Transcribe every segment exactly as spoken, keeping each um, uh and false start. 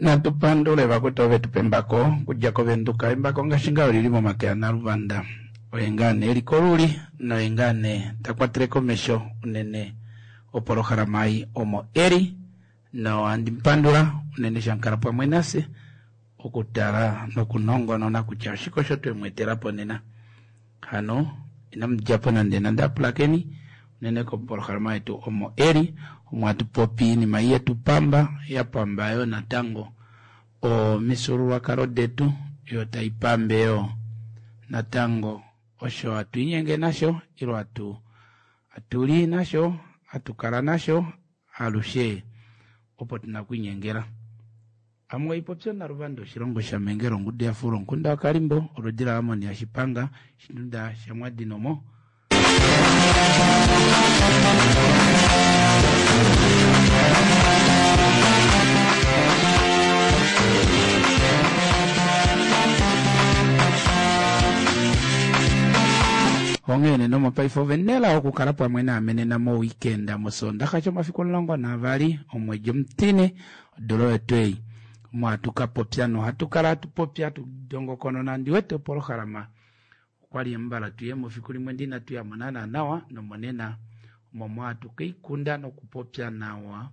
Natu pandule vakwetu ove tupa embako okudja koVenduka. Embako ngaashi ngaa olili momake aNaluvanda, oye ngaa nee eli koluli noye ngaa nee ta kwatele komesho unene opolohalama ei omo eli, nohandi mupandula unene shamukala pamwe nafye okutala nokunongonona kutya oshike osho twe mu etela po nena. Hano inamu djapo nande nande apulakeni unene kopolohalama yetu omo eli, omo hatu popi iinima yetu pamba, ya pamba yo natango omifyuululwakalo detu, yo tai pambe yo natango osho hatu inyenge nasho ilo hatu hatuli nasho hatu kala nasho alushe opo tuna okwiinyengela. Amwe oipopyo Naluvanda oshilongo shaMengelo ongudu yafuula omukunda waKalimbo oludi laAmoni yaShipanga shitunda shaMwadinomo. Onghee nomopaife ove nela okukala pamwe naame nena moweekend mosoondaxa shomafiku omulongo naavali omwedi omutine odula oyo tuu ei omo hatu kapopya nohatu kala hatu popi hatu dongokonona ndiwete opolohalama okwali embala tuyemo fiku limwe ndee inatu yamo naana nawa nomonena omo hatu kaikunda nokupopya nawa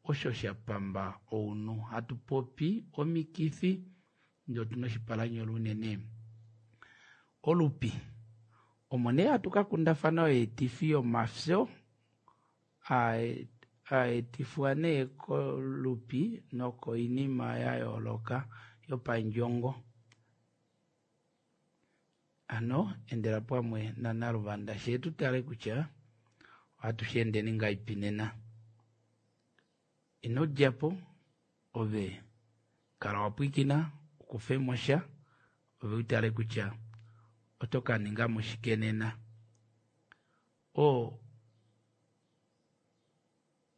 osho shapamba ounhu hatu popi omikifi ndee otuna oshipalanyole unene olupi omo nee hatu kakundafana oyeetifi yomafyo aetifwa nee kolupi nokoinima yayooloka yopandjongo. Hano endela pamwe naNaluvanda shee tutale kutya ohatu sheendeni ngahelipi nena. Ino djapo ove kala wapwiikina ukufemosha ove utale kutya oto kaningamo shike nena. Oo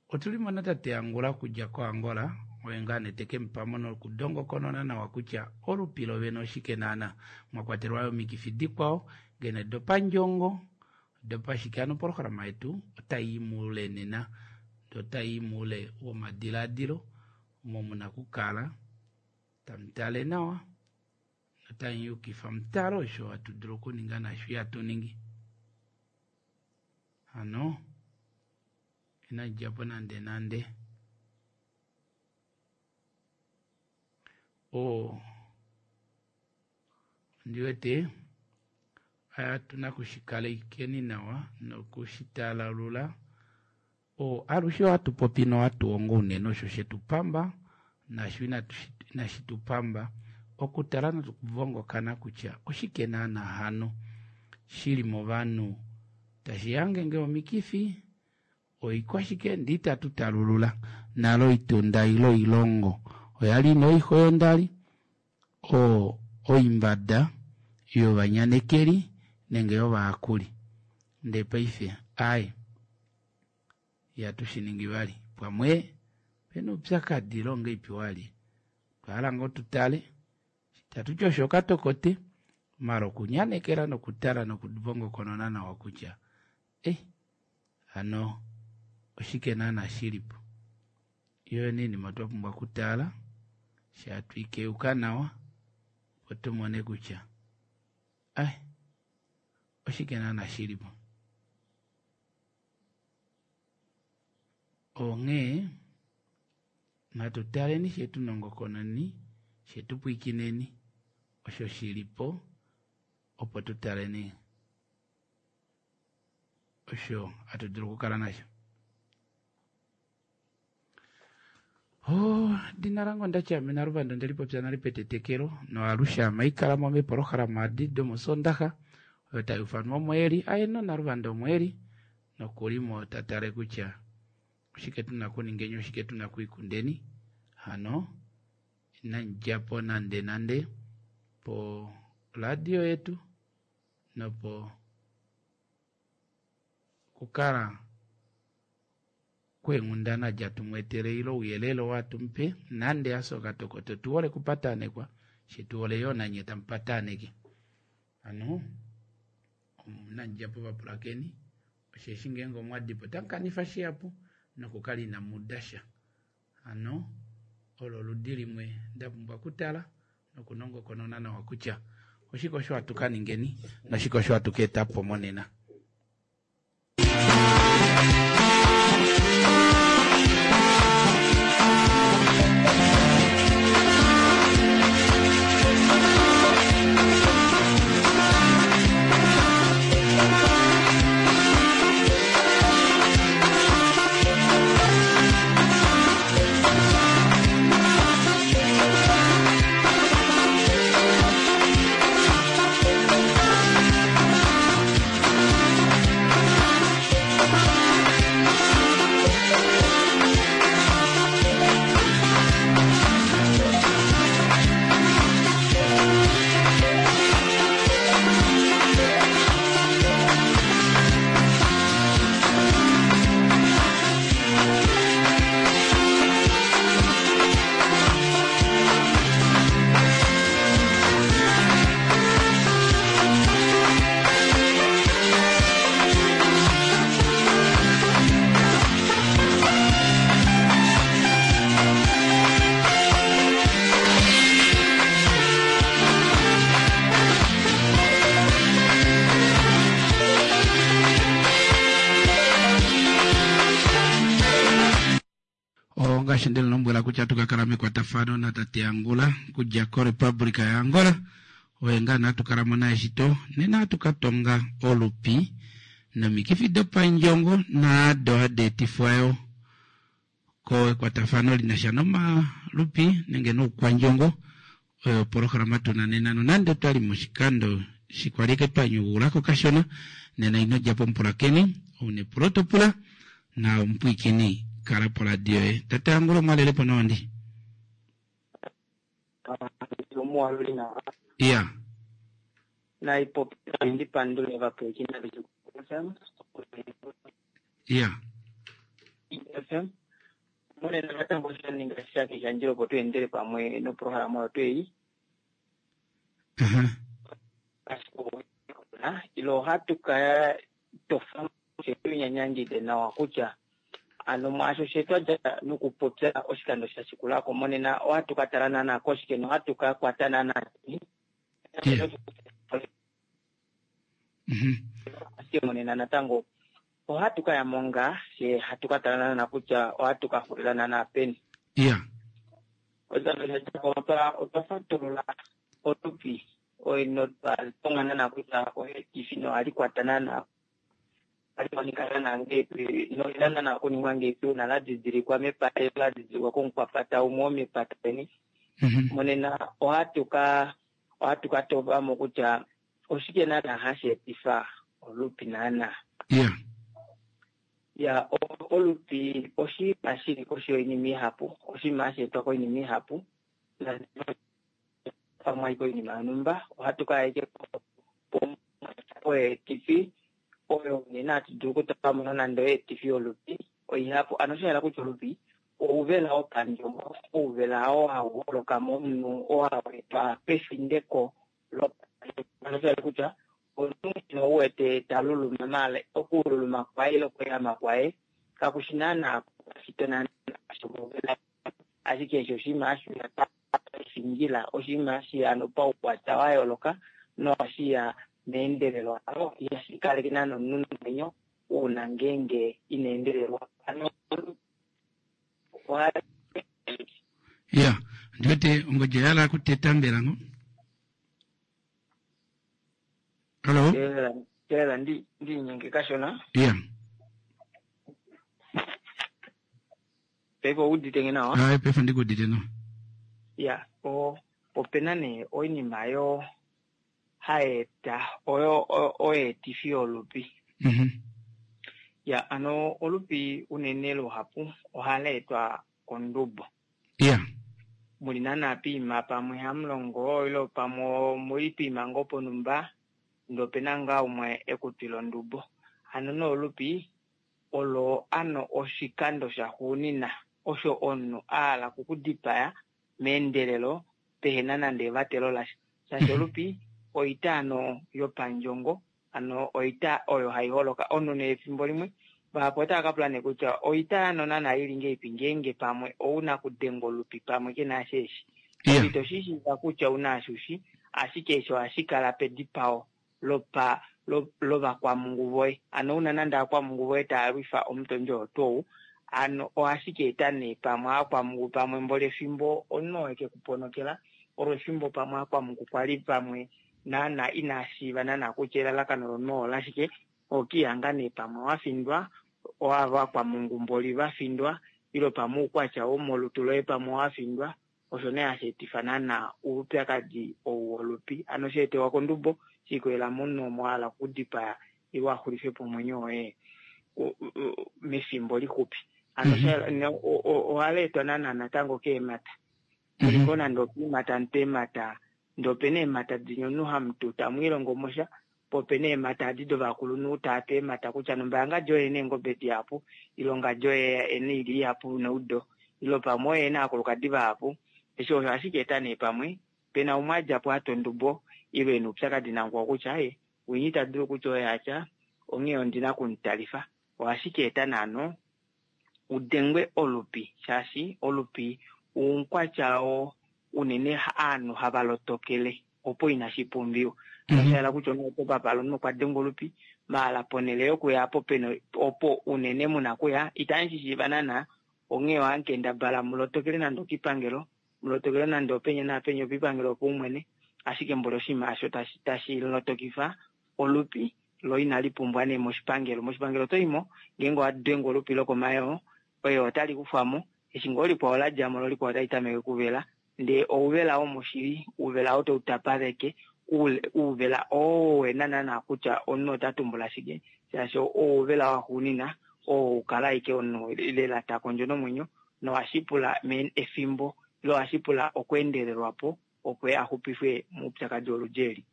otulimo natate Angula okudja koAngola oye ngaa nee tekemupamo nokudongokonona nawa kutya olupi lovene oshike naana mwakwatelwa yoo omikifi dikwao ngeno dopandjongo dopashike hano opolohalama yetu otayi muule nena ndee otayi muule womadilaadilo omo muna okukala tamutale nawa notamuyukifa mutale osho hatu dulu okuninga naasho ihatu ningi. Hano inadjapo nande nande. Oo ondiwete otuna okushikalekeni nawa nokushitalalula oo alushe ohatu popi nohatu hongo unene osho shetupamba naasho inashitupamba okutala nokuvongokana kutya oshike naana hano shili movanhu tashi hange ngee omikifi oikwashike ndee itatu talulula nale oitunda ile oilongo oyali ina oixwa yondali oo oimbada yovanyanekeli nenge yovayakuli ndee paife aaye ihatu shiningi vali pamwe opena oupyakadi ile ongahelipi wali otwahala ngoo tutale itatuti osho okatokote maala okunyanekela nokutala nokuvongokonona nawa kutya eh hano oshike naana shilipo yoo oinima twapumbwa okutala shaatwikeyuka nawa opo tumone kutya ai oshike naana shilipo. Onghee natu taleni shee tunongokononi shee tupwiikineni osho shilipo opo tutaleni osho hatu dulu okukala nasho. Edina lange ondati ame Naluvanda ondelipopya nale petetekelo noalushe ame haikalamo meepolohalama edi domosondaxa oyo tayuufanwa omo eli aeno Naluvanda omo eli nokulimo tatale kutya oshike tuna okuningeni oshike tuna okwiikundeni hano inamudjapo nande nande po radio yetu nopo kukala kweenghundana djatumweetele ile ouyelele oo hatumupe nande hafye okatokote otuhole okupatanekwa shee tuhole yoo nanye tamupataneke. Hano inamudjapo vapulakeni osheshi ngeenge omwadipo otamukanifa shihapu nokukala inamuuda sha. Hano olo oludi limwe ndapumbwa okutala nokunongokonona nawa kutya oshike osho hatu kaningeni noshike osho hatu kaetapo monena. Ongaashi ndemu lombwela kutya ohatu ka kala mekwatafano natate Angula kudja koRepublica yaAngola. Oye ngaa nee hatu kalamo naye shito. Nena ohatu ka tonga olupi nomikifi dopandjongo naado hadi etifwa yo kekwatafano linasha nomalupi nenge noukwandjongo. Oyo opolohalama tuna nena nonande otwali moshikando shikwalike twa nyugulako kashona nena ino djapo omupulakeni ouna epulo topula na omupwiikini kala poradio yoye. Tate Angula omwalelepo nawa ndi? Iya. Iya. Monena natango sha ninga shake shandjila opo tu endele pamwe noprograma oyo tweyi. Ilo ohatu ka tofa tunyanyangide nawa kutya ano mwaasho she twadja nokupopya oshikando sha shikulako monena ohatu ka tala naana koshike nohatu ka kwata naana. Ashike monena natango ohatu ka ya monga she hatu ka tala naana kutya ohatu ka xulila naana peni. Iya. Oshikando sha djako otwa fatulula olupi oyo notwa tonga naana kutya oetifi nohali kwata naana ohali monika naana ngeipi nolina naana okuningwa ngeipi uuna la didilikwa mepata la didilikwa komukwapata umwe womepata leni. Monena ohatu ka ohatu ka tovamo kutya oshike naana hashi etifa olupi naana. Iya. Ya olupi oshinima shili koshi yoinima ihapu, oshinima hashi etwa koinima ihapu pamwe koinima yonhumba ohatu ka eke oetifi oyo unene hatu dulu okutala nonande oetifi yolupi oihapu. Ano osha yela kutya olupi ouvela wopandjongo, ouvela oo hau holoka momunhu oo hau etwa pefindeko lopandjongo. Osha yela kutya omunhu ou wete ta luluma maala okululuma kwaye ile okweehama kwaye kakushi naana shito naana shouvela, ashike eshi oshinima hashi uya pafindjila, oshinima hashi ya paukwatya wa yooloka nohashi ya meendelelo. Ano ihashi kaleke naana omunhu nomwenyo uuna ngeenge ina endelelwa. Ano ya ndiwete ongodje yala kuteta mbela ngo. Hello. Telela ndi ndinyenge kashona. Iya. Paife oudite nge nawa? Ai paife ndikuudite nawa. Ya, o opena nee oinima yo haeta oyo oetifi yolupi. Mhm. Ya, ano olupi unene luhapu ohala etwa kondubo. Iya. Muli naana piima pamwe hamulongo ilo pamwe muli piima ngoo ponumba ndee opena ngaa umwe ekutwila ondubo. Ano noolupi olo ano oshikando shaxuunina osho omunhu ahala okukudipaya meendelelo pehena nande evatelo lasha. Shaashi olupi oita ano yopandjongo, ano oita oyo hai holoka omunhu nee efimbo limwe vahapu otava ka pula nee kutya oita ano naana ili ngeipi ngeenge pamwe ouna kudenga olupi pamwe kena asheeshi. Ito shi shiiva kutya ouna ashushi, ashike eshi ohashi kala pedipao lopa lovakwamungu voye. Ano una nande akwamungu voye taa lwifa omutondi oo tuu ano ohashi eta nee pamwe akwamungu pamwe mboli efimbo omunhu oo eke kuponokela olo efimbo pamwe akwamungu kwali pamwe naana ina shiiva naana kutya elalakano lomunhu olashike, okihanga nee pamwe wafindwa ovakwamungu mboli vafindwa ilo pamwe oukwatya womolutu loye pamwe wafindwa, osho nee hashi etifa naana oupyakadi ou wolupi. Ano sheetewa kondubo shikolela momunhu omo ahala okudipaya ile axulife po omwenyo woye mefimbo lixupi. Ano ohala etwa naana natango keemata. Muliko nande opiimata mutu eemata ndee opena eemata dinya omunhu hamutu tamwiilongo mosha, po opena eemata adi dovakulunhu taatu eemata kutya nombaanga oye ena eengobe dihapu ilo ngadi oye ena oilya ihapu neudo ilo pamwe oye ena aakulukadi vahapu. Eshi osho hashi ka eta nee pamwe pena umwe adjapo atwa ondubo ilo ena oupyakadi namukwao kutya aye winya ita dulu kutya oye atya onghee ondina okumutalifa. Ohashi ka eta naano udengwe olupi, shaashi olupi oukwatya oo unene aanhu hava lotokele opo inashi pumbiwa. Osha yela kutya omunhu oto papala omunhu okwa dengwa olupi maala ponhele yokuya opo pena opo unene muna kuya itamu shi shiiva naana Onghee ohamu kendabala mulotokele nande okipangelo, mulotokele nande openya naapenya opipangelo opaumwene, ashike mboli oshinima osho tashi tashi lotokifa olupi lo inali pumbwa nee moshipangelo. Moshipangelo oto imo ngeenge owa dengwa olupi lokomayoo, oye otali kufwamo, eshi ngoo likwao la djamo lo likwao otali tameke kuvela, ndee ouvela womoshili, ouvela oo tau tapaleke, ouvela oo wena naana kutya omunhu ota tumbula shike, shaashi ouvela waxuunina oo ukala ashike omunhu lela ta kondjo nomwenyo, nohashi pula efimbo ile ohashi pula okweendelelwapo opo a xupifwe moupyakadi woludi eli.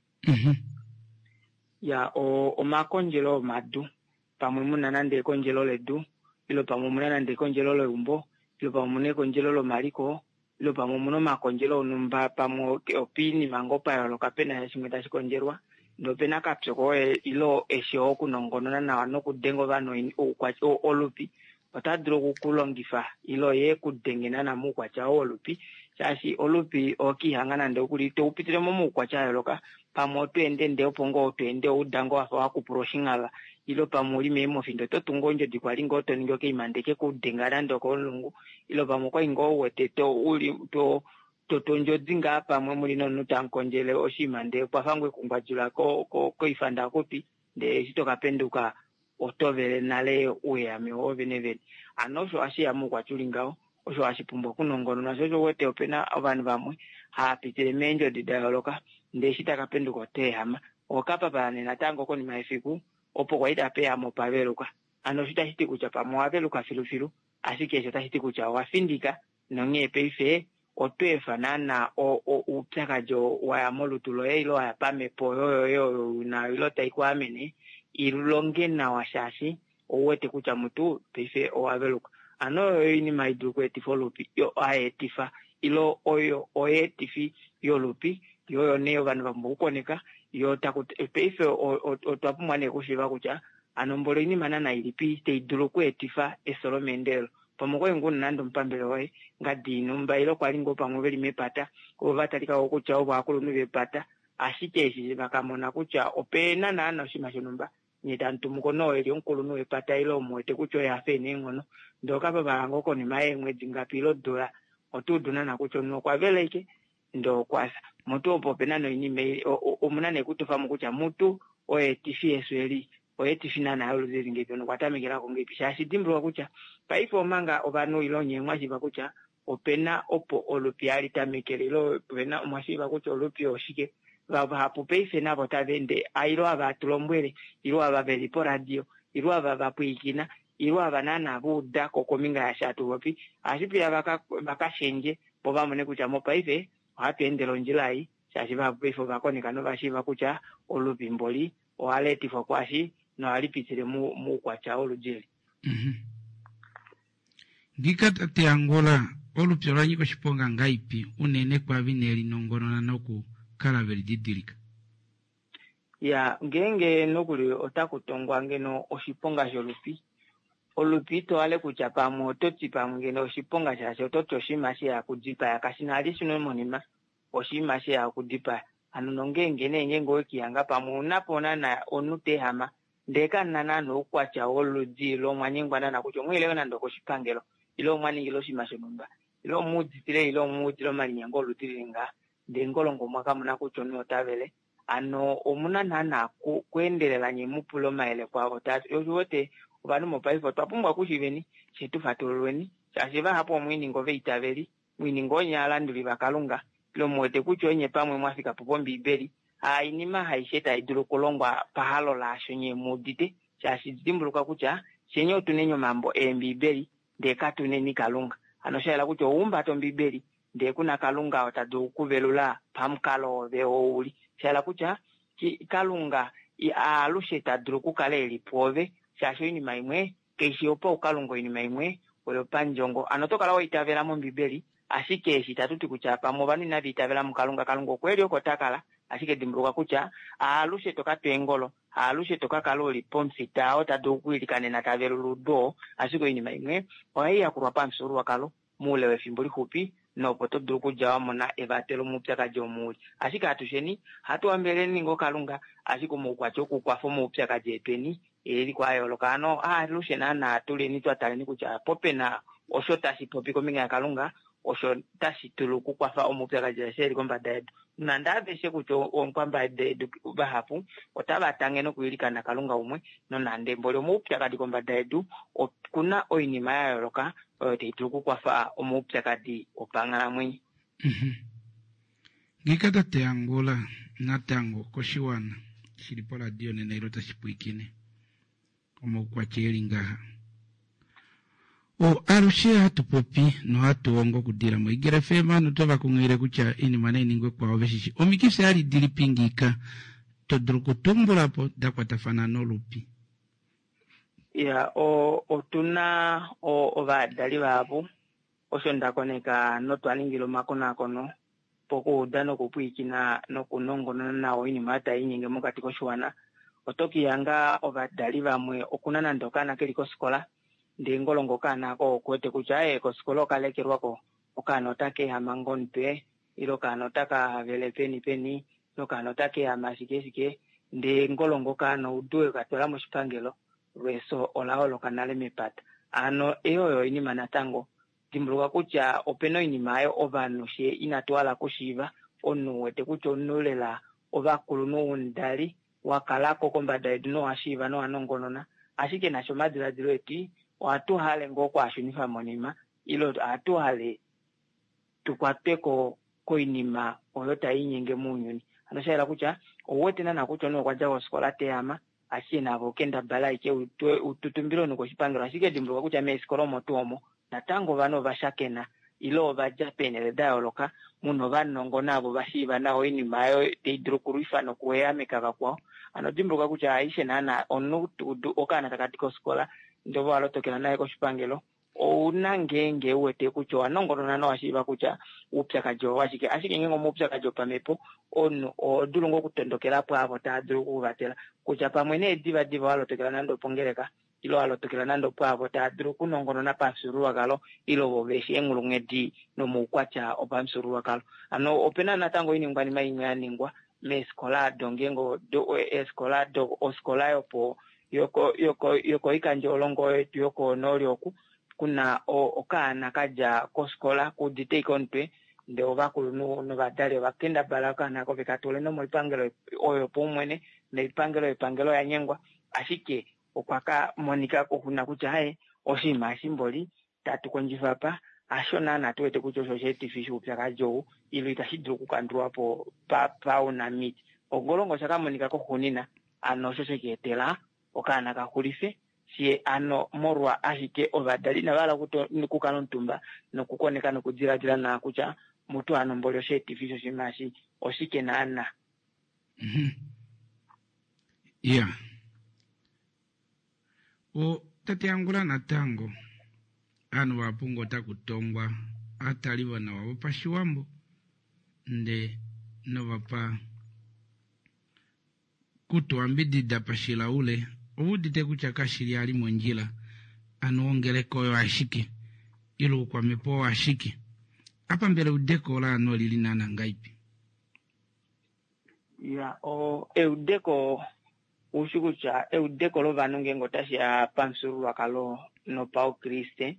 Ya omakondjelo omadu, pamwe muna nande ekondjelo ledu, ile pamwe muna nande ekondjelo leumbo, ile pamwe muna ekondjelo lomaliko, ile pamwe muna omakondjelo onumba, pamwe opiinima ngoo pa yooloka pena shimwe tashi kondjelwa, nopena kapyoko ile eshi okunongonona nawa nokudenga ovanhu olupi, ota dulu okukulongifa ile ye kudenge naana moukwatya oo wolupi, shaashi olupi okiihanga nande okuli toupitile mo moukwatya wa yooloka, pamwe oto ende ndee opo ngoo to ende ouda ngoo wafa wakupula oshinghava, ile pamwe uli meemofi ndee oto tungu ondjodi kwali ngoo to ningi okaima ndee kekudenga nande okomulungu, ile pamwe okwali ngoo uwete to uli to tondjodi ngaa pamwe muli nomunhu tamukondjele oshinima ndee okwafa ngoo ekungwadjula koifandakutwi, ndee eshi tokapenduka oto vele nale uuyehame woovene vene. Hano osho hashiya moukwatya uli ngaho, osho hashi pumbwa okunongononwa, sho osho uwete opena ovanhu vamwe hava pitile meendjodi da yooloka, ndee eshi taka penduka ota ehama, okapapala nee natango konima yefiku opo kwali tapa ehama opa veluka. Hano osho itashi ti kutya pamwe owa veluka filufilu, ashike eshi otashi ti kutya owa findika, nonghee paife oto efa naana oupyakadi waya molutu loye ile waya pamhepo yoye oyo una ile tai ku amene ilonge nawa, shaashi ouwete kutya mutu paife owa veluka. Hano oyo oinima hai dulu okweetifa olupi, hayeetifa ile oyo oyeetifi yolupi, yo oyo nee ovanhu va pumbwa okukoneka, yo taku paife otwa pumbwa nee okushiiva kutya hano mboli oinima naana ilipi tai dulu okweetifa efyo lomeendelelo. Pamwe okwali ngoo una nande omupambele woye ngadi inumba, ile kwali ngoo pamwe veli mepata ovo va talika kutya ovo ovakulunhu vepata, ashike eshi vakamona kutya opena naana oshinima shonhumba, nye tamu tumuko noo eli omukulunhu wepata ile omuwete kutya oye afa ena eenghono, ndee okapapala ngoo konima yeemwedi ngapi ile odula, oto udu naana kutya omunhu okwa vela ashike ndee okwafya. Mutu opo opena noinima omuna nee kutofamo kutya mutu oyeetifi yefyo eli oyeetifi naana yoludi li ngeipi, nokwa tamekelako ngeipi, shaashi dimbuluka kutya paife omanga ovanhu ile nye mwashiiva kutya opena opo olupi hali tamekele, ile opena mwashiiva kutya olupi oshike, vahapu paife navo tava ende, ile ava tulombwele, ile ava veli poradio, ile ava vapwiikina, ile ava naana va uda ko kombinga yaashi hatu popi, ohashi piya vakashendje po vamone kutya mopaife ohatu endele ondjila ei, shaashi vahapu paife ovakoneka novashiiva kutya olupi mboli ohali etifwa kwaashi nohali pitile moukwatya woludi eli. Ngika tate Angola, olupi ola nyika oshiponga ngaipi unene kwavi nelinongonona nokukala veli didilika? Ya, ngeenge nokuli otaku tongwa ngeno oshiponga sholupi, olupi ito hale kutya pamwe oto ti pamwe ngeno oshiponga shaashi oto ti oshinima sheya kudipaya, kashi na hali shino monima, oshinima sheya kudipaya. Hano nongeenge nee ngeenge owekihanga pamwe unapo naana omunhu ta ehama, ndee kamuna naana oukwatya woludi lomwanyengwa naana kutya omwiile nande okoshipangelo, ile omwaningile oshinima shonhumba, ile omuuditile ile omuudile omalinyengo oludi lili ngaha, ndee ngolongo mwakamona kutya omunhu ota vele. Hano omuna naana kweendelela nye mupule omayele kwaavo tati oshiwete ovanhu mopaife otwa pumbwa okushiveni she tu fatululweni, shaashi vahapu omwiininga oveitaveli, mwiininga onye aalanduli vaKalunga, ile muwete kutya onye pamwe mwafika po pOmbiibeli, hainima haishe tai dulu okulongwa pahalo laasho nye muudite, shaashi dimbuluka kutya shenye otuneni omambo eembiibeli ndee katuneni Kalunga. Hano osha yela kutya ouhumbata Ombiibeli ndee kuna Kalunga ota dulu okuvelula pamukalo wove ouli. Sha yela kutya Kalunga alushe ta dulu okukala eli pwoove, shaashi oinima imwe kaishi yopaukalunga, oinima imwe oyopandjongo. Hano oto kala wa itavela mOmbiibeli, ashike eshi itatu ti kutya pamwe ovanhu inava itavela muKalunga, Kalunga okwe li oko ta kala, ashike dimbuluka kutya alushe to ka twa eengolo, alushe to ka kala uli pomufita oo ta dulu okwiilikanena ta velula oudu oo, ashike oinima imwe ohai yakulwa pamufyuululwakalo moule wefimbo lixupi, nopo to dulu okudja wa mona evatelo moupyakadi omo uli. Ashike atusheni ohatu hambeleleni ngoo Kalunga, ashike omaukwatya okukwafa omaupyakadi etweni eli kwa yooloka. Hano alushe naana tuleni twa taleni kutya po pena Osho tashi popi kombinga yaKalunga osho tashi dulu okukwafa omaupyakadi aeshe eli kombada yedu. Nonande aveshe kutya omukwambada yedu vahapu otava tange nokwiilikana Kalunga umwe, nonande mboli omaupyakadi kombada yedu okuna oinima ya yooloka oyo tai dulu okukwafa omaupyakadi opanghalamwenyo. Ngiika tate Angula natango koshiwana shili poradio nena ilo tashi pwiikine omaukwatya eli ngaha. O alushe hatu popi nohatu hongo okudila moIgele F M notava kunghilile kutya oinima nai ningwe kwao veshishi. Omikifi ali dilipi ngiika to dulu okutumbula po da kwatafana nolupi? Ya, o, otuna ovadali vahapu osho nda koneka notwa ningila omakonakono pokuuda nokupwiikina nokunongonona nawa oinima tai inyenge mokati koshiwana. Oto kihanga ovadali vamwe okuna nande okaana keli kosikola, ndee ngolongo okaana ako okuwete kutya ee kosikola okalekelwako, okaana otaka ehama ngomutwe, ile okaana otaka vele peni peni, ile okaana otaka ehama shike shike, ndee ngolongo okaana oudu katwala moshipangelo, lweso ola holoka nale mepata. Ano eyo oyo oinima natango. Dimbuluka kutya opena oinima ayo ovanhu she inatu hala kushiiva, omunhu wete kutya omunhu lela ovakulunhu womudali wakalako kombada yedu nowashiiva nowanongonona, ashike nasho omadiladilo eti ohatu hale ngoo okwaashunifa monima, ile ohatu hale tukwatweko koinima oyo tai inyenge mounyuni. Ano sha yela kutya ouwete naana kutya omunhu okwa dja kosikola teyama, ashike navo okendabala aike ututumbile omunhu koshipangelo, ashike dimbuluka kutya meefikola omo tuu omo natango ovanhu ova shakena ile ova dja peenhele da yooloka, muna ovanongo navo va shiiva nawa oinima oyo tai dulu okulwifa nokuehameka vakwao. Ano dimbuluka kutya aishe naana omunhu okaana taka di kosikola ndee ove wa lotokela naye koshipangelo, ouna ngeenge uwete kutya owa nongonona nowa shiiva kutya oupyakadi owa shike. Ashike ngeenge omaupyakadi opamhepo, omunhu oho dulu ngoo okutondokela pwaavo taa dulu okukuvatela, kutya pamwe nee diva diva wa lotokela nande opongeleka, ile wa lotokela nande opwaavo taa dulu okunongonona pamufyuululwakalo, ile ovo veshi eenghulunghedi nomaukwatya opamufyuululwakalo. Ano opena natango oiningwanima imwe ya ningwa meefikola ado, ngeenge eefikola do ofikola yopo yoko yoko yokoikandjolongo yetu yokonooli oku kuna okaana kadja kosikola kuudite ike omutwe, ndee ovakulunhu novadali ova kendabala okaana ako veka tule nomoipangelo oyo paumwene, noipangelo yepangelo ya nyengwa, ashike okwa ka monika kokuna kutya haye oshinima eshi mboli tatu kondjifa pa hasho naana tu wete kutya osho osheetifi shoupyakadi ou, ile itashi dulu okukandulwa po paunamiti. Ongolongo osha ka monika koxunina, ano osho she ka etela okaana ka xulife, she ano molwa ashike ovadali inava hala okukala omutumba nokukoneka nokudiladila nawa kutya mutu ano mboli osheetifi shoshinima eshi oshike naana. Ya. O tate Angula natango ovanhu vahapu ngoo otaku tongwa aatali vonawa vopashiwambo nde novapa kutuambidida pashilaule oudite kutya kashili ali mondjila, ano ongeleka oyo ashike ile oukwamhepo oyo ashike. Apa mbela eudeko ola ano olili naana ngaipi? Ya, o eudeko ushi kutya eudeko lovanhu ngeenge otashi ya pamufyuululwakalo nopaukriste,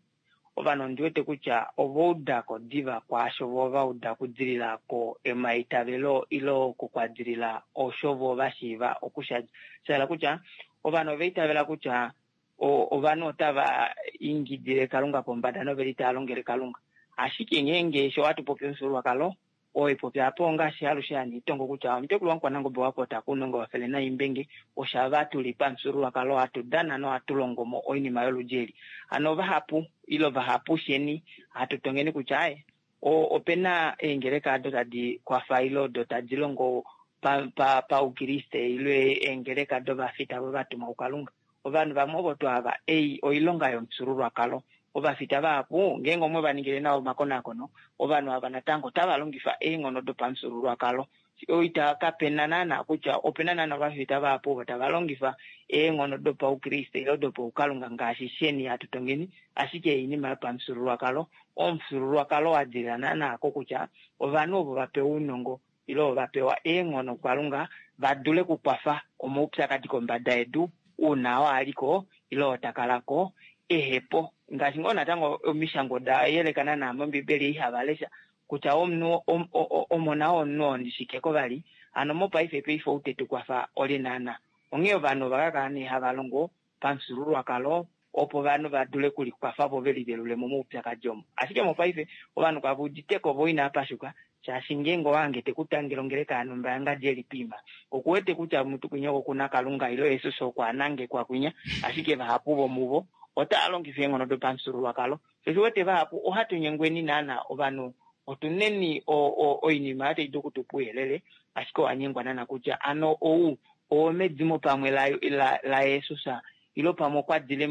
ovanhu ondi wete kutya ova udako diva kwaasho vo va uda okudilila ko emaitavelo ile okukwadilila osho vo va shiiva okusha. Sha hala kutya ovanhu ova itavela kutya ovanhu otava ingidile Kalunga pombada noveli tava longele Kalunga. Ashike ngeenge sho hatu popi omufyuululwakalo, oyo popi apo ongaashi alushe handi tongo kutya omutekulu wamukwanangobe wapota kuunongo wafele naimbenge, oshava tuli pamufyuululwakalo hatu dana nohatu longo mo oinima yoludi eli. Ano vahapu ile vahapu sheni hatu tongeni kutya aye opena eengeleka ado tadi kwafa ile odo tadi longo paukriste ile eengeleka dovafita vo vatumwa kuKalunga. Ovanhu vamwe ovo twava ei oilonga yomufyuululwakalo. Ovafita vahapu ngeenge omwe va ningile nawa omakonakono, ovanhu ava natango otava longifa eenghono dopamufyuululwakalo. Oita kapena naana kutya opena naana ovafita vahapu ovo tava longifa eenghono dopaukriste ile dopaukalunga ngaashi sheni hatu tongeni, ashike oinima yopamufyuululwakalo. Omufyuululwakalo wa dilila naana ko kutya ovanhu ovo va pewa ounongo ile ovo va pewa eenghono kuKalunga va dule okukwafa omaupyakadi kombada yedu uuna oo aliko ile oo takalako ehepo ngaashi ngoo natango omishango da yelekana naa mOmbibeli ihava lesha kutya omunhu omona womunhu ondishike vali hano mopaife paife outetu kwafa oli naana. Onghee ovanhu ova kakala nee hava longo pamufyuululwakalo opo ovanhu va dule okulikwafa vo ve livelule mo moupyakadi omo. Ashike mopaife ovanhu kave uditeko vo inava pashuka shaashi ngeenge owahange tekutangele ongeleka yanhumba yangadi eli piima okuwete kutya mutu kwinya oko kuna Kalunga ile Jesus okwa anangekwa kwinya, ashike vahapu vomuvo otava longifa eenghono dopamufyuululwakalo. Sho wete vahapu ohatu nyengweni naana ovanhu otuneni oinima oyo tai dulu okutupa ouyelele, ashike owanyengwa naana kutya ano ou owomedimo pamwe laJesus ile pamwe okwa dile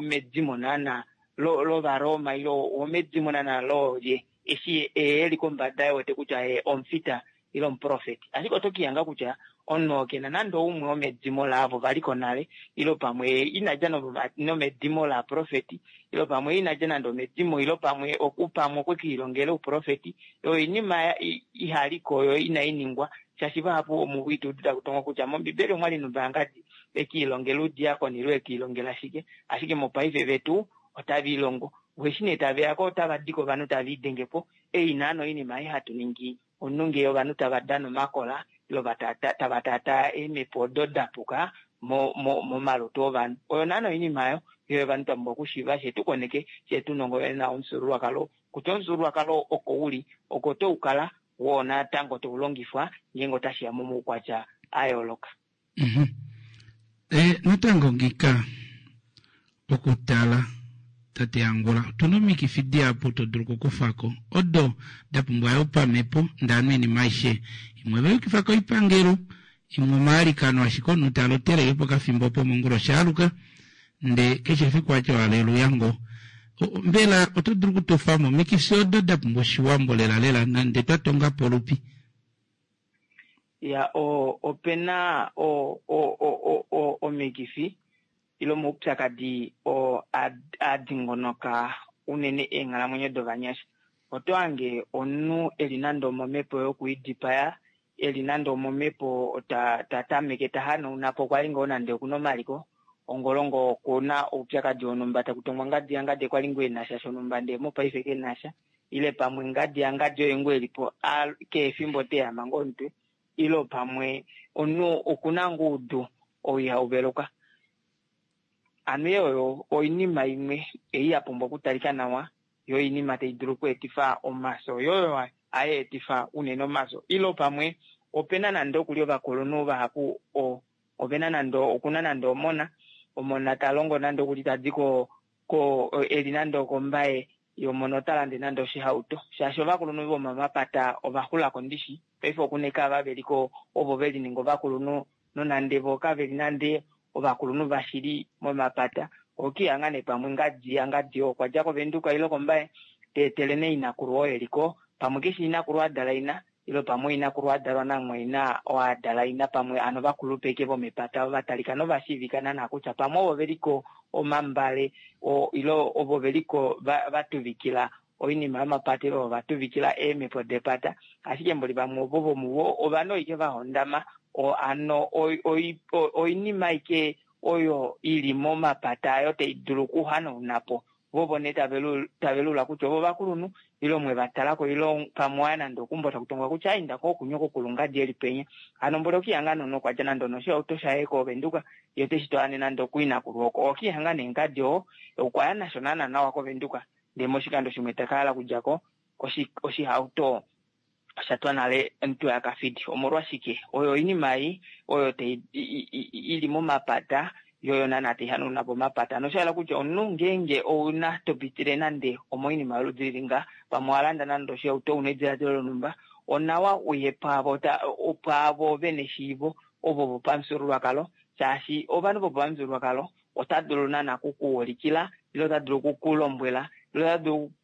medimo naana lOvaroma ile owomedimo naana loolye eshi eli kombada wete kutya ye omufita ile omuprofeti. Ashike oto kihanga kutya omunhu oo kena nande oumwe womedimo laavo valiko nale ile pamwe inadja nomedimo laprofeti ile pamwe inadja nande omedimo ile pamwe pamwe okwe kiilongela ouprofeti, oinima ihaliko yo inai ningwa shaashi vahapu omuvo ituudu takutongo kutya mOmbibeli omwali nombaangadi ekiilongela oudiakoni ile ekiilongela shike, ashike mopaife vetu otava ilongo weshi nee taveyako otava diko ovanhu tava idengepo ei naana oinima ei hatu ningi omunhu ngee ovanhu tava dana omakola ile tava tata eemhepo odo dapuka momalutu ovanhu. Oyo naana oinima oyo yo ovanhu twa pumbwa okushiiva she tukoneke she tunongo na omufyuululwakalo kutya omufyuululwakalo oko uli oko toukala woo natango toulongifwa ngeenge otashiya momaukwatya a yooloka. Natango ngika okutala tate Angula otuna omikifi dihapu to dulu okukufako odo da pumbwa yo pamhepo ndano oinima aishe imwe vayukifa koipangelo imwe omaalikano ashike omunhu talotele yo pokafimbo opo mongula oshaaluka nde keshe efiku atya haleluya ngo. Mbela oto dulu okutofamo omikifi odo da pumbwa oshiwambo lela lela nande twatonga polupi? Ya opena omikifi ile omaupyakadi oo a dingonoka unene eenghalamwenyo dovanyasha. Oto hange omunhu eli nande omomhepo yokuidipaya, eli nande omomhepo ta tameke ta hanauna po kwali ngoo nande okuna omaliko ongolongo okuna oupyakadi wonhumba takutongwa ngadi yangadi kwali ngoo enasha shonhumba ndee mopaife kenasha ile pamwe ngadi yangadi oye ngoo elipo kehe efimbo teyama ngoo omutwe ile pamwe omunhu okuna ngoo oudu ou ihau veluka. Ano oyo oinima imwe ei ya pumbwa okutalika nawa yo oinima tai dulu okweetifa omaso yo oyo hayeetifa unene omaso. Ile pamwe opena nande okuli ovakulunhu vahapu ovena nande okuna nande omona omona talongo nande okuli tadi ko eli nande okombaye yomona ota lande nande oshihauto shaashi ovakulunhu vomomapata ovaxulako ndishi paife okuna eke ava veliko ovo velininga ovakulunhu nonande vo kaveli nande ovakulunhu vashili momapata okihanga nee pamwe ngadi yangadi okwa dja koVenduka ile kombaye teetele nee inakulu oo eliko pamwe keshi inakulu adala ina ile pamwe inakulu adalwa namumwaina oo adala ina pamwe ano vakulupe eke vomepata ovatalika novashiivika naana kutya pamwe ovo veliko omambale ile ovo veliko vatuvikila oinima yomapata ile ovo vatuvikila eemhepo depata, ashike mboli vamwe ovo vomuvo ovanhu ike vahondama ano oinima ike oyo ili momapata ayo tai dulu okuhanauna po vovo nee tave lula kutya ovo vakulunhu ile omwe vatalako ile pamwe waya nande okumbo takutongwa kutya ainda ko okunywa kokulungadi eli penya hano mboli okihanga nono okwadja nande onoshihauto shaye koVenduka ye teshi twala nande okuinakulu oko okihanga neengadi oo okwaya nasho naana nawa koVenduka ndee moshikando shimwe takahala okudjako oshihauto oshatwa nale omuntu yakafidi. Omolwashike oyo oinima ei oyo ili momapata yoyo naana tai hanauna po omapata noshahala kutya omunhu ngeenge ouna topitile nande omoinima yoludi lili nga pamwe owalanda nande oshihauto una ediladilo lonhumba onawa uye pwaavo pwaavo vena eshiivo ovo vopamufyuululwakalo shaashi ovanhu vopamufyuululwakalo ota dulu naana okukuulikila ile ota dulu okukulombwela ile ota dulu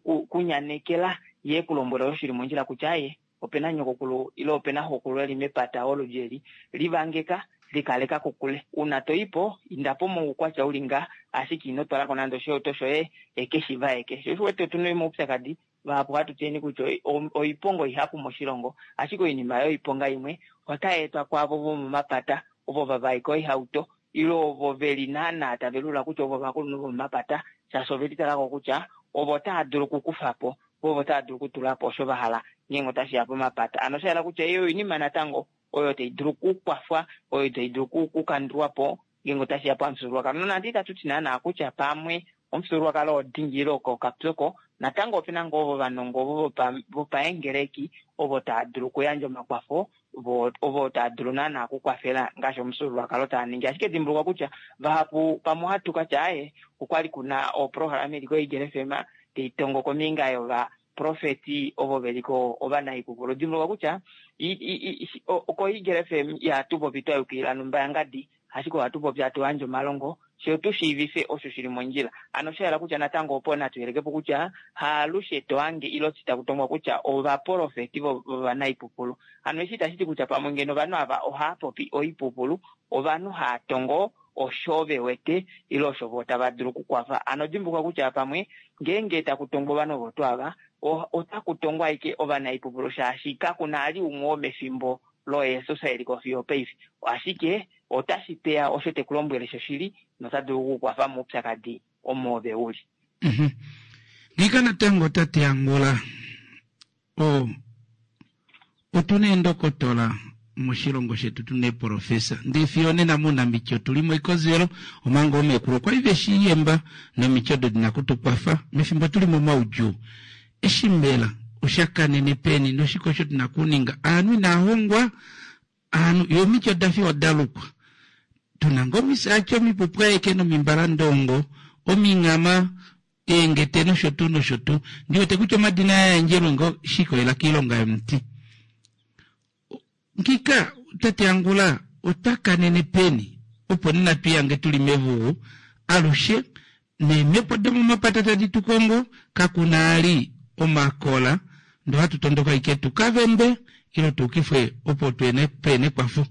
okunyanekela ye kulombwela osho shili mondjila kutya aye opena nyokokulu ile opena xokulu eli mepata oludi eli livangeka likaleka kokule una toipo indapo moukwatya uli nga ashike ino twalako nande oshihauto shoye ekeshi vaeke. Sho osho wete otuna omaupyakadi vahapu hatu tyeni kutya oiponga ihapu moshilongo ashike oinima yoiponga imwe otai etwa kwaavo vomomapata ovo vavaika oihauto ile ovo veli naana tave lula kutya ovo ovakulunhu vomapata, shaashi ove litalako kutya ovo tava dulu okukufa po, ovo tava dulu okutula po osho va hala ngeenge otashi ya pomapata. Ano osha yela kutya eyo oinima natango oyo tai dulu okukwafwa, oyo tai dulu okukandulwa po ngeenge otashi ya pamufyuululwakalo. Nonande itatu ti naana kutya pamwe omufyuululwakalo odingi ile okapyoko, natango opena ngoo ovo vanongo ovo vopaengeleki ovo tava dulu okuyandja omakwafo, ovo tava dulu naana okukwafela ngaashi omufyuululwakalo taa ningi. Ashike dimbuluka kutya vahapu pamwe ohatu katya aye okwali kuna oprograma ili koEagle F M tai tongo kombinga yovaprofeti ovo veliko ovanaipupulu. Dimbuluka kutya koEagle F M ihatu popi twa yukilila nombayangadi, ashike ohatu popi hatu yandje omalongo sho tu shiivife osho shili mondjila. Ano osha yela kutya natango opo natu yelekepo kutya haalushe to hange ile taku tongwa kutya ovaprofeti vovanaipupulu. Ano eshi itashi ti kutya pamwe ngeno ovanhu ava ohava popi oipupulu, ovanhu hava tongo osho ve wete ile osho vo tava dulu okukwafa. Ano dimbuluka kutya pamwe ngeenge taku tongwa ovanhu ovo tuu ava, otaku tongwa ashike ovanaipupulu, shaashi kakuna ali umwe womefimbo loJesus e li ko fiyo paife. Ashike otashi peya osho te ku lombwele shoshili nota dulu okukwafa moupyakadi omo ove uli. Ngiika natango tate Angula, otu na eendokotola moshilongo shetu, tu na eeprofesa, ndee fiyo nena mounamiti otuli moikozelo, omanga oomekulu okwali ve shi yemba nomiti odo dina kutukwafa mefimbo tuli momaudjuu. Eshi mbela osha kanene peni noshike osho tuna kuninga? Aanhu inaa hongwa, aanhu yo omiti oda fi oda lukwa. Tuna ngoo omisaachi omipupwaeke nomimbalandongo, omingama, eengete nosho tuu nosho tuu. Ndi wete kutya omadina aya yandjelwe ngoo shi ikolela kiilonga yomuti. Ngika tate Angula ota kanene peni opo nena twiihange tuli mevugu alushe neemhepo domomapata tadi tu kongo, kakuna ali omakola ndo hatu tondoka ike tu ka vembe ile tuukifwe opo peene ekwafo.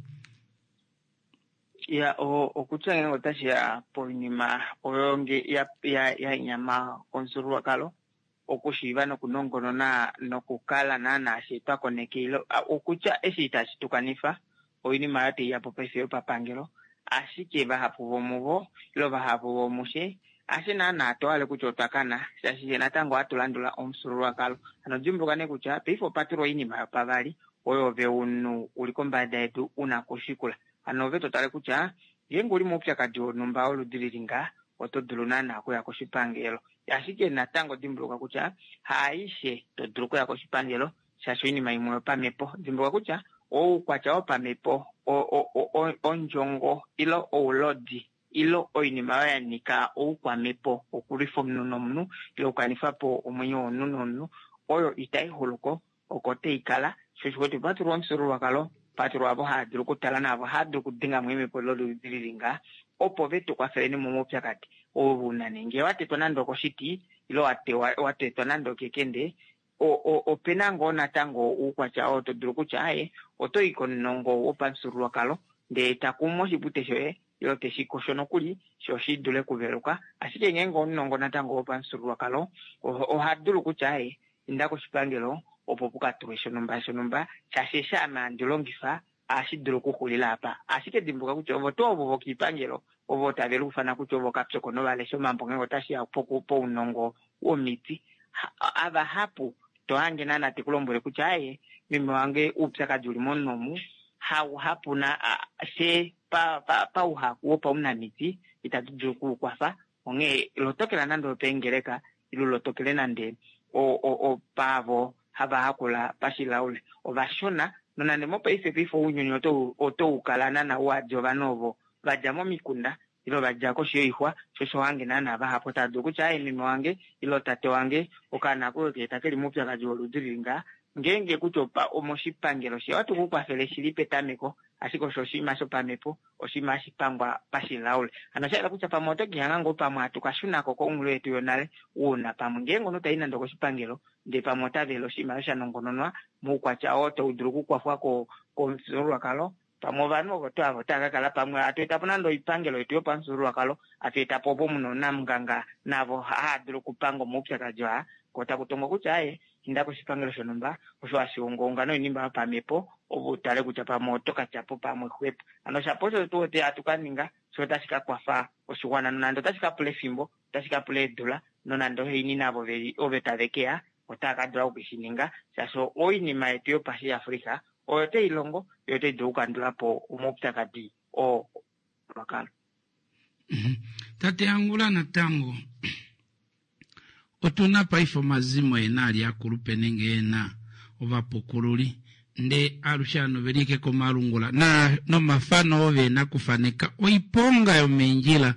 Ya, okutya ngeenge otashi ya poinima oyo nge ya, ya, ya nyama komufyuululwakalo, okushiiva nokunongonona nokukala naana she twa koneke ile, okutya eshi itashi tukanifa oinima oyo tai ya po paife yopapangelo, ashike vahapu vomuvo ile vahapu vomushe ashe naana tohale kutya otwa kana, shaashi natango ohatu landula omufyuululwakalo. Ano dimbuluka nee kutya paife opa tulwa oinima yopavali oyo ove omunhu uli kombada yedu una kushikula. Ano ove to tale kutya ngeenge uli moupyakadi wonhumba woludi lili ngaa, oto dulu naana okuya koshipangelo. Ashike natango dimbuluka kutya haaishe to dulu okuya koshipangelo, shaashi oinima imwe yopamhepo. Dimbuluka kutya oukwatya wopamhepo, ondjongo ile oulodi ile oinima oyo ya nyika oukwamhepo okulwifa omunhu nomunhu ile okukanifa po omwenyo womunhu nomunhu, oyo itai xuluko, oko tai kala. Sho osho kwetu patulwa omufyuululwakalo, patulwa avo hava dulu okutala naavo hava dulu okudenga mo eemhepo loludi lili ngaa, opo ve tu kwafeleni momaupyakadi oo una nee ngee wa tetwa nande okoshiti ile wa tetwa nande okekende, opena ngoo natango oukwatya oo to dulu kutya aye oto i komunongo wopamufyuululwakalo ndee takumu oshipute shoye ile teshi kosho nokuli sho shi dule okuveluka. Ashike ngeenge omunongo natango wopamufyuululwakalo oha dulu kutya aye inda koshipangelo opo puka tulwe shonhumba shonhumba, shaashi eshi ame handi longifa ohashi dulu okuxulila apa. Ashike dimbuluka kutya ovo tuu ovo vokoipangelo ovo tave luufana kutya ovo kapyoko novalesha omambo ngeenge otashi ya pounongo womiti, avahapu to hange naana te ku lombwele kutya aye meme wange oupyakadi uli momunhu omu hauhapu na she pauhaku wopaunamiti itatu dulu okukwafa. Onghee lotokela nande opeengeleka ile lotokele nande opaavo hava hakula pashilaule ovashona. Nonande mopaife paife ounyuni oto ukala naana wadi ovanhu ovo vadja momikunda ile vadja koshi yoixwa, sho osho wange naana vahapu tava dulu kutya aye meme wange ile tate wange okaana koye ke keli moupyakadi woludi lili ngaa, ngeenge kutya omoshipangelo she ohatu ku kwafele shili petameko, ashike osho oshinima shopamhepo, oshinima hashi pangwa pashilaule. Ano osha yela kutya pamwe oto kihanga ngoo pamwe hatu ka shunako konghulu yetu yonale, uuna pamwe ngeenge omunhu tai nande okoshipangelo ndee pamwe ota vele oshinima sha nongononwa moukwatya oo tau dulu okukwafwa komufyuululwakalo, pamwe ovanhu ovo tuu avo otava ka kala pamwe hatu eta po nande oipangelo yetu yopamufyuululwakalo, hatu eta po opo muna onamunganga navo hava dulu okupanga omaupyakadi aa, ko taku tongwa kutya aye inda koshipangelo shonhumba osho hashi ungaunga noinima yopamhepo opo utale kutya pamwe oto ka tya po pamwe xwepo. Ano shapo osho tu wete hatu ka ninga, Sho otashi ka kwafa oshiwana nonande otashi ka pula efimbo, otashi ka pula eedula, nonande oheini navo veli ove tave keya otava ka dula okushininga shaashi oinima yetu yopashi-Africa oyo tai longo yo otai dulu okukandula po omaupyakadi oo wakala. Tate Angula natango otuna paife omazimo ena ali akulupe nenge ena ovapukululi nde alushe ano veli ike komalungula na nomafano oo vena kufaneka oiponga yomeendjila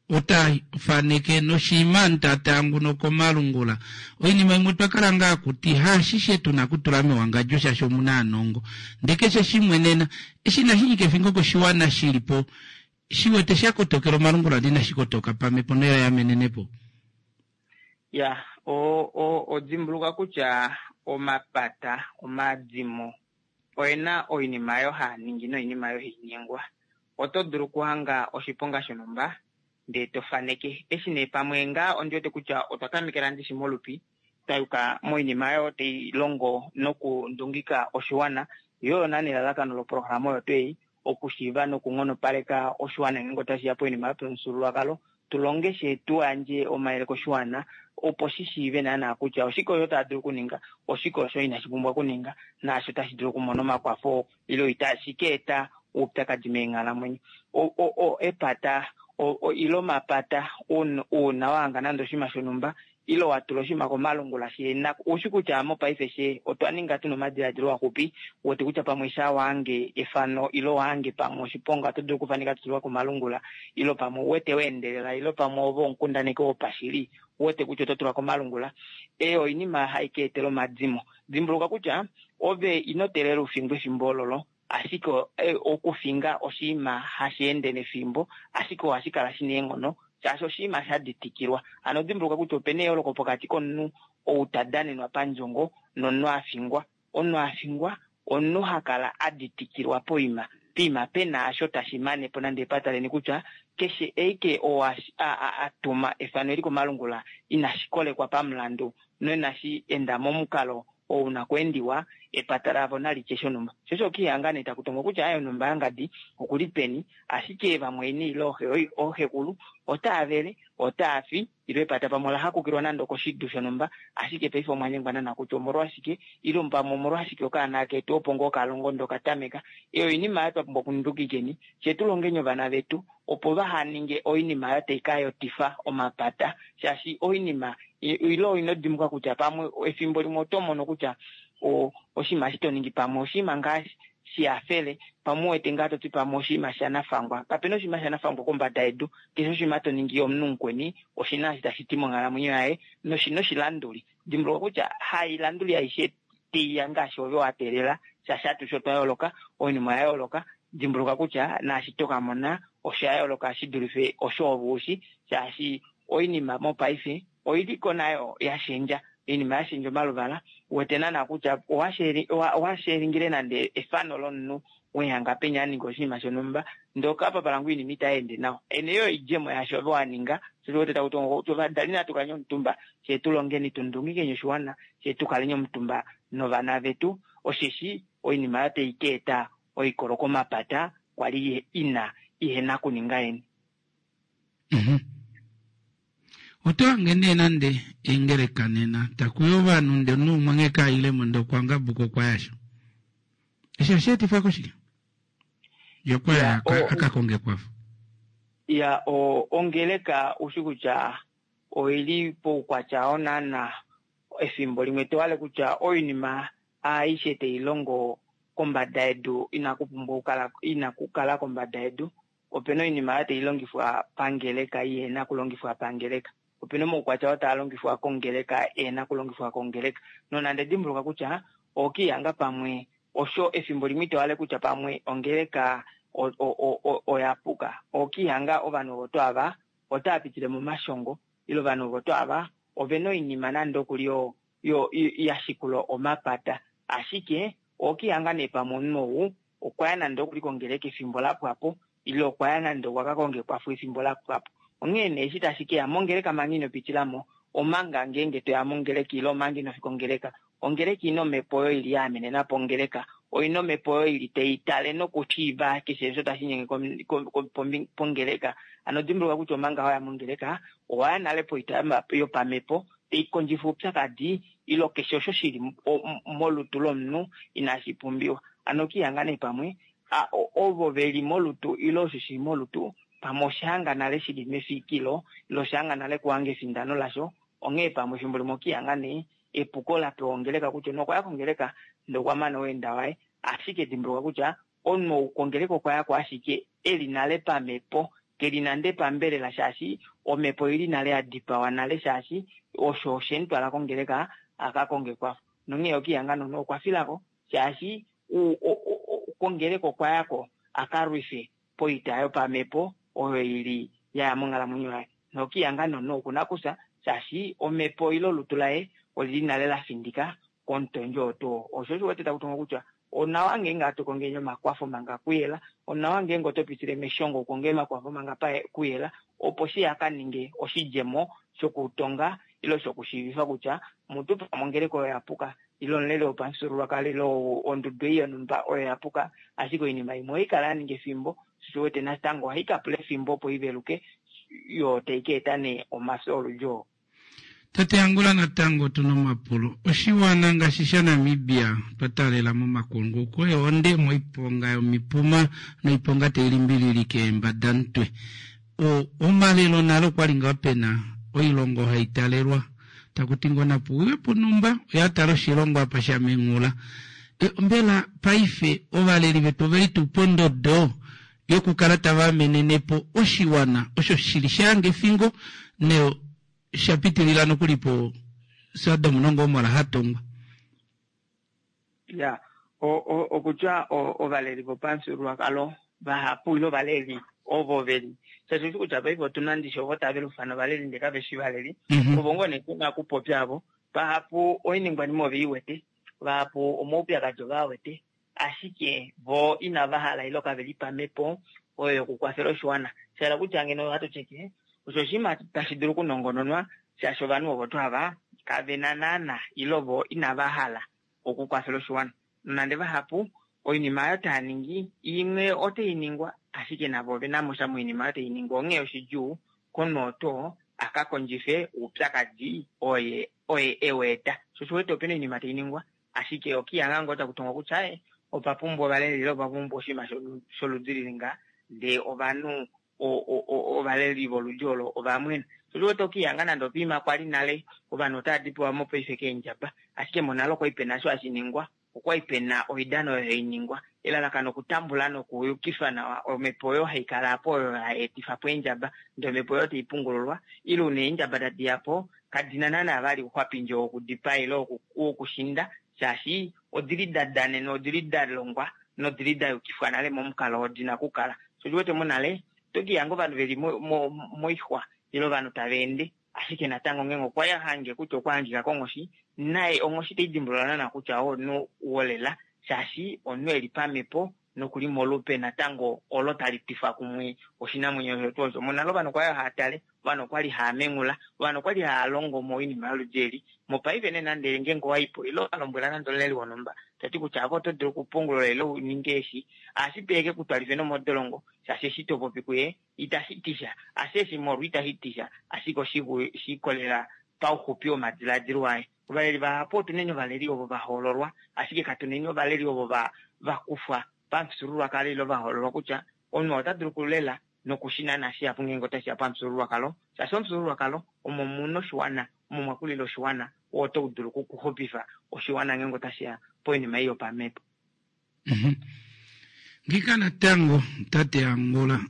ota faneke noshiima ntatangu nokomalungula oinima imwe twakala ngaa kuti haashishe tuna kutula mewangadjo shaashi omuna aanongo nde keshe shimwe nena eshi inashi nyika efingo koshiwana shilipo shiwete shakotokela omalungula ndee inashi kotoka pamhepo noya yamenenepo. Ya, o o odimbuluka kutya omapata omadimo oena oinima oyo haa ningi noinima oyo hainingwa. Oto dulu okuhanga oshiponga shonhumba ndee to faneke. Eshi nee pamwe ngaa ondi wete kutya otwa tamekela ndishi molupi twayuka moinima oyo tai longo nokundungika oshiwana yo oyo naana elalakano loprograma oyo twei okushiiva nokunghonopaleka oshiwana ngeenge otashiya poinima yopamufyuululwakalo tulonge she tuyandje omayele koshiwana opo shi shiive naana kutya oshike osho tava dulu okuninga, oshike osho inashi pumbwa okuninga, naasho tashi dulu okumona omakwafo ile itashi ka eta oupyakadi meenghalamwenyo. Epata ile omapata uuna wahanga nande oshinima shonhumba ile watula oshinima komalungula shena ushi kutya mopaife she otwa ninga tuna omadiladilo axupi wete kutya pamwe sha wahange efano ile wahange pamwe oshiponga oto dulu okufaneka tutulwa komalungula ile pamwe uwete weendelela ile pamwe ove omukundaneki wopashili uwete kutya oto tulwa komalungula. Eyo oinima hai ka etela omadimo. Dimbuluka kutya ove ino teelela ufingwe efimbo ololo ashike okufinga oshinima hashi ende nefimbo ashike ohashi kala shina eenghono shaashi oshinima sha ditikilwa. Hano dimbuluka kutya opena eyooloko pokati komunhu ou ta danenwa pandjongo nomunhu afingwa. Omunhu afingwa omunhu hakala aditikilwa poima poima pena asho tashi manepo nande epata leni kutya keshe eike oo atuma efano eli komalungula inashi kolekwa pamulandu noinashi enda momukalo oo una kweendiwa epata lavo nalitye shonhumba. Sho osho okihanga nee taku tongwa kutya aye onhumba yangadi okuli peni ashike vamwaina ile ooxekulu otaa vele otaa fi ile epata pamwe ola hakukilwa nande okoshidu shonhumba ashike paife omwanyengwa naana kutya omolwashike ile pamwe omolwashike okaana ketu opo ngoo kalongo ndee okatameka. Eyo oinima oyo twa pumbwa okundukikeni fye tulongeni ovana vetu opo vahaninge oinima oyo tai kayotifa omapata shaashi oinima ile ino dimbuka kutya pamwe efimbo limwe oto mono kutya oshinima eshi toningi pamwe oshinima ngaa shihafele pamwe uwete ngaa toti pamwe oshinima shanafangwa. Kapena oshinima shanafangwa kombada yedu. Keshe oshinima toningi omunhu mukweni oshina eshi tashi ti monghalamwenyo yaye noshina oshilanduli. Dimbuluka kutya hailanduli aishe taiya ngaashi ove wateelela shaashi atushe otwa yooloka, oinima oya yooloka. Dimbuluka kutya naashi tokamona osha yooloka shidulife osho ove ushi shaashi oinima mopaife oiliko nayo yashendja. Oinima yashendja omaluvala uwete naana kutya owashelingile nande efano lomunhu wehanga penya aninga oshinima shonhumba ndee okapapala ngoo oinima itayeende nawa. Ene yo oidjemo yaasho ove waninga sho wete taku tongo kutya ovadali natu kaleni omutumba fyee tulongeni tundungikeni oshiwana fyee tukaleni omutumba novana vetu osheshi oinima oyo tai ka eta oikolo komapata kwali ina ihena kuninga yeni. Oto hange nee nande eengeleka nena takuya ovanhu ndee omunhu umwe nghee kailemo ndee okwa ngabuka okwa yasho. Eshi ohashi etifwa koshike? Ye okwa ya aka konge ekwafo. Ya, ongeleka ushi kutya oili poukwatya oo naana efimbo limwe tohale kutya oinima aishe tailongo kombada yedu inakupumbwa okukala inakukala kombada yedu. Opena oinima oyo tailongifwa pangeleka ihena kulongifwa pangeleka. Opena omaukwatya oo taa longifwa kongeleka ehena kulongifwa kongeleka. Nonande dimbuluka kutya okihanga pamwe osho efimbo limwe itohale kutya pamwe ongeleka oya puka. Okihanga ovanhu ovo to ava otaa pitile momashongo ile ovanhu ovo to ava ovena oinima nande okuli yo yashikula omapata. Ashike okihanga nee pamwe omunhu ou okwaya nande okuli kongeleka efimbo lapwapo ile okwaya nande okwa kakonga ekwafo efimbo lapwapo. Onghee nee eshi tashi keya mongeleka manga ino pitilamo omanga ngeenge toya mongeleka ile omanga inofika ongeleka, ongeleka ina omhepo oyo ili yaamenenapo ongeleka Oina omhepo oyo ili tai tale nokushiiva keshe osho tashi inyenge pongeleka. Hano dimbuluka kutya omanga waya mongeleka owaya nale poita yopamhepo tai kondjifa oupyakadi ilo keshe osho shili molutu lomunhu inashi pumbiwa. Hano okihanga nee pamwe ovo veli molutu ilo osho shili molutu pamwe oshahanga nale shili mefikilo ilo oshahanga nale kuhanga efindano lasho. Onghee pamwe efimbo limwe okihanga nee epuko lapewa ongeleka kutya nokwaya kongeleka ndee okwa mana oweenda waye, ashike dimbuluka kutya omunhu kongeleka okwayako ashike eli nale pamhepo, keli nande pambelela shaashi omhepo oili nale yadipawa nale shaashi osho oshemutwala kongeleka akakonge ekwafo. Nonghee okihanga nomunhu okwa filako shaashi kongeleka okwayako akalwife poita yopamhepo oyo ili yaya monghalamwenyo yaye. Nokihanga nomunhu okuna kufya shaashi omhepo ile olutu laye olili nale lafindika komutondje oo tuu. Osho osho wete taku tongo kutya onawa ngeenge hatu kongeni omakwafo manga kuyela, onawa ngeenge oto pitile meshongo ukonge omakwafo manga kuyela, opo shi hakaninge oshidjemo shokutonga ile shokushiivifa kutya mutu pamwe ongeleka oyo yapuka ile omuleli wopamufyuululwakalo ile ondudu ei yonhumba oyo yapuka, ashike oinima imwe ohaikala yaninga efimbo, sho wete natango ohai kapula efimbo opo iveluke yo tai ka eta nee omafyo oludji oo. Tate Angula, natango otuna omapulo. Oshiwana ngaashi shaNamibia twa taalela momakunguko eonde moiponga yomipuma noiponga tai limbililike eembadamutwe. Omalelo nale okwali ngaa pena oilongo hai talelwa taku ti ngoo napuwiwe punumba oya tala oshilongo apa shamengula. Mbela paife ovaleli vetu oveli tuu pondodo yokukala tava amenenepo oshiwana osho shili shahanga efingo ne shapitilila nokuli po Sodom nOgomora hatongwa. Ya, okutya ovaleli vopamufyuululwakalo vahapu ile ovaleli ovo veli shaashi oshi kutya paife otuna ndishi ovo tave lufana ovaleli ndee kaveshi valeli, ovo ngoo nee tuna okupopya avo. Vahapu oiningwanima ove iwete, vahapu omaupyakadi ovawete, ashike vo inava hala ile kaveli pamhepo oyo yokukwafela oshiwana. Shahala kutya ngeno ohatu tyeke osho oshinima tashi dulu okunongononwa shaashi ovanhu ovo tuu ava kavena naana ile vo inava hala okukwafela oshiwana. Nonande vahapu oinima oyo taya ningi imwe otai ningwa ashike navo ovena mo sha moinima oyo tai ningwa, onghee oshidjuu komunhu oo tuu aka kondjife oupyakadi oye oye eweeta. Sho osho wete opena oinima tai ningwa ashike okihanga ngoo taku tongwa kutya ee opa pumbwa ovaleli ile opa pumbwa oshinima sholudi lili nga ndee ovanhu ovaleli voludi olo ovamwena. Sho osho wete okihanga nande opiima kwali nale ovanhu otava dipawa mopaife keendjaba, ashike monale okwali pena osho hashi ningwa, okwali pena oidano oyo hai ningwa elalakano okutambula nokuyukifa nawa omhepo oyo haikala apo oyo hai etifapo eendjaba, ndee omhepo oyo taipungululwa ile una eendjaba tadiyapo kadina naana vali ouxwapindi wokudipaa ile wokushinda shaashi odili dadanenwa, odili dalongwa nodili dayukifwa nale momukalo oo dina okukala. Sho oshiwete monale otokihanga ovanhu veli moixwa ile ovanhu tava ende ashike natango ngeenge okwa hange kutya okwa hangika konghoshi naye onghoshi taidimbulula naana kutya oo omunhu wolela shaashi omunhu eli pamhepo nokuli molupe natango olo tali twifa kumwe oshinamwenyo osho tuu osho. Monale ovanhu okwali hava tale, ovanhu okwali hava mengula, ovanhu okwali hava longo moinima yoludi eli. Mopaife nee nande ngeenge owaipo ile walombwela nande omuleli wonhumba tati kutya ave oto dulu okupungulula ile uninge eshi, ohashi dulu eke kutwalife nomodolongo shaashi eshi topopi kuye itashi tisha, ashe eshi molwa itashi tisha, ashike oshiikolelela pauxupi womadiladilo aye. Ovaleli vahapu otuneni ovaleli ovo vahoololwa, ashike katuneni ovaleli ovo vakufwa pamufyuululwakalo ile vahoololwa kutya omunhu ota dulu okulela nokushinana shihapu ngeenge otashiya pamufyuululwakalo, shaashi omufyuululwakalo omo muna oshiwana, omo mwakulila oshiwana, oo otau dulu okuxupifa oshiwana ngeenge otashiya poinima ei yopamhepo. Ngika natango tate Angola,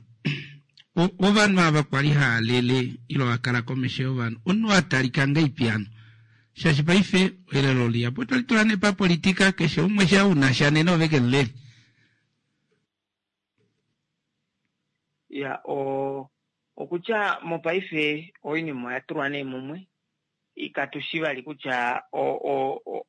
ovanhu ava kwali hava lele ile vakala komesho yovanhu, omunhu atalika ngahelipi hano? Shaashi paife elelo lihapu otali tula nee papolitika, keshe umwe sha una sha nena ove kemulele. Ya, o okutya mopaife oinima oya tulwa nee mumwe, katushi vali kutya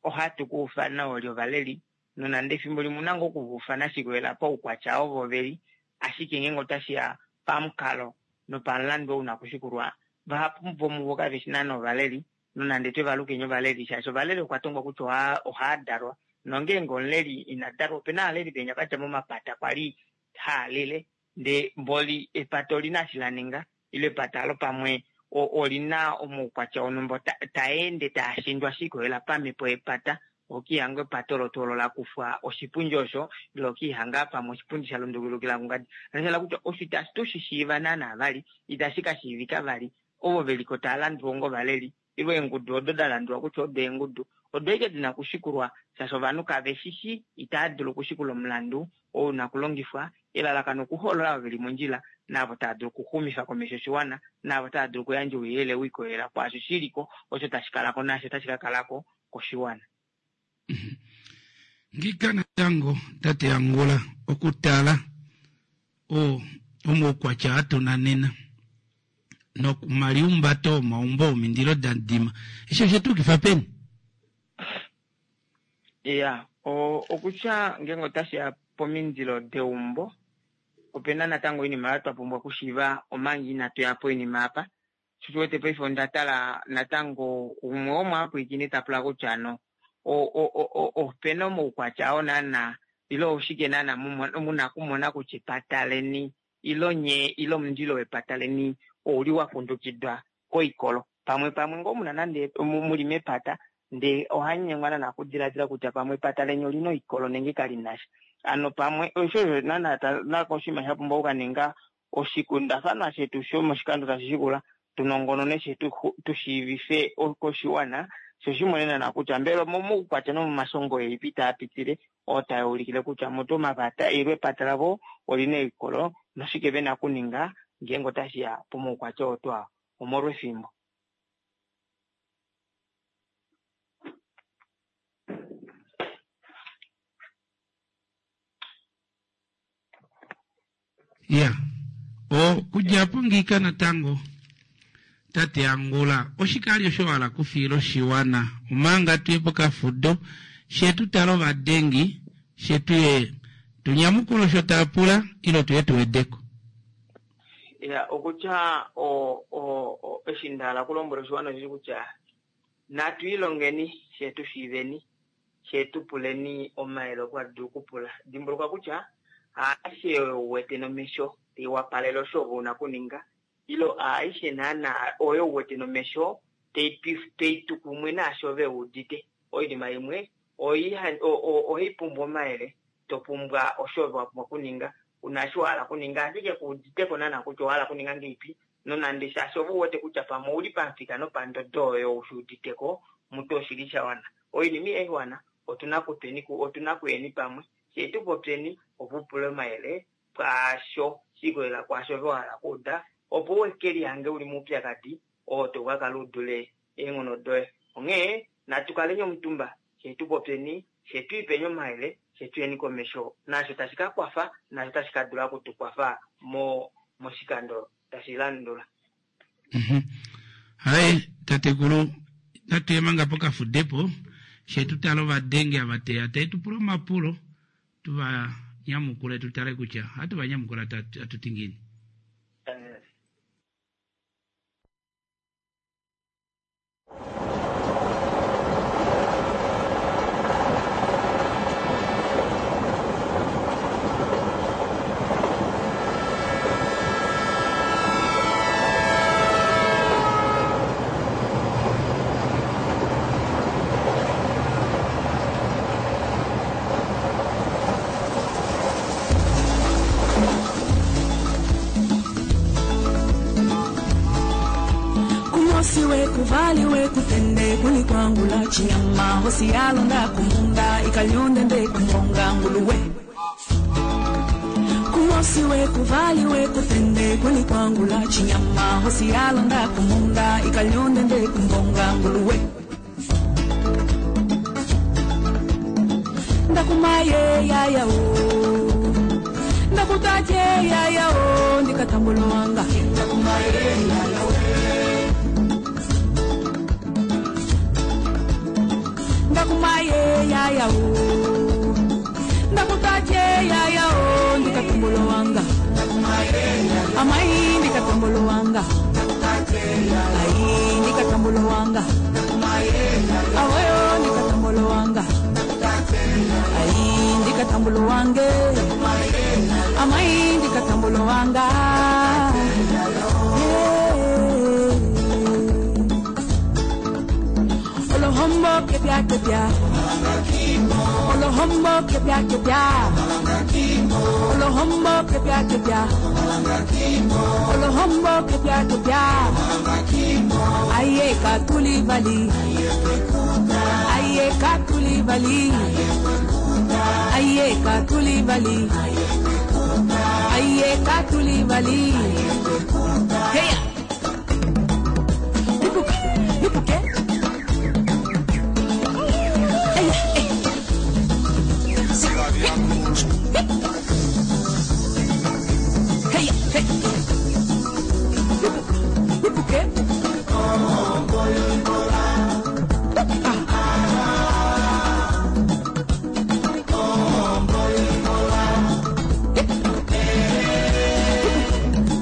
ohatu kuufana oli ovaleli, nonande efimbo limwe una ngoo okuvaufana shikolela paukwatya ovo veli, ashike ngeenge otashiya pamukalo nopamulandu oo una okushikulwa, vahapu vomuvo kaveshi naana ovaleli, nonande twevalukeni ovaleli shaashi ovaleli okwa tongwa kutya ohaadalwa Nongeenge omuleli ina dalwa, opena aaleli venya vadja momapata kwali haalele ndee mboli epata olina eshi laninga ile epata alo pamwe olina omaukwatya onhumba taende taashindwa shiikolela pamhepo yepata. Okihanga epata olo tuu olo lakufwa oshipundi osho ile okihanga pamwe oshipundi shalundulukila kungadi. Sha kutya osho itashi tushishiiva naana vali, itashi kashiivika vali ovo veliko tava landulwa onga ovaleli ile eengudu odo dalandulwa kutya odo eengudu odo ashike dina okushikulwa shaashi ovanhu kaveshishi itava dulu okushikula omulandu oo una okulongifwa elalakano okuhoolola ovo veli mondjila naavo tava dulu okuxumifa komesho oshiwana naavo tava dulu okuyandja ouyelele wiikolelela kwaasho shiliko osho tashi kalako naasho tashi kakalako koshiwana. Ngika natango tate Angula okutala o omaukwatya atuna nena nokumaliumbato omaumbo omindilo dadima eshi oshetukifa peni? Iya, okutya ngeenge otashiya pomindilo deumbo opena natango oinima oyo twa pumbwa okushiiva omanga inatu ya poinima apa. Sho wete paife onda tala natango umwe womwaapwiikini ta pula kutya no opena omaukwatya oo naana ile oshike naana muna okumona kutya epata leni ile nye ile omundilo wepata leni ouli wakundukidwa koikolo. Pamwe pamwe ngoo muna nande muli mepata ndee ohanyengwa naana okudiladila kutya pamwe epata leni olina oikolo nenge kalinasha. Ano pamwe osho naana nako oshinima shapumbwa okukaninga oshikundafanwa shetu shomoshikando tashi shikula tunongonone she tushiivife koshiwana sho shimone naana kutya mbela momaukwatya nomomashongo elipi taa pitile oo taa ulikile kutya mutu omapata ile epata lavo olina oikolo noshike vena okuninga ngeenge otashiya pomaukwatya oo twaa omolwefimbo. Ya, okudja po ngiika natango tate Angula oshikali osho wala kufiila oshiwana omanga tuye pokafudo shetu tala ovadengi shetuye tunyamukule osho taapula ile tuye tuwedeko. Ya, okutya o o eshi ndahala okulombwela oshiwana osheshi kutya natu ilongeni she tushiiveni she tupuleni omayele opo hatu dulu okupula. Dimbuluka kutya aishe oyo uwete nomesho taiwapalele osho ove una okuninga ile aishe naana oyo uwete nomesho taitu kumwe naasho ove udite. Oinima imwe ohai pumbwa omayele, topumbwa osho ove wapumbwa okuninga una eshi wahala okuninga ashike kuuditeko naana kutya owahala okuninga ngeipi nonande shaashi ove uwete kutya pamwe ouli pamufika nopandodo oyo ushuuditeko mutu oshili shawana. Oinima ihaiwana otuna kutweni otuna kuyeni pamwe shee tupopyeni opo upule omayele pwaasho shiikolelela kwaasho ove wahala okuuda opo ukelihange uli moupyakadi oo taukakala udule eenghono doye. Onghee natu kaleni omutumba shee tupopyeni shee twiipeni omayele shee tuyeni komesho naasho tashi kakwafa naasho tashi kadula okutukwafa mo moshikando tashi landula. Hai tatekulu natuye manga pokafudepo she tutale ovadenge ava teya taitupula omapulo tuva nyamukule tutale kutya hatu va nyamukula atuti ngiini. Kuvaliwe kutende kulikwangula chinyama hosi yalonda kumunda ikalyonde nde kumbonga nguluwe kumosiwe kuvaliwe kutende kulikwangula chinyama hosi yalonda kumunda ikalyonde nde kumbonga nguluwe ndakumaye yaya o ndakutaje yaya o ndikatambulwanga ndakumaye yaya o ndakumaye yaya o ndakutaje yaya o ndikatumbulowanga amai ndikatumbulowanga ai ndikatumbulowanga awoyo ndikatumbulowanga ndikatambulo wange amai ndikatambulo wanga Olohombo kepia kepia Olohombo kepia kepia Olohombo kepia kepia Olohombo kepia kepia Aye katuli vali Aye katuli vali Aye katuli vali Aye katuli vali Hey Nipuke Nipuke Hey hey Hey hey Nipuke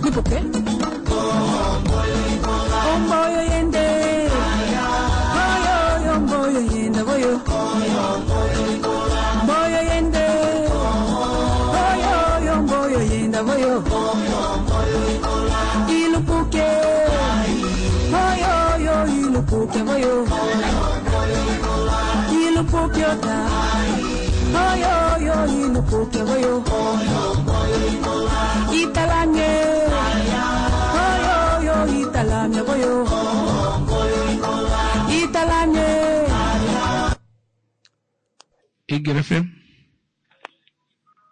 Nipuke Omboyo yende Oyo omboyo yende boyo Mboyo yende Oyo omboyo yende boyo Ilupuke Oyo yo ilupuke boyo Ilupuke ota Oyo yo ilupuke boyo Italange Oyo yo italange boyo Italange Eagle F M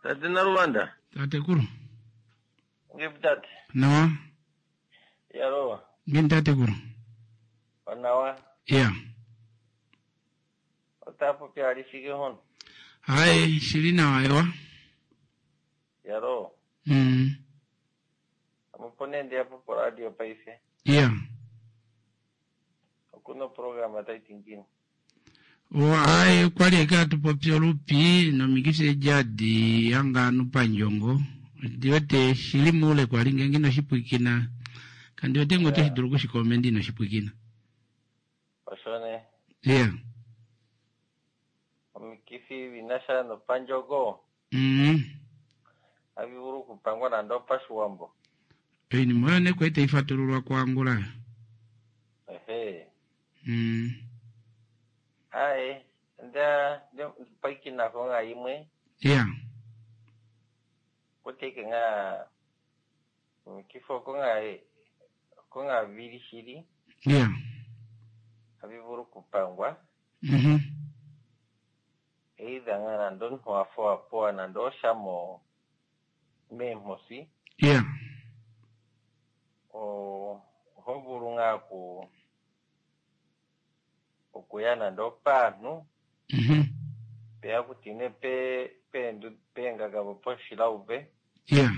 Tate Naruvanda. Tatekulu. Ngiptate. Nawa. Yaro. Ngini tatekulu. Onawa. Yeah. Otapo pia alifike hon. Hai, shili nawa ewa. Yaro. Mm. Amupone ndi apo po radio paife. Yeah. Okuno programa taitingini. Hai, kwali eka tupopya olupi nomikisi ejadi yanga anupa njongo. Ndiwete shili mule kwali ngenge noshipwikina. Kandi wete ngote Yeah. shidulu kushikomendi noshipwikina. Oshone. Yeah. Omikifi vinasha nopanjogo. Mm. Avivuru kupangwa nando pashiwambo. Oinima oyo nekwete ifatululwa kwangula. Ehe. Mm. Ai, nda nda paikina konga imwe. Yeah. Kuteke nga omikifo konga konga vili shili. Yeah. Avivuru kupangwa. Mhm. Either nga nando nhuafoa poa nando oshamo meemhosi. Yeah. O oho vulu ngaa ku okuya nando paanhu Mhm. peya kutine pe peendu peengagavo poshilauve. Yeah.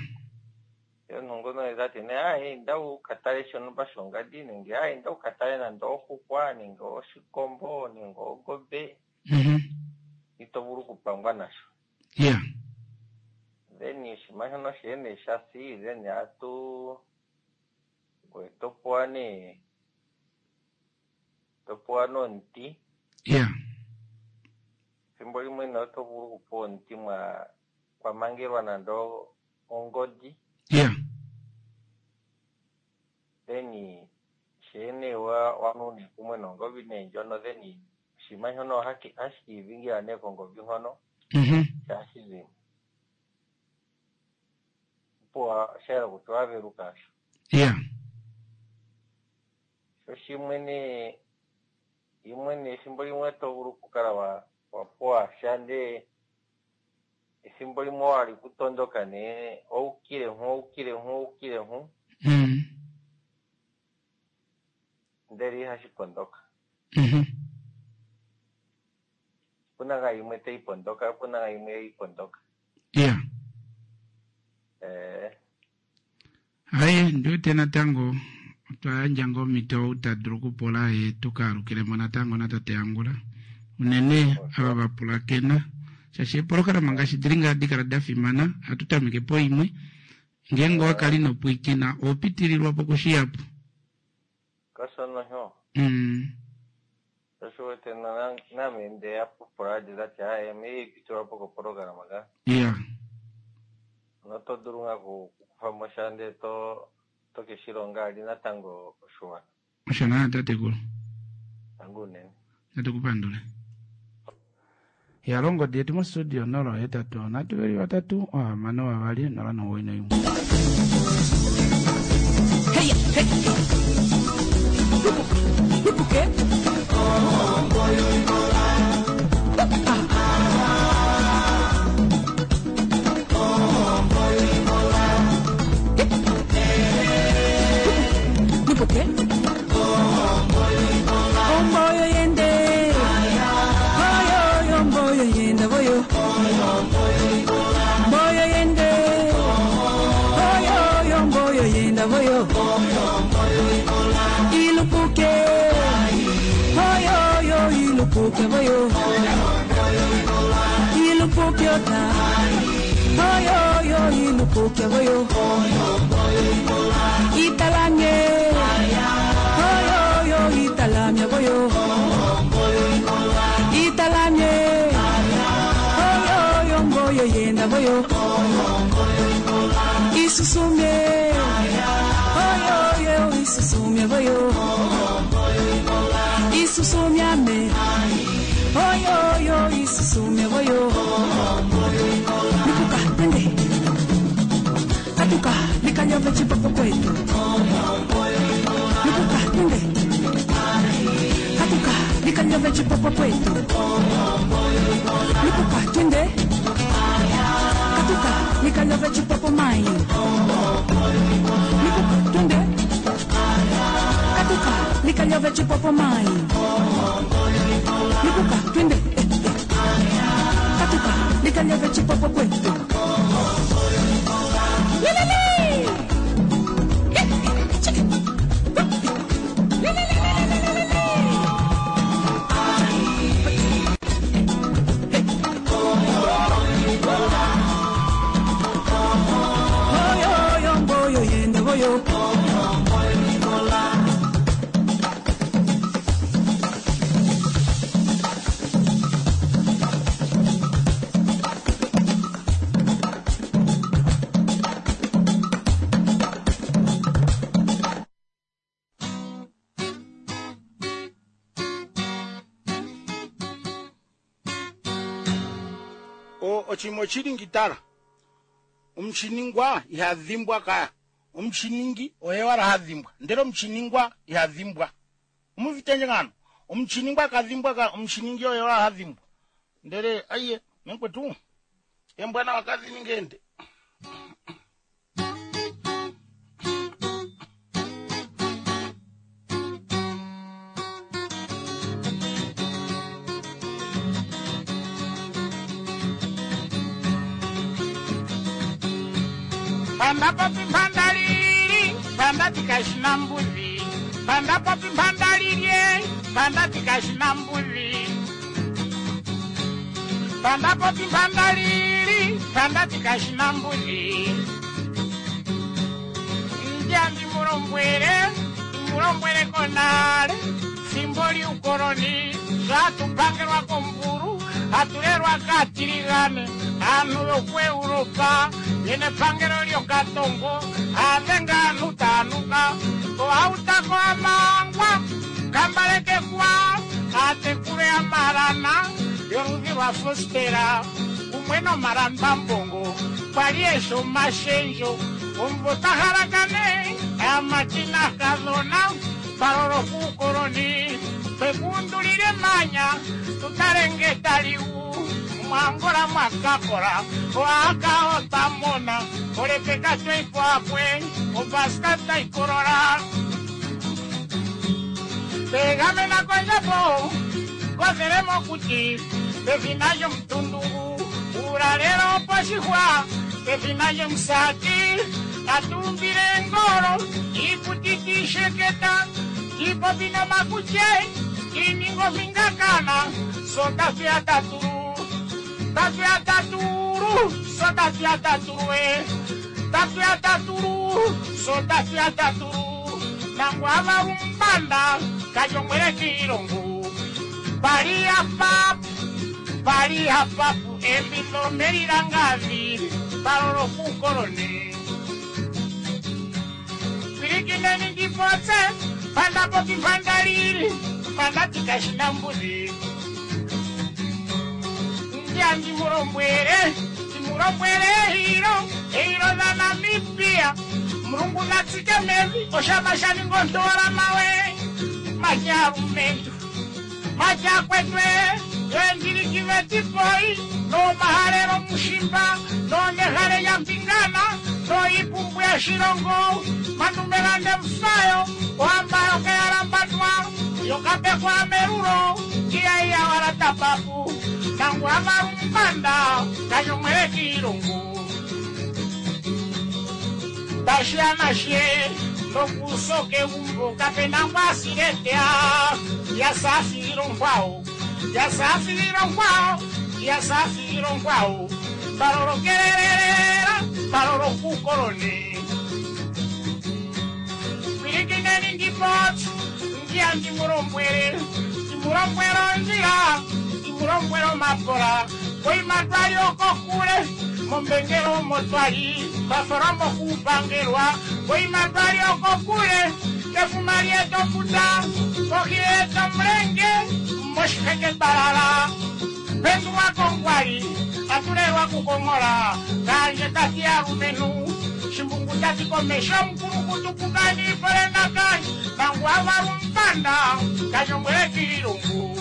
Yo omuntu ngono tati nee ayi inda ukatale shontumba shongadi nenge ayi inda ukatale nando oxuxwa nenge oshikombo nenge ongombe. Mhm. Ito vulu okupangwa nasho. Yeah. Then oshinima shono shee nee shasi then atu ngoye topewa nee topewa nomuti. Yeah. Ethimbo limwe nee oto vulu okupewa omuti mwa kwamangelwa nando ongodi. Yeah. Then shee nee wa wanu nee kumwe nongobi nee ndjono then oshinima shono ohashi kiidhingila nee kongobi hono. Mhm. Shashi zimo. Opo shayela kutya owaveluka asho. Yeah. Sho shimwe nee imwe nee ethimbo limwe oto vulu okukala wa wapewa sha ndee ethimbo limwe owali kutondoka nee oukile nhu oukile nhu oukile nhu. Mm. Ndele ihashi pondoka. Mhm. Opuna ngaa yimwe tayi pondoka, opuna ngaa yimwe ihayi pondoka. Yeah. Eh, Hai, ndiwete natango otwa yandja ngoo omhito ou ta dulu okupula ye tukaalukilemo natango natate Angula. Unene ava va pulakena. Shaashi eepolohalama ngaashi dili ngaa hadi kala da fimana, ohatu tameke po imwe. Ngeenge owakala ino pwiikina, oho pitililwa po kushihapu. Kashono sho. Mm. Osho wete na- name ndeya poradio ndati aye meipitulwapo kopolograma ka iya noto dulu nga kukufamo sha ndee to to keshilonga ali natango oshiwana osho naa tatekulu tangu unene natu kupandule ya longodi yetu mostudio nola ohetatu nhatu veli vatatu ohamano vavali nola nomuwoi noimwe Hey, hey. Lupuke. Lupuke. Omboyo yende. Oyo, omboyo yende, oyo. Mboyo yende. Oyo, omboyo yende, oyo. Ilupuke. Oyo, oyo, ilupuke, oyo. Ilupuke ota. Oyo, oyo, ilupuke, oyo. Italamye. Oyo, oyo, italamye, oyo. Italamye. Oyo, oyo, mboyo yenda, oyo. Isusumye. Oyo, oyo, isusumye, oyo. Isusumyame. Oyo, oyo, isusumye, oyo. Lupuka, twende. Katuka, likanyove chipopo kwetu. Lupuka, twende. Katuka, likanyove chipopo kwetu. Lupuka, twende. Katuka, likanyove chipopo mai. Lupuka, twende. Katuka, likanyove chipopo mai. Lupuka, twende. Eh, eh. Katuka, likanyove chipopo kwetu. Lelele! Eh, eh, chiki. Lelelelelelelele! Oyo, oyo, mboyo, yende, oyo. O- ochimo chilingitala omuchiningwa ihadhimbwa kaya omuchiningi oye wala hadhimbwa ndele omuchiningwa ihadhimbwa omuvitenje ngano omuchiningwa kadhimbwa ka omuchiningi oye wala hadhimbwa ndele aiye menkwetu embwana wakadhiningende panda papi panda lili panda tikashina mbuzi panda papi panda lilye panda tikashina mbuzi panda papi panda lili panda tikashina mbuzi njambi mulombwele mulombwele konale fimbo liukoloni zvatupangelwa komburu hatulelwa katiligane anhu yokueuropa yene pangelo lyokatongo avenga anhu tanuka ohautako amangwa kambalekekwa atekule amalana yoludhi lwa fostera kumwe nomalambambongo kwali esho mashenjo omumvo tahalakane amatina kadhona palolo kuukoloni twekundulile manya tutalenge taliu mwangola mwakakola oaka otamona olepeka tweipwapwe opaska taikolola tegamena kondjapo kothele mokuti pefina lyomutundungu uulalelo oposhihwa pefina lyomusati atumbile engolo iikuti tiisheketa tiipopi nomakutye tiininga omingakana so tatuya tatulu tatuya tatulu so tatuya tatulu e tatuya tatulu so tatuya tatulu nangwava umbanda kajongwele kiilongo Pali apa, pali apa pu embilo melilangavi, palolo kukoloni. Pilikineni ndipotse, panda popi panda lili, panda tikashina mbuzi. Ndiya ndimulombwele, ndimulombwele hilo, hilo la Namibia. Mulungu natsike mevi, oshama shaningontola mawe, macharumentu. Machakwetwe, yendilikivetipoi, no mahalelo mushimba, no nehale ya mpingana, no ipumbu ya shilongo, manumelande mfayo, wambayo keyalambatwa, yokapekwa merulo, iya wala tapapu, nangu amarumbanda, kanyomwele kilungu. Tashianashe, nokusoke umbo, kapena ngwasiletea, yasafiro nkwao, yasafiro nkwao, yasafiro nkwao, balolo kelelera, balolo kukoloni. Pilikineni ndipotsi, ndiya ndimulombwele, ndimulombwelo nzila, ndimulombwelo mapola, koima twali okokule, mombengelo motwali, baforomo kupangelwa, koima twali okokule, kefuma lyetofuta, kohi yeto mulenge, moshiheke balala, pendulwa kongwali, atulelwa kukongola, kanje tati alumenu, shimbungu tati komesho mukulukutu kukani polenda kanje, nangu avalumpanda, kanyomwele kilungu.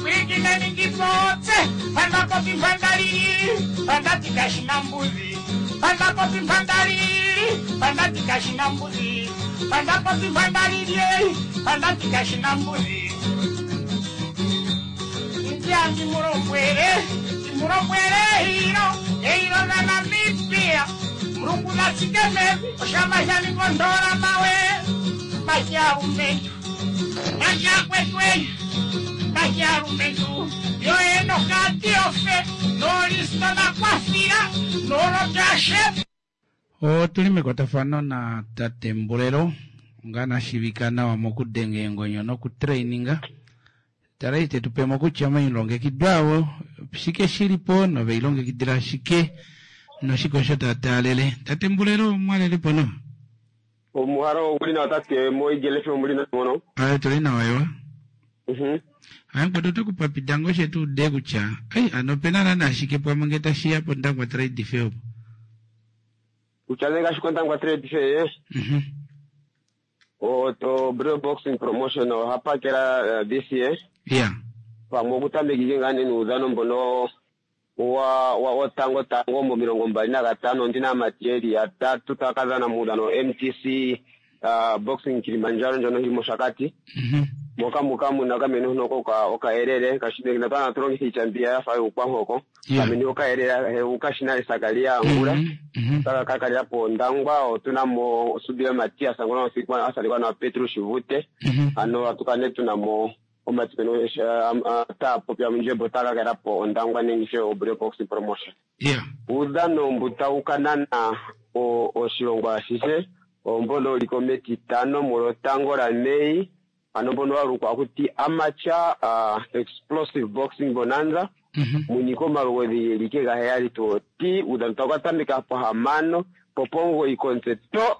Pilikineni ndipotse, panda popi panda lili, panda tikashina mbuzi, panda popi panda lili, panda tikashina mbuzi, panda popi panda lili, panda tikashina mbuzi. Ndiya ndimulombwele, ndimulombwele hilo, hilo la Namibia, Mulungu natsike mevi, oshama shaningondola mawe, macharumentu, machakwetwe, macharumentu, yoeno katiofe, nolisto nakwafira, nolotashe. Otuli mekwatafano na tate Mbulelo, nga nashivika nawa mokudenga eengonyo nokutraininga. Tala ite tupemo kutya omailongekidwa awo shike shilipo noveilongekidila shike noshike osho tataalele. Tate Mbulelo mwalelepo no? Omuharo oguli nawa tate moigelefe omuli nawa mono. Aye tuli nawa ewa. Mhm. Aye mkwetu tukupapida ngo shetu ude kutya ai ano pena nana shike pamwe nge tashiya pOndangwa Trade Fair opo. Kutya nee ngaashi kOndangwa Trade Fair, Mhm. o to Bro Boxing Promotion oha pakela uh, this year. Yeah. Pamwe okutamekike ngaa nee nuudhano mbono wa wa wotango tango momilongo mbali nagatano ndina aamati yeli yatatu taya ka dhana muudhano M T C uh, Boxing Kilimanjaro ndjono yili mOshakati. Mhm. Moka muka muna kamene huno koka okaelele kashine natana tulongitha iitya mbiya yafa yuukwanhoko. Yeah. Kamene okaelele ukashina esakalia angula. Mhm. Mhm. Taka kakalia po Ondangwa otuna mo Subila Matias ngono asikwa asalikwa na Petrus Shivute. Mhm. Ano atukane tuna mo omatipeno ta popya mundjembo taka kala po Ondangwa nenge she Obro Boxing Promotion. Yeah. Uudhano mbu tawu ka nana o- oshilongo ashihe ombono uliko metitano mulotango la Mei ano mbono walukwa kuti Amateur uh, Explosive Boxing Bonanza. Mhm. Munyiko omalugodhi geli ke gaheyali to ti uudhano tawu ka tameka pohamano popongo ikonse to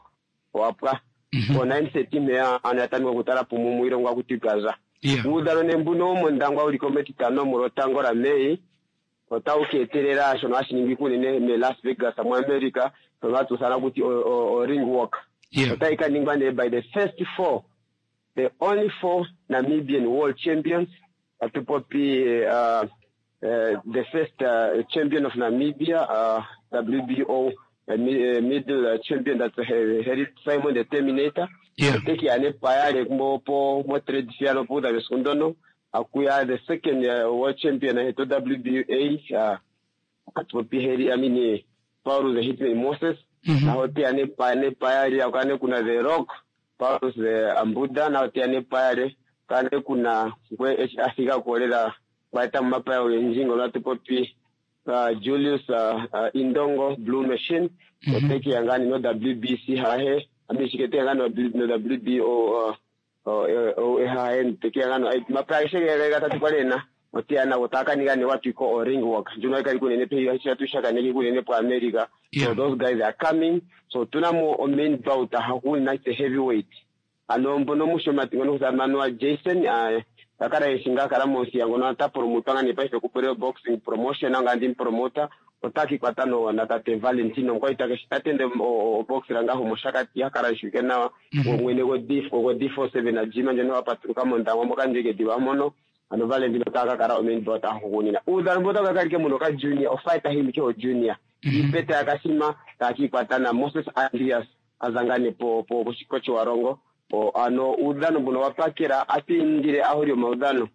wapwa. Mhm. Po nine thirty meya ano yatameka okutala pumu muilongo akuti Gaza. Yeah. Uudhano nee mbuno womOndangwa uliko metitano mulotango la Mei otawu ka etelela shono hashi ningwa unene me Las Vegas mu America shono hatu ithana kuti o, o, o ring walk. Yeah. Otayi ka ningwa nee by the first four, the only four Namibian world champions. Atu popi uh, uh, the first uh, champion of Namibia, uh, W B O uh, mi-, uh, middle, uh, champion, that's uh, Harry Simon the Terminator. Yeah. Oteki ane payale mo po mo trade fair no po da besundono. Akuya the second, uh, world champion uh, to W B A, uh, atu popi Harry, I mean, uh, Paulus the Hitman Moses. Mm-hmm. Na hote ane pa-, ane payale, akane kuna the Rock, Paulus the Ambuda, na hote ane payale, kane kuna kwe H Africa kolela baita mapaya ogenji ngono atu popi, uh, Julius, uh, uh, Indongo Blue Machine. Mm-hmm. Oteki yangani no W B C hahe, amishikete yangani no W B O, uh, Eha gatatu kwali ena oteya nago taakaninga ne what we call o ring walk ndjono hayi kali kunene pe kunene po America. So those guys are coming. So tuna mo o main bout hahugunina the heavyweight ano mbono mushomati ngono kusamanwa Jason akala eshinga akala monsiya ngono ata promotwa nga nepaife kupolelo boxing promotion anga ndi promoter otakikwata no na tate Valentino ngoita tatende oboxera ngaho moshakati akala eshuke nawa mwene go D go D four seven na jima ndjono wapatuluka mondangwa moka ndjeke mono ano Valentino takakala o main bout ahugunina uudhano mboka kakalike muno ka junior o fighter him ke o junior ipete akashima takikwata na Moses Andreas azangane po po kochiwarongo o ano uudhano mbuno wapakela atindile aholi omaudhano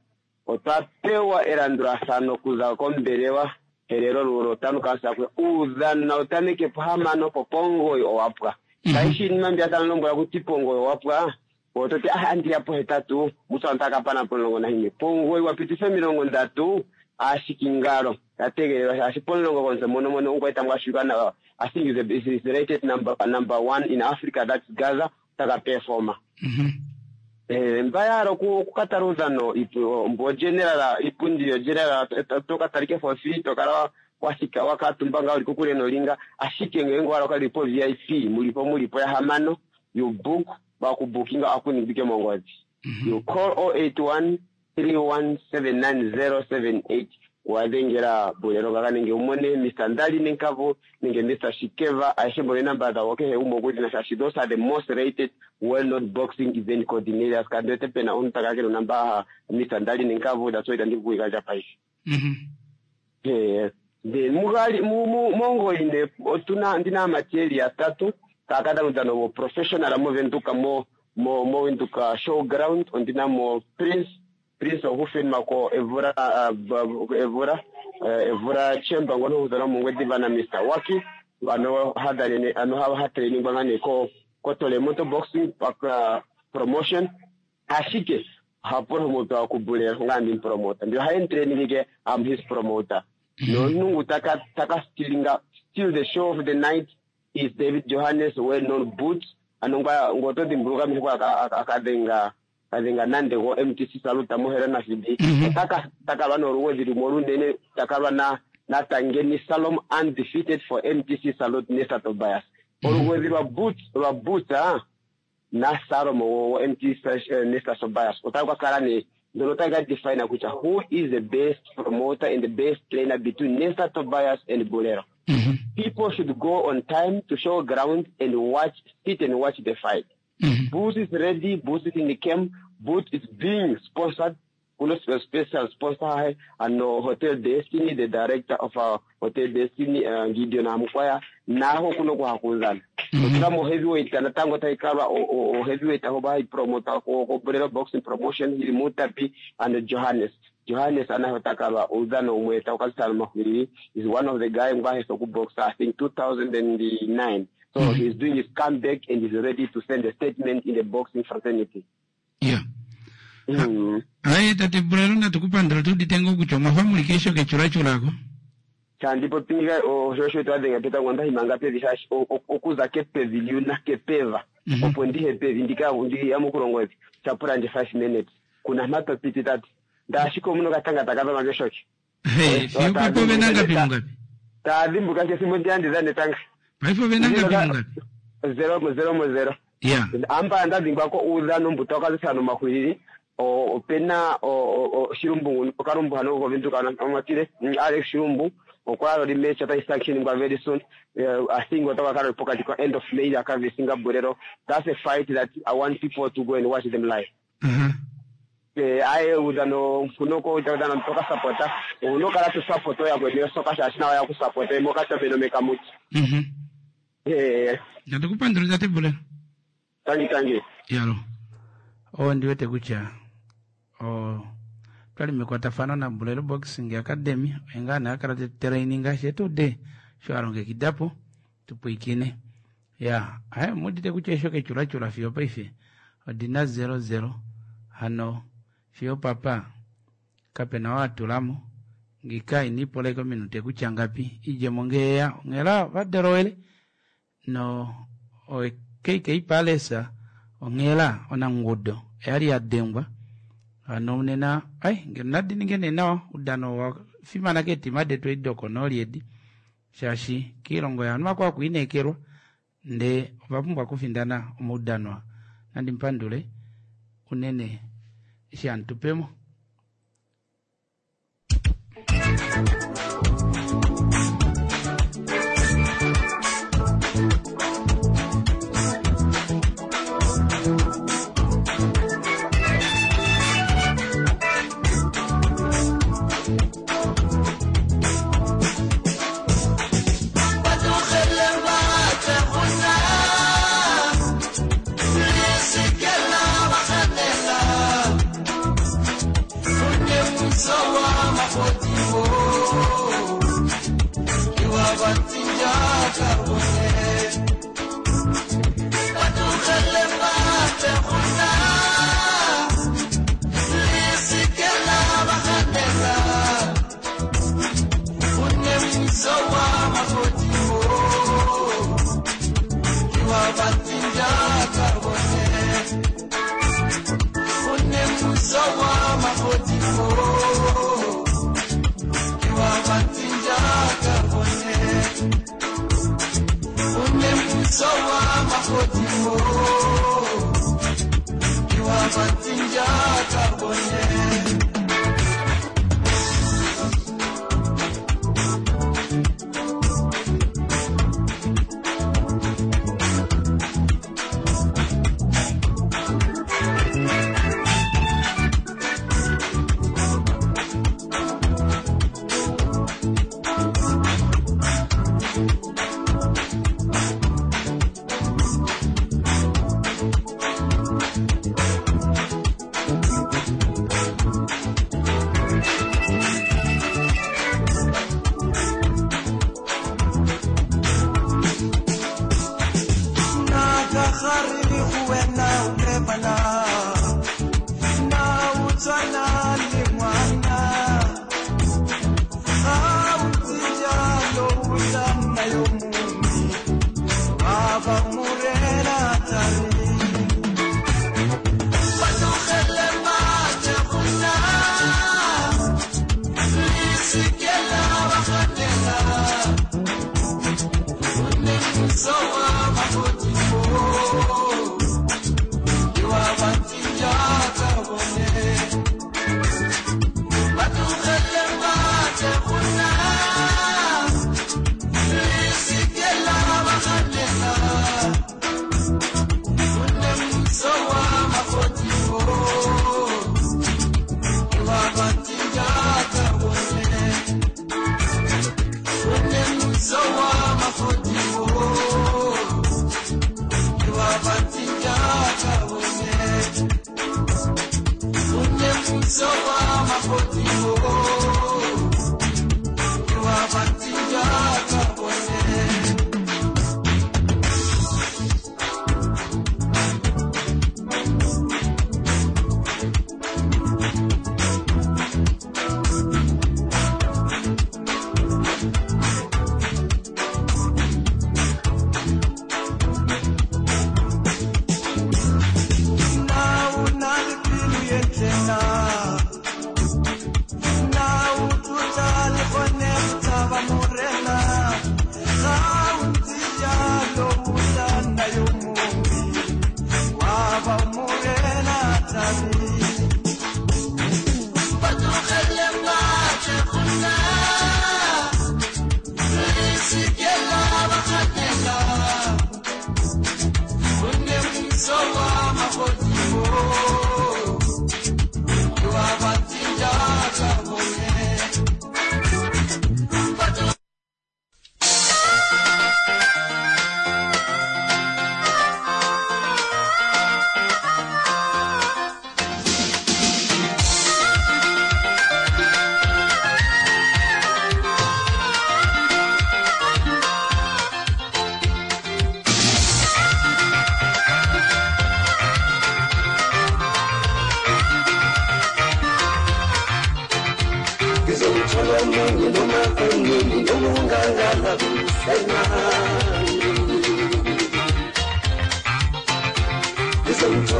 otwa pewa elandulathano okuza kombelewa helelo lulo tano kasakwe uudhano nawu tameke pohamano po pomugoyi owapwa kaishi iinima mbi atalombwela kuti pomugoyi owapwa ototi ah andiya pohetatu mutsa ntakapana pomulongo nahimwe pomugoyi wapititha omilongo ndatu ashikingalo yategelelwa shaashi pomulongo konse mono mono ungwaita ngwashuka nawa I think is, is, is rated number number one in Africa that's Gaza taka performer. Eh mbayaro kukatala uudhano mbo general ipundi yo general tokatalike for free tokala washika wakatumba nga uli kokule nolinga ashike ngenge wala kalipo V I P mulipo mulipo ya hamano. You book bakubukinga akuningike mongozi you call zero eight one three one seven nine zero seven eight wadhengela Bulelo kaka nenge umone Mister Ndali Nenkavu nenge Mister Shikeva aishe mbone namba dhawo kehe umwe okuli na shaashi those are the most rated well known boxing event coordinators kandiwete pena omuntu takakele namba Mister Ndali Nenkavu. That's why ndikuikanja paife. Eh then mugali mu mongoine otuna ndina amateri atatu takadana wo professional movenduka mo mo mo Venduka showground ondina mo Prince Prince of ko Evura uh, Evura uh, Evura Chamber ngono hudana mongwediva na Mister Waki ano hadalene ano ha ha training bangane ko ko Tolemoto boxing pak uh, promotion ashike ha promoter ku Bulelo ngandi promoter ndio ha training ke I'm his promoter no nungu taka taka stealinga steal the show of the night is David Johannes, well known Boots anongwa ngoto dimbuluka mihwa akadhenga kadhenga nande go M T C Saluta mohera na fidi taka takalwa noruwezi lumwe olunene takalwa na natangeni Salom undefeated for M T C Salute Nesta Tobias oluwezi lwa Boots lwa Boots ah na Salom wo M T C Nesta Tobias otakakala ne ndono taka define kutya who is the best promoter and the best trainer between Nesta Tobias and Bolero. People should go on time to show ground and watch, sit and watch the fight. Boots is ready, Boots is in the camp, Boots is being sponsored. Kuno special sponsor and Hotel Destiny, the director of our Hotel Destiny, uh, Gideon Amukwaya, naho kuno kuhakuzana. Otuna mo heavyweight natango taikalwa o, o heavyweight aho promoter ko ko Bolero boxing promotion hili Mutapi and Johannes. Johannes anahotakalwa udhano umwe taukazitana mahwili is one of the guy ngwaheso ku boxer I think two thousand nine. So mm -hmm. he's doing his comeback and he's ready to send a statement in the boxing fraternity. Yeah. Mm. Ayi tate Bulelo natukupandula tuditenga kutya omwafa muli kesho kechulachulako. Chandipo pinga oshosho twadhenga peta ngwanda himanga pevi shashi okuza kepevi liuna kepeva opo ndihe pevi ndika ndi yamukulongo evi chapura nje five minutes kuna matopiti tati ndashiko muno katanga takava makeshoki. Hey, fiyo papo venangapi mungapi? Tadhimbuka chesimbo ndiandizane tanga. Paifo venangapi mungapi? Zero zero mo zero. Yeah. Amba ndadhingwako udhano mbuta wakazisano mahwiriri opena shirumbu okarumbu hano kovenduka amatire Alex Shirumbu okwalo limecha ata sanction ngwa very soon. uh, I think watakakala pokati kwa end of May akavisinga Bolero. That's a fight that I want people to go and watch them live. Uh -huh. Eh aye udano kunoko udano toka supporter unokala tu support ya kwenye soka shashina ya kusupport moka tabeno mekamuti. Mhm. Eh Ndatukupandula tate Bulelo. Tangi tangi. Yalo. O ndiwete kutya o twali mekwatafano na Bulelo Boxing Academy engana akala training ashe tude sho alongekidapo tupwikine ya aya mudite kutya esho kechulachula fiyo paife odina zero zero hano fiyo papa kapena watulamo ngika inipoleko minute kutya ngapi ijemo ngeya ongela vadelowele no o K K Palesa ongela onangudo. Oyali yadengwa hano nena ai ngeno nadi ninge nee nawa oudano owafimana keetima detu edi dokonooli edi shaashi koilongo yovanhu vakwao okwiineekelwa ndee ovapumbwa okufindana omaudano aa. Nandi mupandule unene eshi hamutupemo.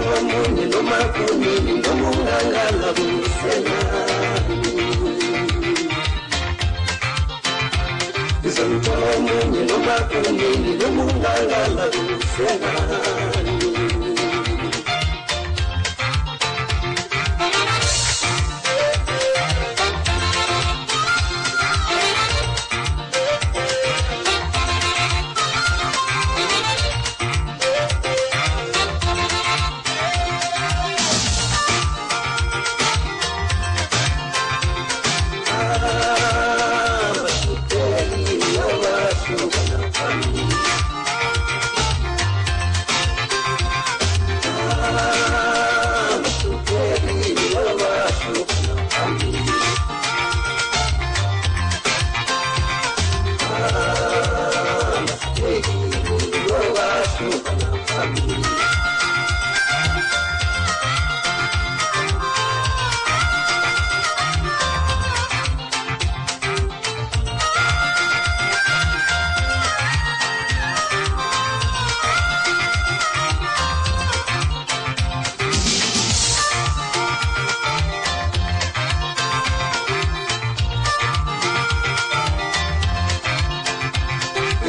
Izomthola munye noma kunini noma ungangala kusenani. Izomthola munye noma kunini noma ungangala kusenani.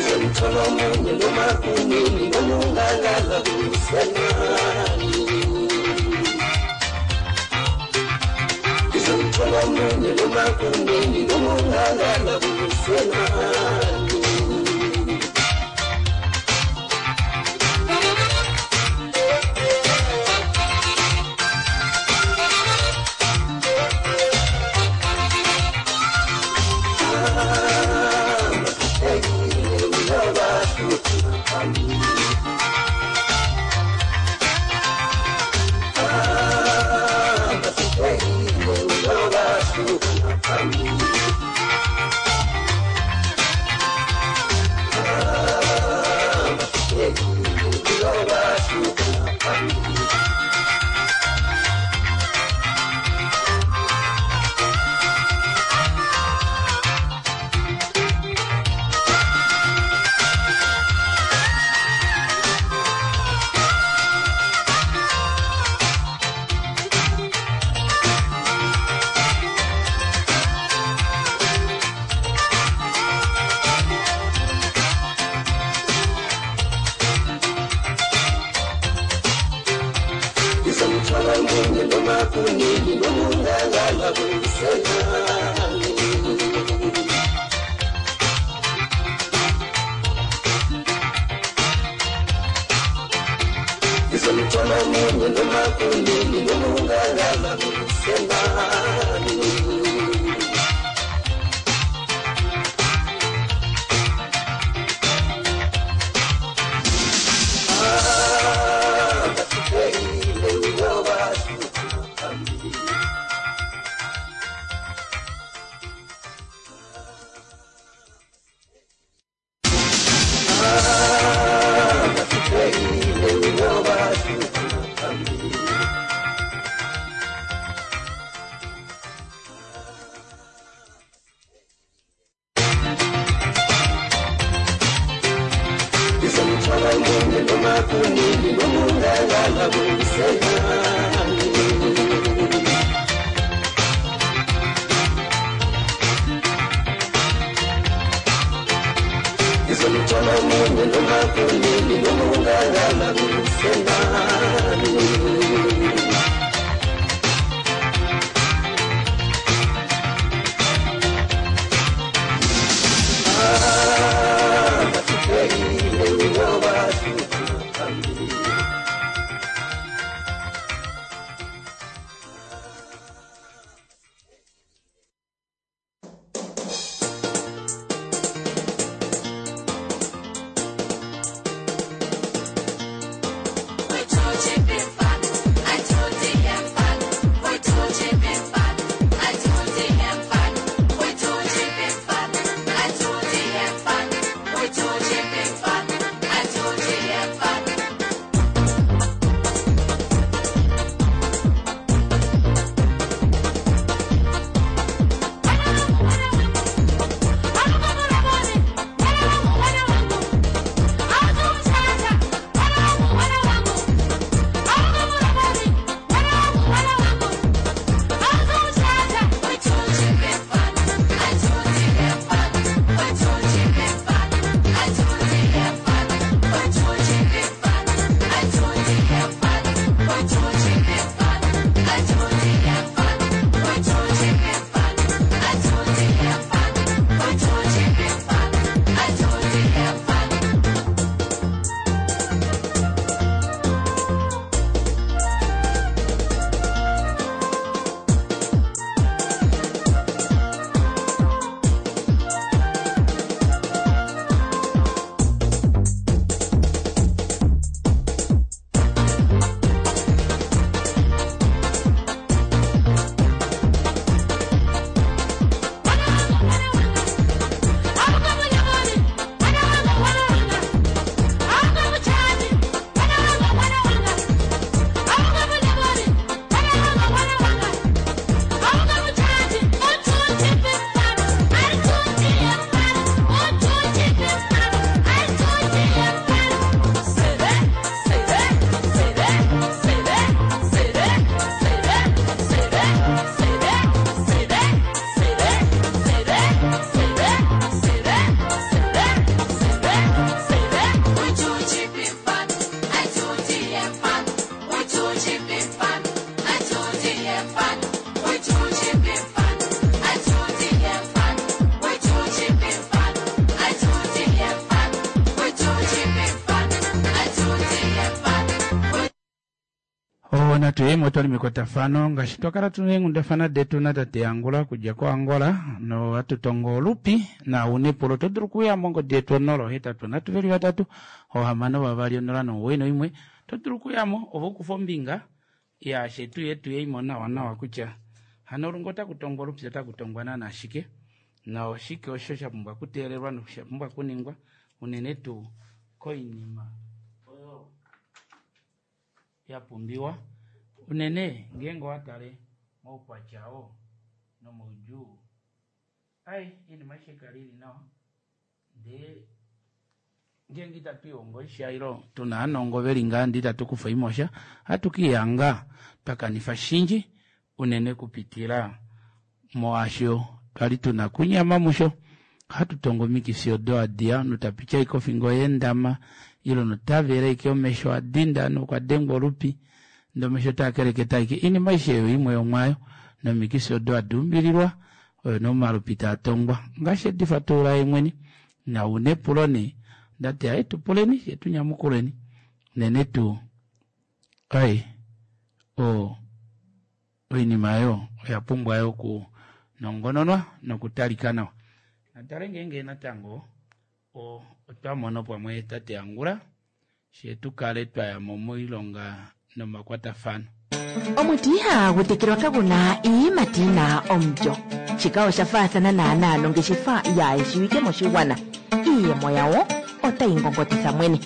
Izomthola munye noma kunini noma ungangala kusenani. Izomthola munye noma kunini noma ungangala kusenani. Izomthola munye noma kunini noma ungangala kusenani. Izomthola munye noma kunini noma ungangala kusenani. Izomthola munye noma kunini noma ungangala kusenani. Izomthola munye noma kunini noma ungangala kusenani. I told you before, I told Natu yemo otwali mekwatafano ngaashi twakala tuna eenghundafana detu natate Angula okudja koAngola nohatu tongo olupi na une epulo oto dulu okuya mongodi yetu onola ohetatu nhatu veli vatatu ohamano vavali onola nomuwoi noimwe oto dulu okuyamo ove ukufe ombinga yaashe tuye tuyeimo nawa nawa kutya hano olunga otaku tongwa olupi otaku tongwa naana shike noshike osho sha pumbwa okuteelelwa nosha pumbwa okuningwa unene tuu koinima oyo ya pumbiwa unene ngeenge owa tale moukwatya oo nomoudjuu ai iinima aishe kali ili nawa ndee ngeenge itatu ihongo isha ilo tuna aanongo veli ngaa ndee itatu kufa imosha ohatu kiihanga twa kanifa shinji unene kupitila moasho twali tuna kunyama musho ohatu tongo omikifi odo hadiya omunhu tapiti ashike ofingo yeendama ile omunhu tavele ashike omesho adinda nokwa dengwa olupi ndee omesho taa keleketa ashike oinima aishe oyo imwe yomwaayo nomikifi odo hadi umbililwa oyo nee omalupi taa tongwa ngaashi edi fatulula yeemwene nauna epulo nee ndati aye tupuleni fye tunyamukuleni unene tuu ai o oinima oyo oya pumbwa yo okunongononwa nokutalika nawa natale ngeenge natango o otwa mono pamwe tate Angula she tukale twayamo moilonga nomakwatafano. Omuti ihagu tekelwa kagu na iiyimati yi na omulyo. Shika osha faathana naanaa nongeshefa yaayeshiwike moshigwana. Iiyemo yawo otayi ngongotitha mwene.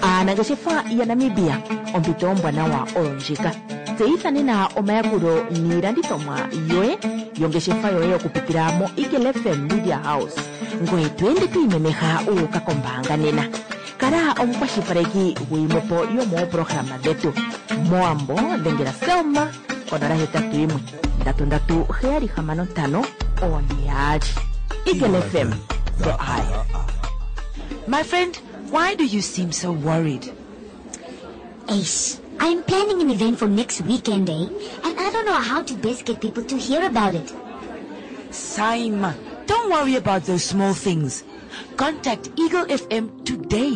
Aanangeshefa yaNamibia, ompito ombwanawa oyo ndjika. Tseyitha nena omayakulo niilandithomwa yoye yongeshefa yoye okupitila moEagle F M Media House. Ngoye to ende to imemeha wu uka kombaanga nena. Kala omukwashilipaleki guyimwepo yomoopolohalama dhetu. MOwambo dhengela Selma konola hetatu yimwe ndatu ndatu heyali hamano ntano oone yaali. Eagle F M, the eye. My friend, why do you seem so worried? Ace, I'm planning an event for next weekend, eh? And I don't know how to best get people to hear about it. Saima, don't worry about those small things. Contact Eagle F M today.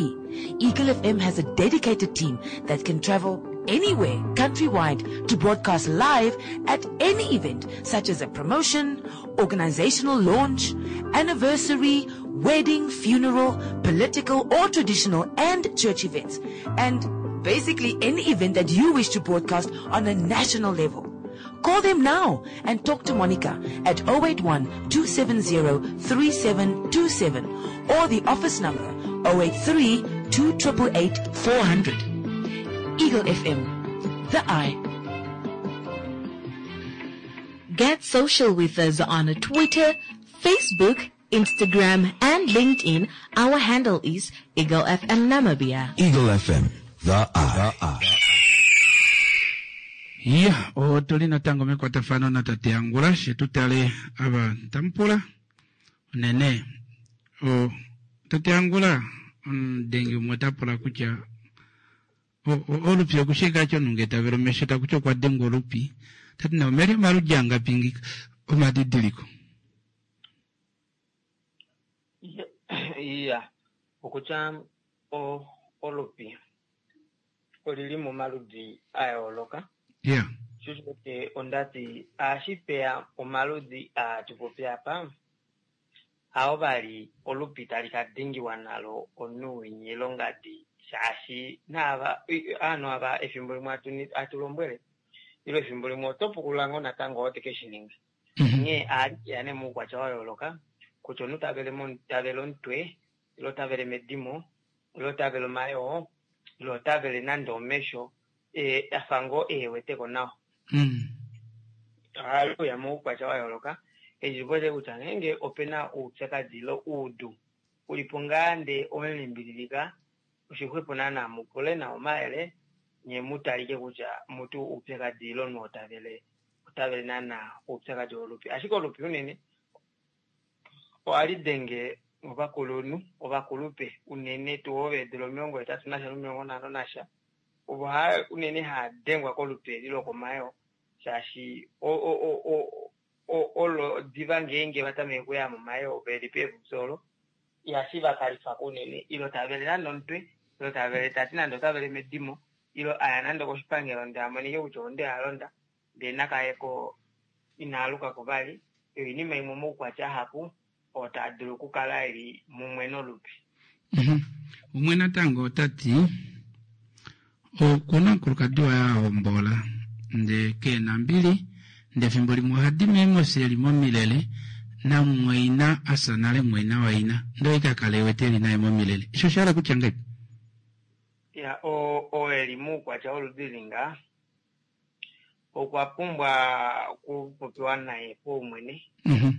Eagle F M has a dedicated team that can travel anywhere countrywide to broadcast live at any event such as a promotion, organizational launch, anniversary, wedding, funeral, political or traditional and church events. And basically any event that you wish to broadcast on a national level. Call them now and talk to Monica at oh eight one two seven zero three seven two seven or the office number oh eight three two eight eight four hundred. Eagle F M, the eye. Get social with us on Twitter, Facebook, Instagram, and LinkedIn. Our handle is Eagle F M Namibia. Eagle F M, the eye. Iya otuli natango mekwatafano natate Angula she tutale ava tampula unene o tate Angula omudengi umwe ota pula kutya olupi okushika omunhu tavele omesho takuti okwa dengwa olupi tati na omeli omaludi angapi ngika omadidiliko. Iya, okutya olupi olili momaludi a yooloka. Yeah Sho ondati ohashi peya omaludi atupopi apa awo vali olupi tali kadengiwa nalo omunhu winya ilongadi shaashi naava aanhu ava efimbo limwe atulombwele ile efimbo limwe oto pukulula ngoo natango oo teke shininga. Onghee ohali keya nee moukwatya wa yooloka kutya omunhu tavele tavele omutwe ile otavele medimo ile otavele omayoo ile otavele nande omesho afa ngoo eheweteko nawa. Ohali uya moukwatya wa yooloka eshi pote kutya ngeenge opena oupyakadi ile uudu ulipo ngaa ndee owemulimbililika oshixwepo naana mupule nawa omayele nye mutalike kutya mutu oupyakadi ile omunhu otavele otavele naana oupyakadi wolupi. Ashike olupi unene ohali denge ovakulunhu ovakulupe unene tuu ovo veedula omilongo hetatu nasha nomilongo nhano nasha ovo unene haya dengwa kolupe eli lokomayoo shaashi olo diva ngeenge vatameke okuya momayoo veli peepupyu olo ihashi vakalifako unene ile tavele nande omutwe ile tavele tati nande otavele medimo. Ilo aya nande koshipangelo ndee amonike kutya onde alonda ndee nakayeko inaalukako vali. Oinima imwe omaukwatya ahapu oo taa dulu okukala eli mumwe nolupi. Mhm. Umwe natango ota ti okuna omukulukadi waye a hombola ndee kena mbili ndee efimbo limwe ohadi meemosi eli momilele namumwaina asa nale mumwaina waina ndee oye kakala ewete eli naye momilele. Osho osha hala kutya ngahelipi? Ya, oo oo eli moukwatya woludi linga okwa pumbwa okupopiwa naye paumwene. Mhm.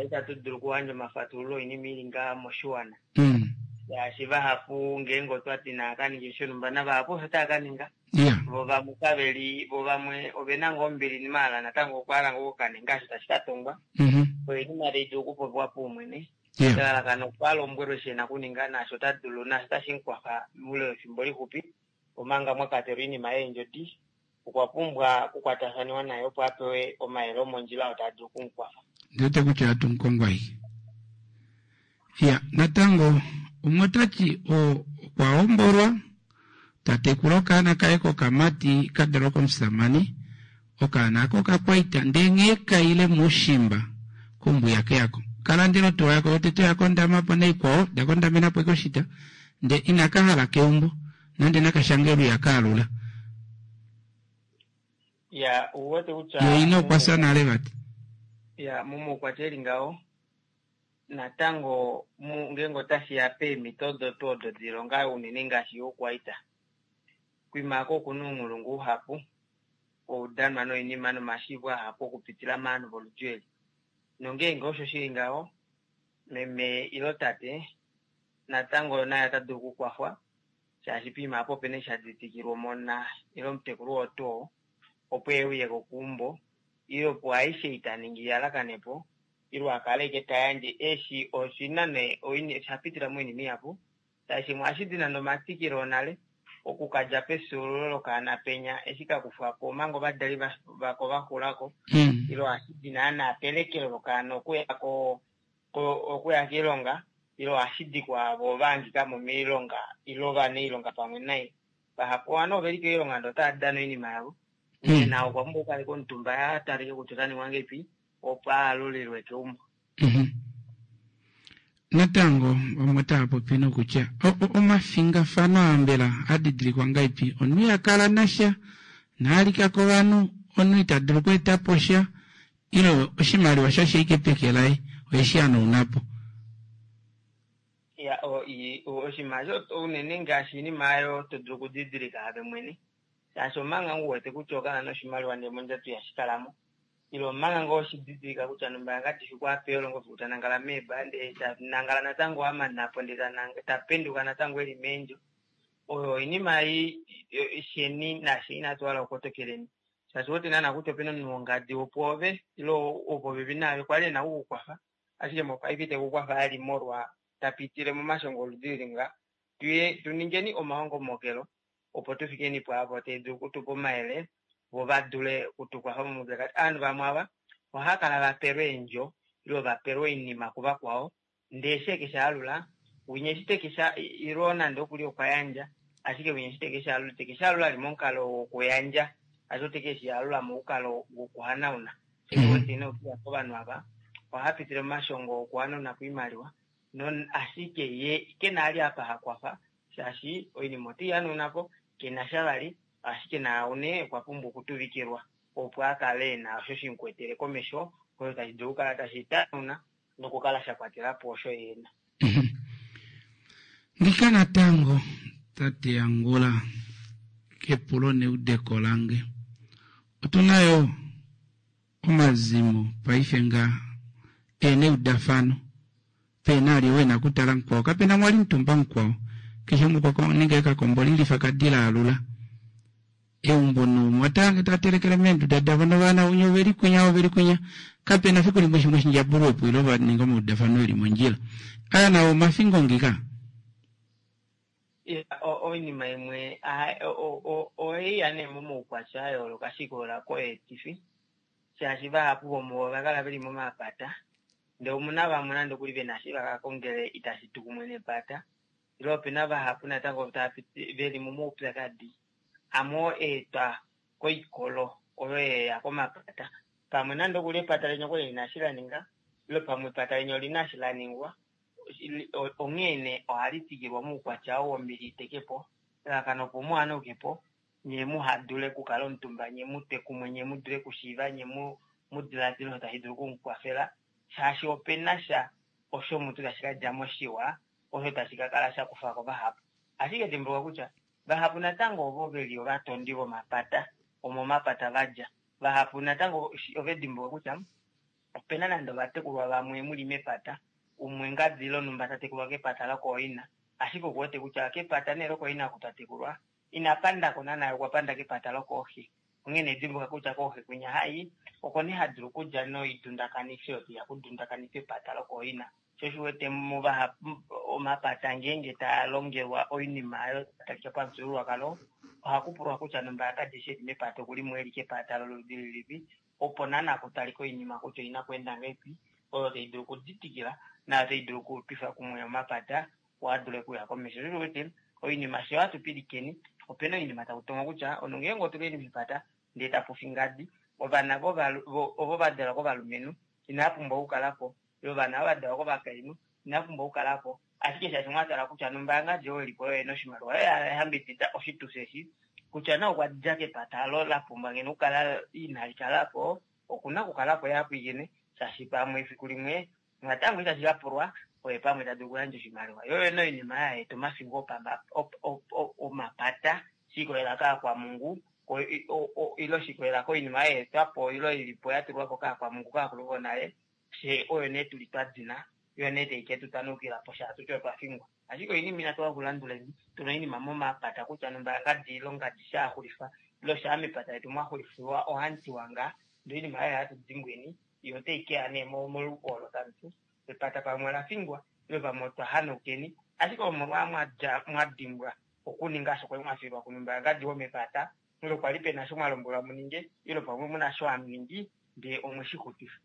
Itatu dulu okuyandja omafatululo oinima ili nga moshiwana. Mm. Shaashi vahapu ngeenge otwati naakaninge shonhumba navahapu osho tava kaninga. Yeah. Vo vamwe kaveli, vo vamwe ovena ngoo ombili maala natango okwa hala ngoo okukaninga osho tashi katongwa. Mhm. Oinima tai dulu okupopiwa paumwene. Yeah. Elalakano opo alombwelwe eshi ena okuninga naasho ota dulu naasho tashi mukwafa moule wefimbo lixupi omanga mwakatelwa oinima yeendjodi. Okwa pumbwa okukwatafaniwa naye opo apewe omayele omondjila oo taa dulu okumukwafa. Ndiwete kutya ohatu mukongwa ashike. Ya, natango umwe otati okwa hombolwa tatekula okaana kaye kokamati ka dalwa komusamane okaana ako okakwaita ndee nghee kaile moushimba kombuya keyako kalandela otuwa yako yotete oya kondamapo naikwao dakondamenapo ashike oshita ndee inaka hala keumbo nande nakashange olwiya kaalula. Ya, ouwete kutya Ye ina okwa fya nale vati. Ya, momaukwatya eli ngaho natango ngeenge otashiya peemhito odo tuu odo dilonga unene ngaashi youkwaita. Kwiima oko okuna ounghulungu uhapu oudanwa noinima nomashiivo ahapu okupitila movanhu voludi eli. Nongeenge osho shili ngaho meme ilo tate natango naye ota dulu okukwafwa shaashi poima apo opena eshi shaditikilwa omona ile omutekulu oo tuu oo opo euye kokeumbo ile opo aishe itaningi iyalakanepo ile akale ashike tayandje eshi oshina nee oshapitila moinima ihapu shaashi imwe ohashidi nande omatikilo onale okukadja pefyuululo lokaana penya eshi kakufwako omanga ovadali vako vaxulako ile ohashidi naana pelekelo lokaana okuya ko okuya koilonga ile ohashidi kwaavo vahangikamo moilonga ile ovanailonga pamwe naye. Vahapu ovanhu oveli koilonga ndee otava dana oinima yavo onghee naye okwa pumbwa okukaleka omutumba atalike kutya ota ningwa ngahelipi opo aalulilwe keumbo. Mhm. Natango vamwe otava popi nokutya omafingafano aa mbela adidilikwa ngahelipi? Omunhu iha kala nasha naalika kovanhu, omunhu ita dulu okweetapo sha ile oshimaliwa shasha ashike peke laye oheshi hanaunapo. Ya, oshinima osho unene ngaashi oinima aayo to dulu okudidilika ove mwene shaashi omanga ngoo uwete kutya okana noshimaliwa ndee mondjato ihashi kalamo ile omanga ngoo shididilika kutya numba kadifi kwapewa elongo fiku tanangala meeba ndee tanangala natango amanapo ndee tapenduka natango eli meendjo. Oyo oinima sheni nashe inatu hala okukotokeleni shaashi ouwete naana kutya opena omunhu wongadi wopwoove ile wopopepi naave kwali ena okukukwafa ashike mopaife itekukwafa vali molwa tapitile momashongo oludi lili nga. Tuningeni omahongomokelo opo tufikeni pwaavo tava dulu okutupa omayele vo vadule okutukwafa momaupyakadi. Ovanhu vamwe ava ohava kala vapelwa eendjo ile vapelwa oinima kuvakwao ndee eshi ekeshaalula winya eshi tekesha ilo nande okuli okwa yandja ashike winya eshi tekeshaalula itekeshaalula ali momukalo wokuyandja ashike otekeshiyalula momukalo wokuhanauna. Shouwete nee okuya kovanhu ava ohava pitile momashongo okuhanauna po oimaliwa ashike ye kena vali apa hakwafa shaashi oinima oteihanaunapo kenasha vali ashike naau nee okwa pumbwa okutuvikilwa opo akale ena osho shimukwetele komesho osho tashi dulu okukala tashi tanauna nokukala shakwatelapo osho ye ena. Ngika natango tate Angula kepulo neudeko lange. Otuna yo omazimo paife nga ena eudafano pena ali oo ena okutala mukwao kapena mwali mutumba mukwao keshe umwe okwa ninga ekakombo lilifa kadila alula eumbo noumwe otaange tatelekele meenduda davo novana unya oveli kwinya oveli kwinya kapena fiku limwe shimwe shindjabulwepo ile vaninga omaudafano eli mondjila aya nawo omafingo ngika. Oinima imwe oiya nee momaukwatya ayooloka shikolela koyeetifi shaashi vahapu vomuvo ovakala veli momapata ndee omuna vamwe nande okuli vena eshi vakakongele itashi tu kumwe nepata ile opena vahapu natango veli momaupyakadi Amwe oo eetwa koikolo oyo yeya komapata. Pamwe nande okuli epata leni okwali lina eshi la ninga, ile pamwe epata leni olina eshi la ningwa, onghee nee ohali twikilwa moukwatya oo wombili iteke po, elalakano opo muhanauke po, nye muhadule okukala omutumba, nye mutwe kumwe, nye mudule okushiiva, nye mu diladile osho tashi dulu okumukwafela, shaashi opena sha osho mutu tashi ka dja mo shiwa, osho tashi ka kala sha kufa ko vahapu. Ashike dimbuluka kutya vahapu natango ovo veli ovatondi vomapata, omomapata vadja. Vahapu natango ove dimbuluka kutya opena nande ovatekulwa vamwe muli mepata, umwe ngadi lonhumba ta tekulwa kepata lokooina, ashike okuwete kutya kepata nee lokooina oku ta tekulwa ina pandako naana, okwa panda kepata lokooxe. Onghee nee dimbuluka kutya kooxe kwinya hai oko nee ha dulu okudja noidundakanifi oyo teya kudundakanifa epata lokooina. Sho shi wete muvahapu omapata ngeenge taa longelwa oinima oyo talika pamufyuululwakalo, ohaku pulwa kutya nomba kadi shi eli mepata okuli mo eli kepata loludi lilipi, opo naana kutalika oinima kutya oina kweenda ngahelipi, oyo tai dulu okuditikila naayo tai dulu okutwifa kumwe omapata opo a dule okuya komesho. Sho shi wete oinima sho hatu pilikeni, opena oinima taku tongo kutya omunhu ngeenge otuli mepata ndee tapu fi ngadi, ovana ovo va dalwa kovalumenhu inava pumbwa okukala po, ovana ovo va dalwa kovakainhu inava pumbwa okukala po, ashike shaashi mwatala kutya nombaanga oyo ilipo oyo ena oshimaliwa oyo yayambidida oshitufi eshi, kutya nee okwa dja kepata olo la pumbwa ngeno okukala inali kala po, okuna okukala po yapwiikine, shaashi pamwe efiku limwe natango itashi ka pulwa oye pamwe ta dulu okuyandja oshimaliwa. Yo yene oinima yaeta omafingo omapata shikolela kaakwamungu, ile shikolela koinima yaetwa po ile ilipo ya tulwa po kaakwamungu kaakulu vonale, fye oyo nee tuli twa dina, yo nee tai ke tu tanukila po shaashi tutye otwa fingwa. Ashike oinima inatu okulanduleni, tuna oinima momapata kutya nomba ngadi ile ngadi shaaxulifa, ile shaa mepata letu mwaxulifilwa ohamutiwa ngaa, ndee oinima oyo hatu dimbweni, yo otai keya nee moluko olo tamuti epata pamwe ola fingwa, ile pamwe otwa hanaukeni, ashike omolwa mwadja mwadimbwa okuninga osho kwali mwafilwa kunumba ngadi womepata, ile kwali pena osho mwalombwelwa muninge, ile pamwe muna osho hamuningi ndee omwe shi xutifa.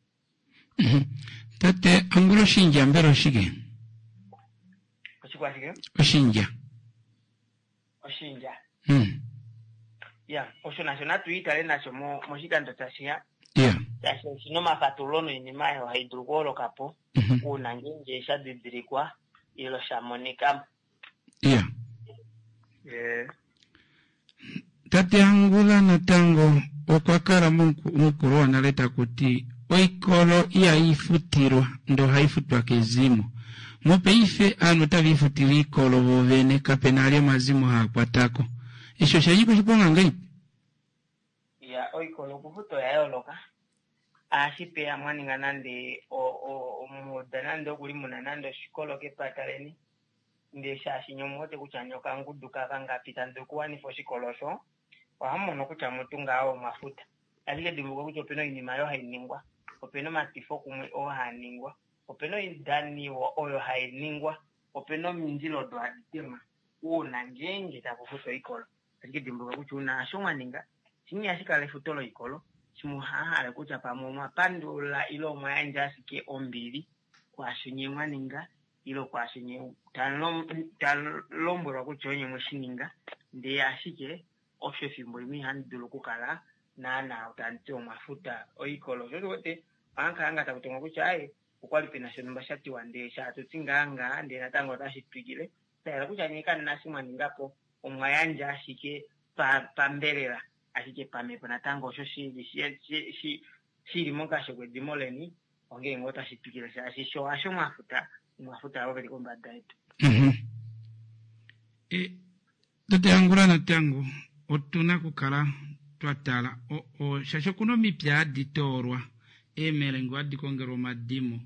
Tate, angula oshindja mbela oshike? Oshikwashike? Oshindja. Oshindja. Hmm. Ya, osho nasho natu itale nasho moshikando tashiya. Ya. Shaashi oshina omafatululo noinima oyo hai dulu okuholoka po uuna ngeenge sha didilikwa ile sha monika. Ya. Eh. Tate Angula natango okwa kala mukulu wonale taku ti oikolo ihai futilwa ndee ohai futwa kezimo. Mopaife aanhu otava ifutile oikolo vovene, kapena ali omazimo haa kwatako. Eshi osha nyika oshiponga ngahelipi? Ya, oikolo okufuta oya yooloka. Aashipeya mwa ninga nande omuuda nande okuli muna nande oshikolo kepata leni, ndee shaashi nye omuwete kutya nye okangudu kavangapi tamu dulu okuwanifa oshikolo osho, ohamu mono kutya mutu ngaho omwafuta. Ashike dimbuluka kutya opena oinima oyo hai ningwa, opena omatifo kumwe oo haa ningwa, opena oidaniwa oyo hai ningwa, opena omindilo odo hadi temwa uuna ngeenge taku futwa oikolo. Ashike dimbuluka kutya uuna osho mwa ninga, shimwe ihashi kala efuto loikolo, shimwe ohahale kutya pamwe omwa pandula ile omwa yandja ashike ombili kwaasho nye mwa ninga, ile kwaasho nye talombwelwa kutya onye mwe shi ninga, ndee ashike osho efimbo limwe ihamu dulu okukala naana tamuti omwafuta oikolo. Sho osho ohamu ngaa taku tongwa kutya aye okwali pena shonhumba sha tiwa ndee shaatuti ngaa ngaa ndee natango otashi twikile. Shahala kutya nye kamuna eshi mwa ninga po, omwa yandja ashike pambelela, ashike pamhepo natango osho shili mokasho kwedimo leni, onghee ngoo otashi twikile shaashi sho hasho mwafuta, omwafuta ovo veli kombada yetu. Tate Angula natango otuna okukala twa tala shaashi okuna omipya hadi toolwa, eemelengo hadi kongelwa omadimo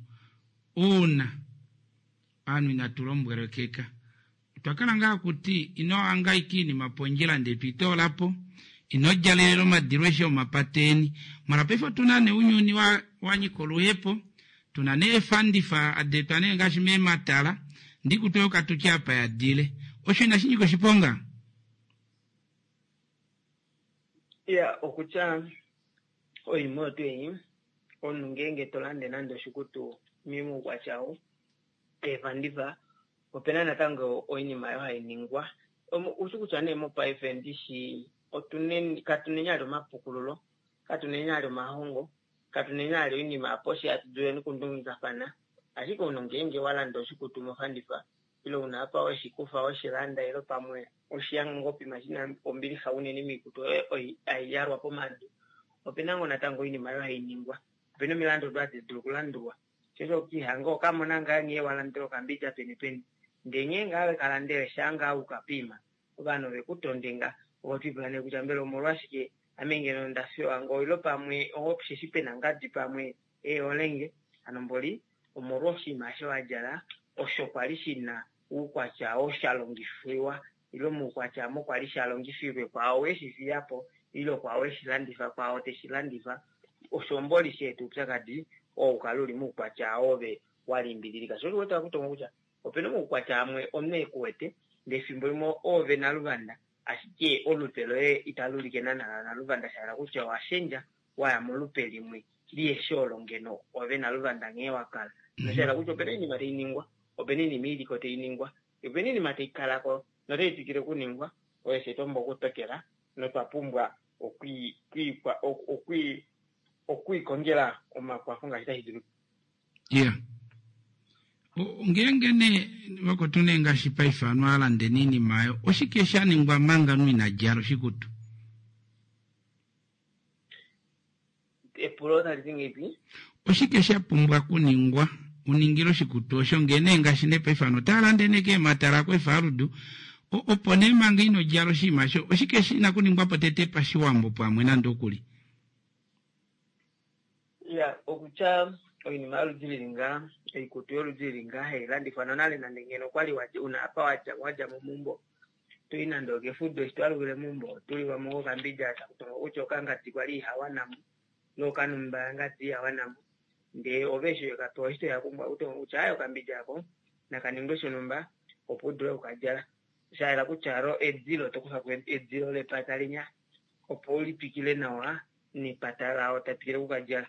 uuna aanhu inatu lombwelekeka. Otwa kala ngaa kuti ino hangaika iinima pondjila ndee twitoola po, ino djalelela omadilo eshi omapateni. Mala paife otuna nee ounyuni wa nyika oluhepo, tuna nee eefandifa hadi etwa nee ngaashi meematala, ndikutu okatutya apa yadile. Osho inashi nyika oshiponga? Ya, okutya oinima oyo tuu ei, omunhu ngeenge to lande nande oshikutu moukwatya ou, eefandifa, opena natango oinima oyo hai ningwa. Ushi kutya nee mopaife ndishi otuneni katuneni ali omapukululo, katuneni ali omahongo, katuneni ali oinima apo shi hatu duleni okundungikafana. Ashike omunhu ngeenge walanda oshikutu mofandifa ile una apa weshikufa weshilanda ile pamwe oshiyanga ngoo pima shina ombilixa unene moikutu oyo haiyalwa pomadu, opena ngoo natango oinima oyo hainingwa, opena omilandu odo hadi dulu okulandulwa. Shosho okihanga okamona ngaa nghee walandele okambidja peni peni, ndee nghee ngaa wekalandele shaa ngaa ukapima ovanhu ovekutonde nga ovo twipula nee kutya mbela omolwashike ame ngeno ndafiwa ngoo ile pamwe osheshi pena ngadi pamwe eholenge hano mboli omolwa oshinima osho wadjala osho kwali shina oukwatya oo shalongifwiwa ile moukwatya omo kwali shalongifilwe kwaao weshifiyapo ile kwaao weshilandifa kwaao teshilandifa osho mboli sheeta oupyakadi oo ukale uli moukwatya ove walimbililika. Sho osho uwete kutonga kutya opena omaukwatya amwe omunhu ekuwete ndee efimbo limwe oove naluvanda ashike olupe loye itali ulike naana naluvanda shahala kutya owashendja waya molupe limwe liheshi olo ngeno ove naluvanda nghee wakala. Noshahala kutya opena oinima tainingwa, opena oinima iliko tainingwa, opena oinima taikalako notai twikile okuningwa oyo fye twapumbwa okutokela notwa pumbwa okwiikongela omakwafo ngaashi tashi dulu. Yeah. Ngeenge nee vakotu nee ngaashi paife anu alandeni oinima ayo, oshike sha ningwa manga omunhu ina djala oshikutu? Epulo otali ti ngeipi? Oshike sha pumbwa okuningwa uningile oshikutu osho ngee nee ngaashi nee paife anu otaa lande nee keematala kweefaludu opo nee manga ino djala oshinima osho, oshike shina okuningwa po tete pashiwambo pamwe nande okuli? Ya, okutya oinima yoludi lili ngaa, oikutu yoludi lili ngaa hailandifwa nonale nande ngeno okwali una apa wadja wadja mo meumbo toyi nande okefudo eshi twalukile meumbo otuliwa mo kokambidja takutonga kutya okangadi kwali ihawanamo ile okanumba ngadi ihawanamo ndee ove eshi wekapewa eshi toya kumbwa kutonga kutya aye okambidja ako nakaningwe shonumba opo udule okukadjala. Shayela kutya lo edilo tokufako edilo lepata linya opo ulitwikile nawa nepata lao tatwikile okukadjala.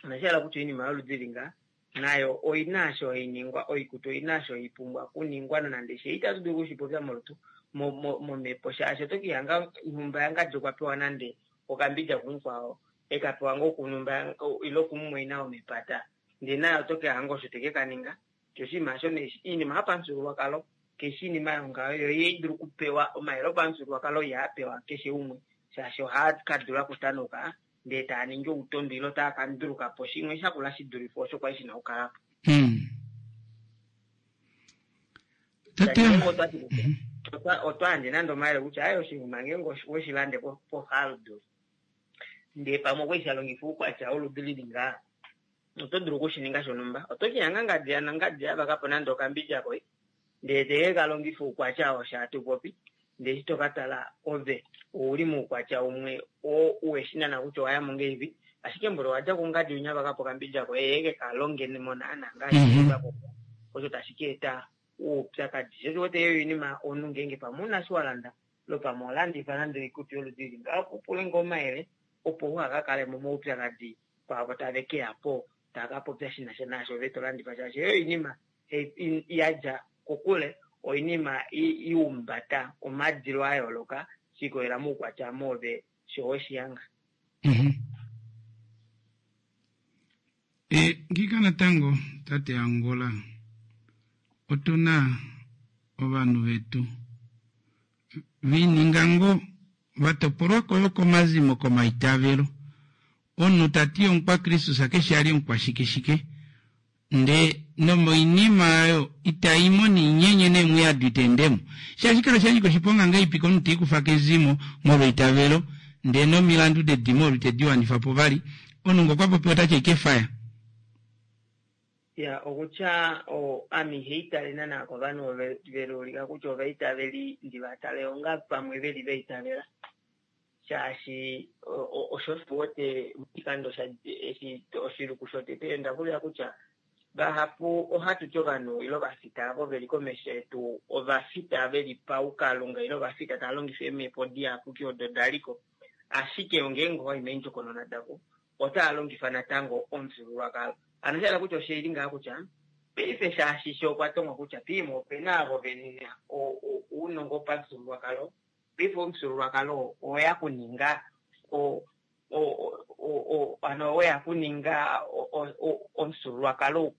Noshahala kutya oinima yoludi linga nayo oina osho hainingwa, oikutu oina osho haipumbwa okuningwa nonande she itatu dulu okushipopya molutu momhepo shaashi oto kihanga nhumba yangadi okwa pewa nande okambidja kumukwao ekapewa ngoo kunhumba ile kumumwaina womepata ndee naye oto kihanga osho teke kaninga. Sho oshinima osho nee oinima yopamufyuululwakalo keshe oinima yongaho yo ihaidulu okupewa omayele opamufyuululwakalo ihaa pewa keshe umwe shaashi ohaa kadula okutanuka ndee taa ningi outondo ile otaa kandulukapo shimwe shakula shidulife osho kwali shina okukalapo. Otwa yandje nande omayele kutya aye oshinima ngeenge weshilande pofaluduli ndee pamwe okwali shalongifa oukwatya woludi lili ngaa oto dulu okushininga shonumba. Oto kihanga ngadi yanangadi yavakapo nande okambidja koye ndee teke kalongifa oukwatya oo shaatupopi ndee eshi tokatala ove ouli moukwatya umwe oo uweshinana kutya owayamo ngeipi ashike mboli owadja kungadi winya vakapo okambidja koye ye kekalonge mo naana ngaashi osho tashi ka eta oupyakadi. Sho osho uwete oyo oinima omunhu ngeenge pamwe una eshi walanda ile pamwe owalandifa nande oikutu yoludi lili ngaho upule ngoo omayele opo uhakakale momaupyakadi kwaavo tave keyapo tava kapopya shinasha naasho ove tolandifa shaashi oyo oinima yadja kokule, oinima iumbata omadilo ayooloka shikolela moukwatya moove sho weshihanga. E, ngika natango tate Angola otuna ovanhu vetu vininga ngoo vatopolwako yo komazimo komaitavelo omunhu tati omukwakristus keshe ali omukwashikeshike ndee nomoinima ayo itaimo niinyenye neemwiyadu iteendemo shaashi kala shanyika oshiponga ngeipi komunhu tiikufa kezimo molweitavelo ndee nomilandu dedimo olo itedi wanifa po vali omunhu ngo okwa popiwa otati aikefaya. Ya, okutya ame ihaitale naana kovanhu ovo veluulika kutya ovaitaveli ndivatale onga pamwe veli vaitavela shaashi osho uwete moshikando eshi oshiluku shotete ondavulila kutya vahapu ohatu ti ovanhu ile ovafita avo veli komesho yetu ovafita veli paukalunga ile ovafita tava longifa eemhepo diyapuki odo daliko ashike ngeenge owayi meendjokonona davo otava longifa natango omufyuululwakalo. Hano oshahala kutya oshili ngaha kutya paife shaashi sho okwa tongwa kutya piimwe opena avo vena ounongo wopamufyuululwakalo Paife omufyuululwakalo oweya kuninga o o o ano oweya kuninga omufyuululwakalo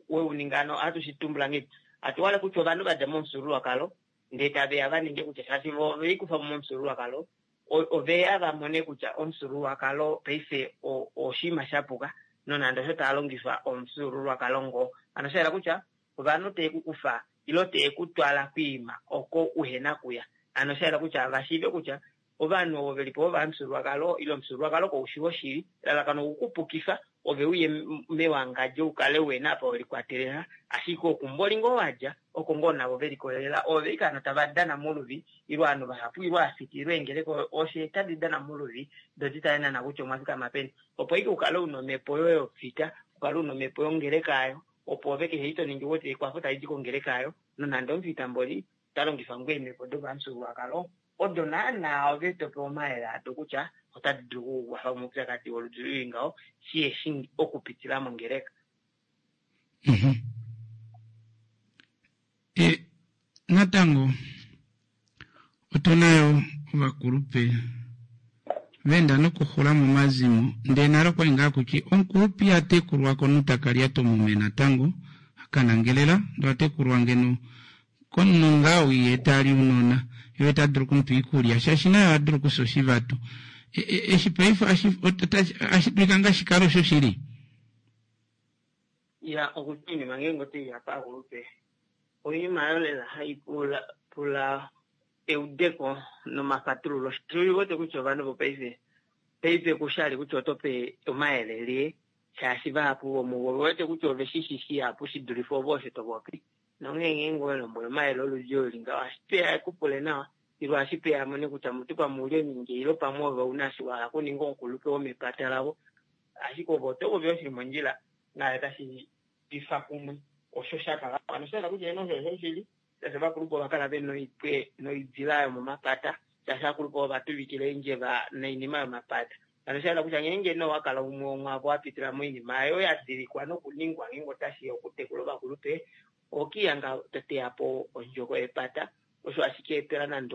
weuninga ano ohatu shitumbula ngahelipi hatu kutya ovanhu vadja momufyuululwakalo ndee taveya vaninge kutya shaashi vo ovelikufa mo momufyuululwakalo oveya vamone kutya omufyuululwakalo paife oshinima shapuka nonande osho taa longifa omufyuululwakalo ngoo. Hano shayela kutya ovanhu teekukufa ilo teekutwala kwiima oko uhena kuya. Hano shayela kutya vashiive kutya ovanhu ovo velipo vovamufyuululwakalo ile omufyuululwakalo koushi woshili elalakano okukupukifa ove uye mewangadjo ukale uhena apa welikwatelela ashike okumboli ngoo wadja oko ngoo navo velikolelela ove ike hano tava dana moluvi ile ovanhu vahapu ile aafita ile eengeleka osho tadi dana moluvi do ditale naana kutya omwafikama peni opo ike ukale una omhepo yoye yofita ukale una omhepo yongeleka ayo opo ove keshe eshi toningi uwete ekwafo talidi kongeleka ayo nonande omufita mboli ota longifa ngoo eemhepo dopamufyuululwakalo odo naana ove topewa omayele ado kutya otadi dulu okukukwafa moupyakadi woludi lili ngaho shiheshi okupitila mongeleka. E, natango otuna yo ovakulupe venda nokuxula momazimo ndee nale okwali ngaa kuti omukulupe ihatekulwa komunhu takalya tomume natango akanangelela ndee ohatekulwa ngeno komunhu ngaa ou yee tali ounona yee ta dulu okumupa oikulya shaashi naye oha dulu okufya oshivatu. Eshi paife ohashi dulika ngaa shikale osho shili? Ya okutya oinima ngeenge otaiya paakulupe oinima oyo lela hai pula pula eudeko nomafatululo. Shaashi ouwete kutya ovanhu vopaife paife kushali kutya otope omayele lie shaashi vahapu vomuvo ovewete kutya ove shishi shihapu shidulife ove osho topopi. Nonghee ngeenge owelombwele omayele oludi olo li ngaho ohashi peya ekupule nawa ile ohashi peya amone kutya mutu pamwe ouli ominge ile pamwe ove ouna eshi wahala okuninga omukulupe womepata lavo. Ashike ove oto popi osho shili mondjila naye otashi twifa kumwe osho shakala. Hano osha yela kutya eno osho oshoshili shaashi ovakulupe ova kala vena oipwe noidila yomomapata shaashi ovakulupe ova tuvikila eendjeva noinima yomapata. Hano osha yela kutya ngeenge nee owakala umwe womwaavo wapitila moinima oyo yadilikwa nokuningwa ngeenge otashiya okutekula ovakulupe ohokiihanga toteyapo ondjoko yepata osho ashike etela nande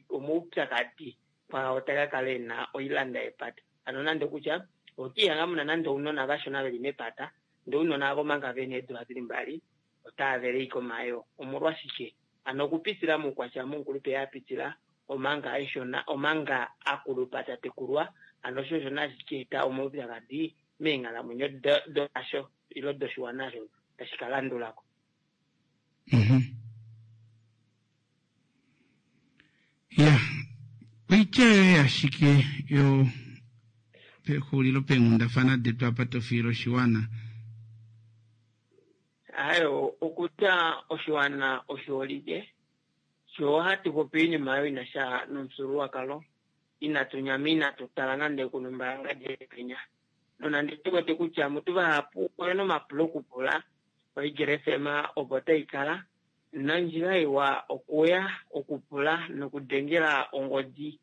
omaupyakadi kwaao takakala ena oilanda yepata. Hano nande kutya ohokiihanga muna nande ounona vashona veli mepata ndee ounona avo omanga vena eedula dili mbali otaavele ashike omayoo. Omolwashike? Hano okupitila moukwatya momukulupe apitila omanga eshona omanga akulupa tatekulwa hano osho osho nashi kaeta omaupyakadi meenghalamwenyo dasho ile doshiwana osho tashi kalandulako. Ya, oitya yoye ashike yo pexulilo peenghundafana detu apa tofiila oshiwana. Ayo, okutya oshiwana oshiholike, sho ohatu popi oinima oyo ina sha nomufyuululwakalo, inatu nyama inatu tala nande kunumba penya. Nonande tu wete kutya mutu vahapu oyena omapulo okupula, oEagle F M opo tai kala nondjila iwa okuya okupula nokudengela ongodi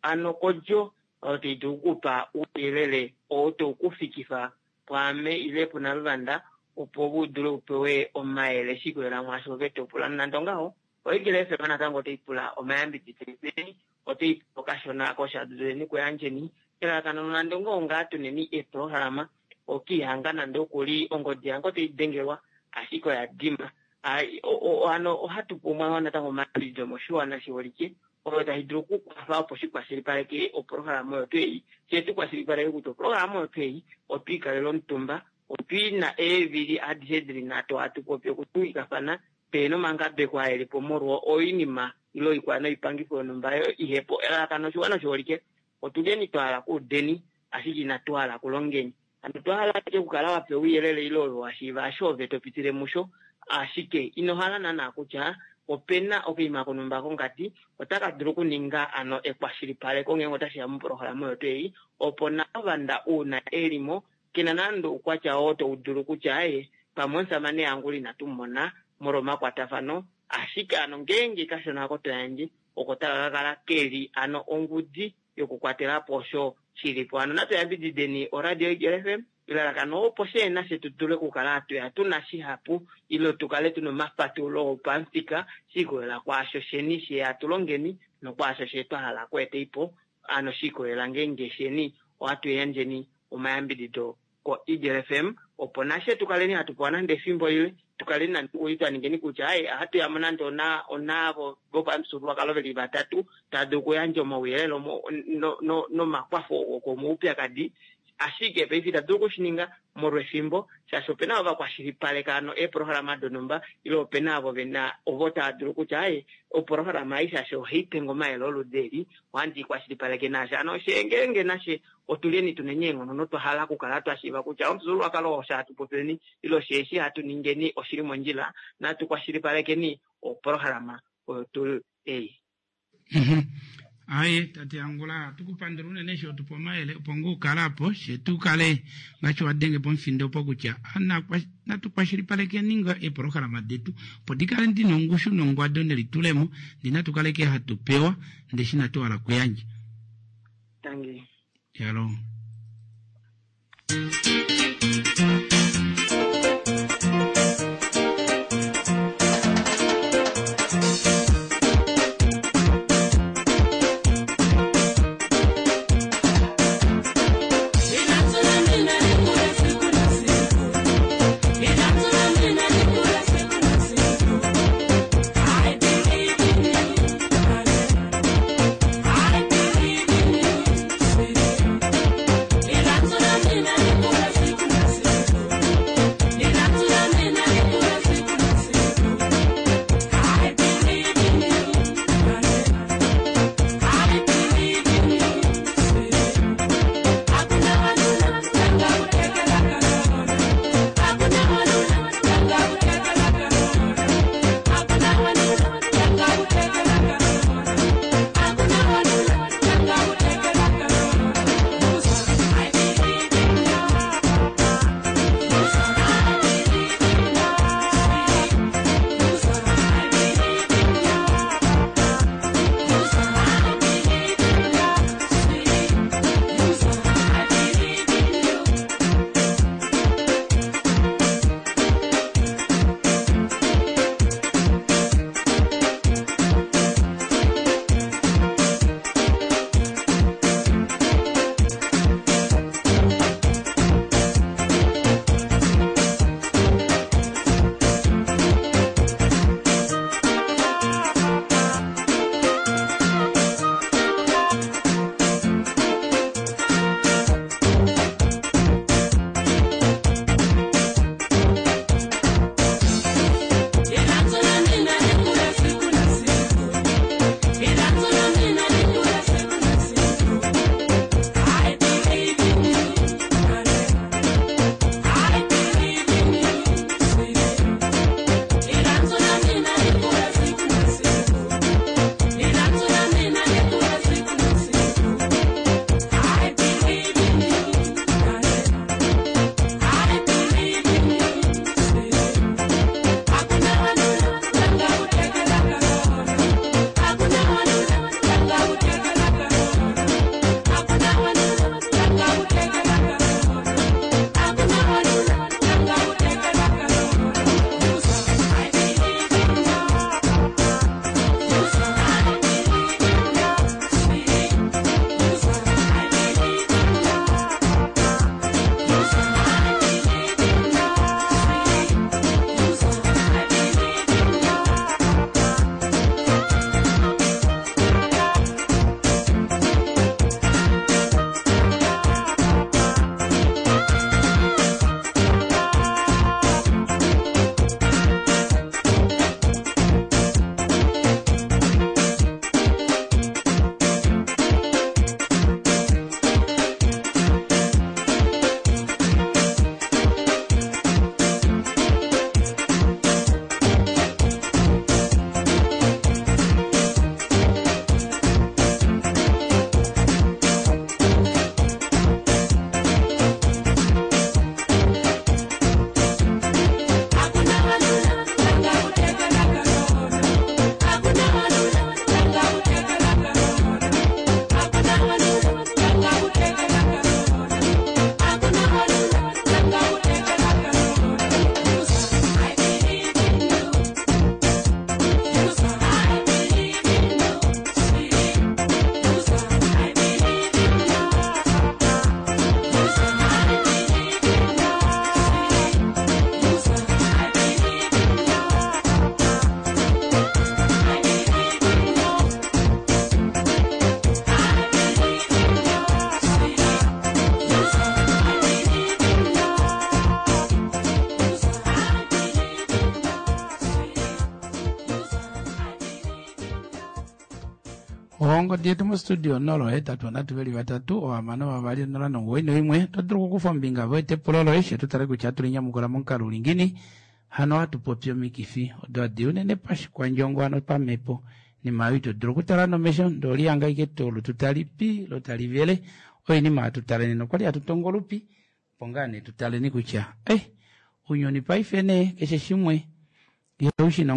ano kodjo oyo tai dulu okukupa ouyelele oo tau kufikifa pwaame ile puNaluvanda opo u dule upewe omayele shikolela mwaasho ove topula. Nonande ongaho, oEagle F M natango otai pula omayambidido eni, otai pula okashona koshaduleni kuyandjeni elalakano nonande ongaho ngaa tuneni eeprograma okiihanga nande okuli ongodi yange otai dengelwa ashike oya dima. Hano ohatu pumbwa natango omayambidido moshiwana shiholike oyo tashi dulu okukwafa opo shikwashilipaleke oprograma oyo twei fye tukwashilipaleke kutya oprograma oyo twei otwiikalela omutumba otwiina eevili adishe dili nhatu hatu popi okutuwikafana pehena omangabeko aa elipo molwa oinima ile oikwa noipangifo yonhumba oyo ihepo. Elalakano oshiwana oshiholike otuleni twahala kuudeni ashike inatu hala kulongeni. Hano otwahala ashike okukala wapewa ouyelele ile ove washiiva osho ove topitile musho ashike ino hala naana kutya opena okaima konhumba kongadi otaka dulu okuninga ano ekwashilipaleko ngeenge otashiya moprograma oyo twei opo Naluvanda uuna elimo kena nande oukwatya oo taudulu kutya aye pamwe omusamane yangu inatu mona molwa omakwatafano ashike ano ngeenge kashona ako toyandje oko taka kakala keli ano ongudi yokukwatelapo osho shilipo. Hano natu yambidideni oradio Eagle F M Elalakano opo shee nafye tu dule okukala hatu tuna shihapu ile tukale tuna omafatulo opamufika shiikolela kwaasho sheni she hatu longeni nokwaasho she twa hala okweetaipo ano shiikolela ngeenge sheni ohatu yandjeni omayambidido ko-Eagle F M opo nashe tukaleni hatu pewa nande efimbo lile tukaleni nande twa ningeni kutya ai ohatu yamo nande ona onavo vopamufyuululwakalo veli vatatu tava dulu okuyandja omauyelele nomakwafo okomaupyakadi ashike paife itatu dulu okushininga molwefimbo shaashi opena ovo vakwashilipaleka ano eeprograma donhumba ile opena ovo vena ovo tava dulu kutya ai oprograma ei shaashi ohaipe omayele oludi eli ohandi ikwashilipaleke nasha hano ngeenge nashe otuleni tuneni eenghono notwa hala okukala twa shiiva kutya omufyuululwakalo osho hatu popileni ile osheeshi hatu ningeni oshili mondjila natu kwashilipalekeni oprograma oyo tuu ei. Aye tate Angula tukupandula unene eshi otupa omayele opo ngoo ukale apo she tukale ngaashi wadenge pomufindo opo kutya natu kwashilipalekeni nga eeprograma detu opo dikale dina ongushu nongwado nelitulemo ndi natu kaleke hatu pewa ndee shi natu hala okuyandja. Tangi. Yalo. I believe in you. Ongodi yetu mostudio nola ohetatu nhatu veli vatatu ohamano vavali onola nomuwoi noimwe. Oto dulu okukufa ombinga voete epulo loye she tu tale kutya ohatu linyamukula momukalo uli ngiini. Hano ohatu popi omikifi odo hadi unene pashikwandjongo hano pamhepo. Inima oyo ito dulu okutala nomesho ndee olihanga ashike olutu tali pi lo tali vele. Oinima hatu tale nena okwali hatu tongo olupi opo ngaa nee tutaleni kutya eh ounyuni paife nee keshe shimwe ihaushina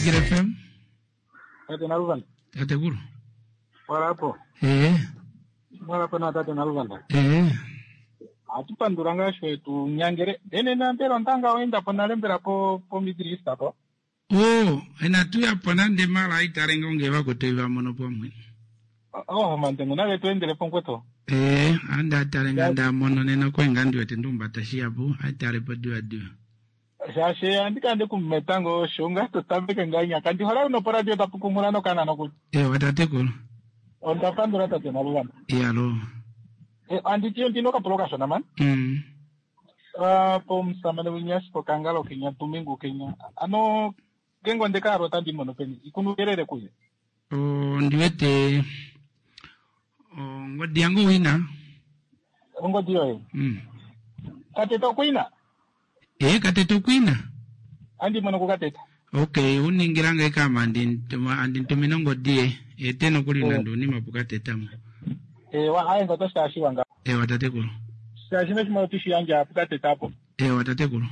Eagle F M. Tate Naluvanda. Tatekulu. Walapo. Ee. Walapo na tate Naluvanda. Ee. Ohatu pandula ngaa sho tu nyangele. Nena mbela ondanga oenda po nale mbela po po Middle East po. O, inatu yapo nande mala aitale ngoo vakutu vamono pamwe. Oh, mandengu nale tu endele pongweto. Ee, ande atale nga ndamono nena okwe nga ndiwete ndumbata shiyapu aitale po diva diva. Shaashi andi kande kumetango sho nga to tameke nga nyaka ndi hola no poradio tapu kumula no kana no ku. Ewa tatekulu. Onda pandula tate Naluvanda. Iyalo. Eh, andi tiyo ndino kapulo kashona man. Mm. Ah, po musamane winyasi po kangalo kenya tumingu kenya. Ano gengo ndekaro tandi mono peni ikunukelele kuye. O, ndiwete ongodi yangu wina. Ongodi yoye. Mm. Kateta okuina. Ee, kateta okwina. Andi mono kukateta. Okay, uningilanga ikama andi ntumina ongodi ye. Ete nokuli nande unima pukatetamo. Ewa aye ngoto shashiwa nga. Ewa tatekulu. Shaashi neshimwe otishiyandja pukateta apo. Ewa tatekulu.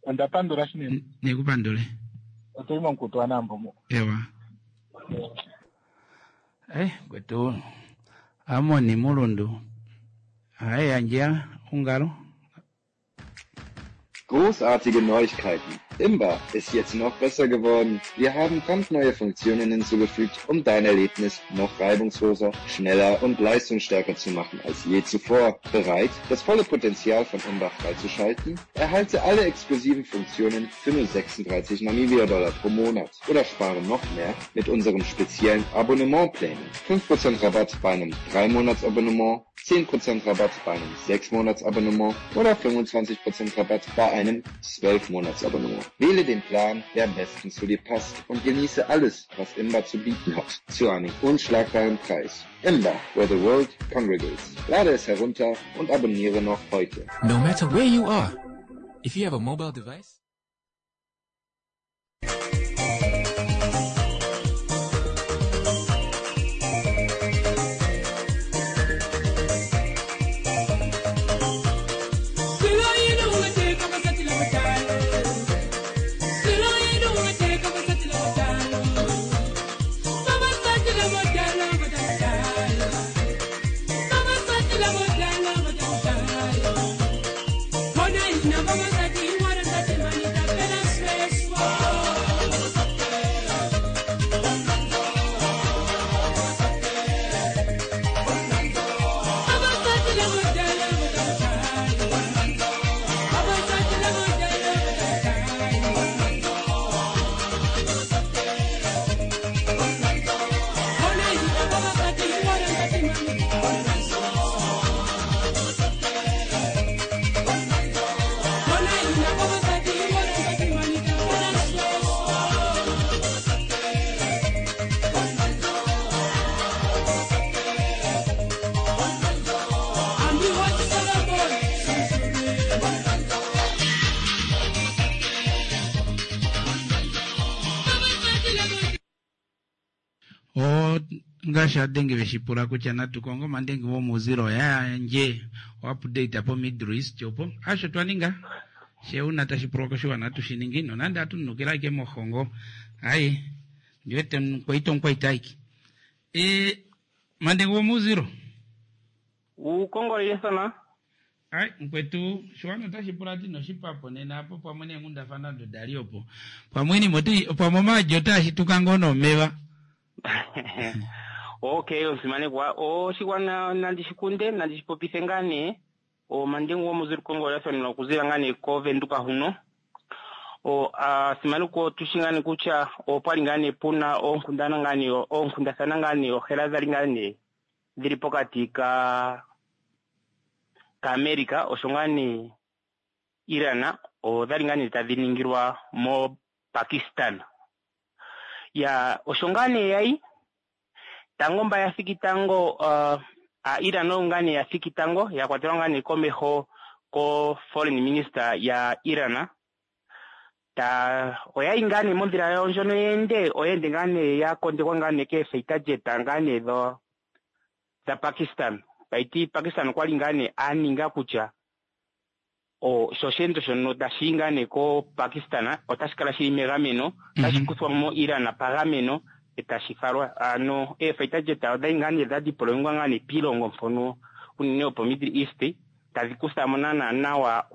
Onda pandula shinene. Nekupandule. Otuli momukutu wanambo. Ewa. Eh, kwetu Amoni Mulundu. Aye yandja ungalo. Großartige Neuigkeiten. Imba ist jetzt noch besser geworden. Wir haben brandneue Funktionen hinzugefügt, um dein Erlebnis noch reibungsloser, schneller und leistungsstärker zu machen als je zuvor. Bereit, das volle Potenzial von Imba freizuschalten? Erhalte alle exklusiven Funktionen für nur sechsunddreißig Namibia-Dollar pro Monat oder spare noch mehr mit unseren speziellen Abonnementplänen. fünf Prozent Rabatt bei einem drei Monats Abonnement, zehn Prozent Rabatt bei einem sechs Monats Abonnement oder fünfundzwanzig Prozent Rabatt bei einem zwölf Monats Abonnement. Wähle den Plan, der am besten zu dir passt und genieße alles, was Imba zu bieten hat, zu einem unschlagbaren Preis. Imba, where the world congregates. Lade es herunter und abonniere noch heute. No matter where you are, if you have a mobile device, ngaashi adenge veshipula kutya natu kongo mandenge womuuzilo yandje oupdate po Middle East opo asho twaninga sheuna tashipulwa koshiwana tushiningi nonande atunukila ike mohongo ai ndiwete nkwaito nkwaitaiki e mandenge womuuzilo ukongolele sana ai nkwetu shiwana tashipula ti noshipapo nena apo pamwe nenghundafana dodali opo pamweni moti pamwe majo tashituka ngono meva. Okay, omusimanekwa oshigwana nandi shikunde nandi shipopithe ngaa nee omandengu gomuzili kongolelathano okuzila ngaa nee kovenduka huno. O asimanekwa otushi ngaa nee kutya opwali ngaa nee puna oonkundana ngaa nee oonkundathana ngaa nee ohela dhali ngaa nee dhili pokati ka kaAmerica osho ngaa nee Iran odhali ngaa nee tadhi ningilwa mo Pakistan. Ya osho ngaa nee yayi tango mba ya thiki tango uh, a Iran oyo ngaa nee ya thiki tango ya kwatelwa ngaa nee komeho ko foreign minister ya Iran ta oyayi ngaa nee mondhila yawo ndjono yeende oyeende ngaa nee ya kondekwa ngaa nee keefighter jet ngaa nee dho dha Pakistan. Taiti Pakistan okwali ngaa nee a ninga kutya o sho osheendo shono tashi ngaa nee ko Pakistan otashi kala shili megameno tashi kuthwa mo Iran pagameno etashi falwa ano eefighter jet odhali ngaa nee dha deployingwa ngaa nee piilongo mpono unene opo Middle East tadhi kuthamo naana nawa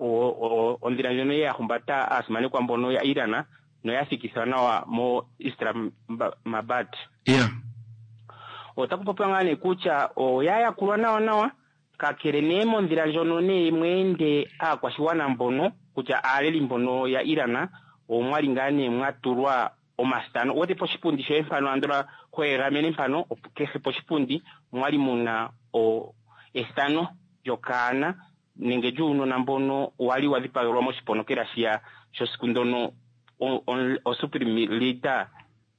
ondhila ndjono ya humbata aasimanekwa mbono ya Iran noya thikithwa nawa mo Islamabad. Yeah. Otaku popiwa ngaa nee kutya oya yakulwa nawa nawa kakele nee mondhila ndjono nee mweende aakwashigwana mbono kutya aaleli mbono ya Iran omwali ngaa nee mwatulwa omasitano wote poshipundi shoye mpano andola hoegamene mpano kehe poshipundi mwali muna o ethano lyokaana nenge lyuunona mbono wali wa dhipagelwa moshiponokela shiya shosiku ndono o supreme leader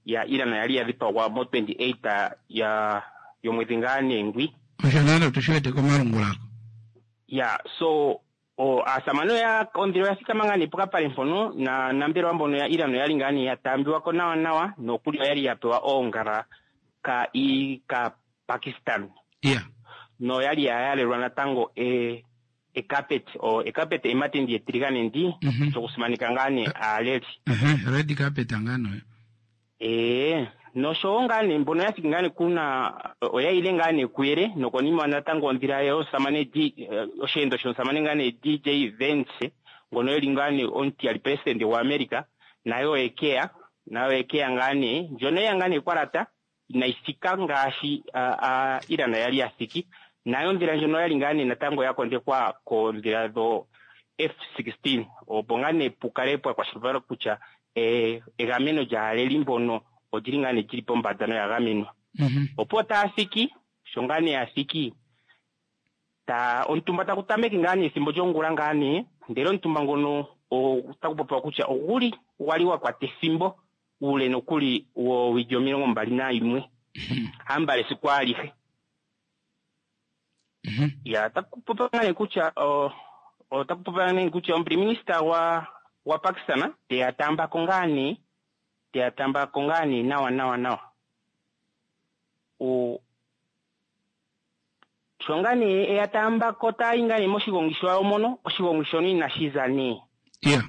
ya Iran yali ya dhipagwa mo twenty-eight ya yomwedhi ngaa nee ngwi osho nalo tushiwete komalungulako. Ya so o asamano ya ondhila ya thikama ngaa nee pokapale mpono na nambelwa mbono ya Iran oyali ngaa nee ya taambiwako nawa nawa nokuli oyali ya pewa oongala ka i ka Pakistan. Yeah. No yali ya yalelwa natango e e carpet o e carpet ematendi etiligane ndi mm -hmm. sokusimanika ngaa nee aaleli. Uh-huh. Red carpet ngano. Eh noshowo ngaa nee mbono ya thiki ngaa nee kuna oya ile ngaa nee kuyele nokonima natango ondhila yomusamane D osheendo shomusamane ngaa nee D J Vance ngono eli ngaa nee omutiyali president wa America Nayo oyekeya nayo oyekeya ngaa nee ndjono yeya ngaa nee kwalata inayi thika ngaashi ah, ah, Iran yali ya thiki. Nayo ondhila ndjono oyali ngaa nee natango ya kondekwa koondhila dho F sixteen opo ngaa nee pukale pwa kwashilipalekwa kutya eh, egameno lyaaleli mbono olyili ngaa nee lyili pombanda noya gamenwa. Opo taya thiki sho ngaa nee ya thiki ta omutumba taku tameke ngaa nee ethimbo lyongula ngaa nee ndele omutumba ngono otaku popiwa kutya oguli gwali wa kwata ethimbo uule nokuli woowili omilongo mbali nayimwe hambala esiku alihe. Ya otaku popiwa ngaa nee kutya o- otaku popiwa nee kutya omupriminista gwa gwa Pakistan teya taambako ngaa nee teya taambako ngaa nee nawa nawa nawa. O sho ngaa nee eya taambako taayi ngaa nee moshigongi shawo mono, oshigongi shono inashi za nee. Yeah.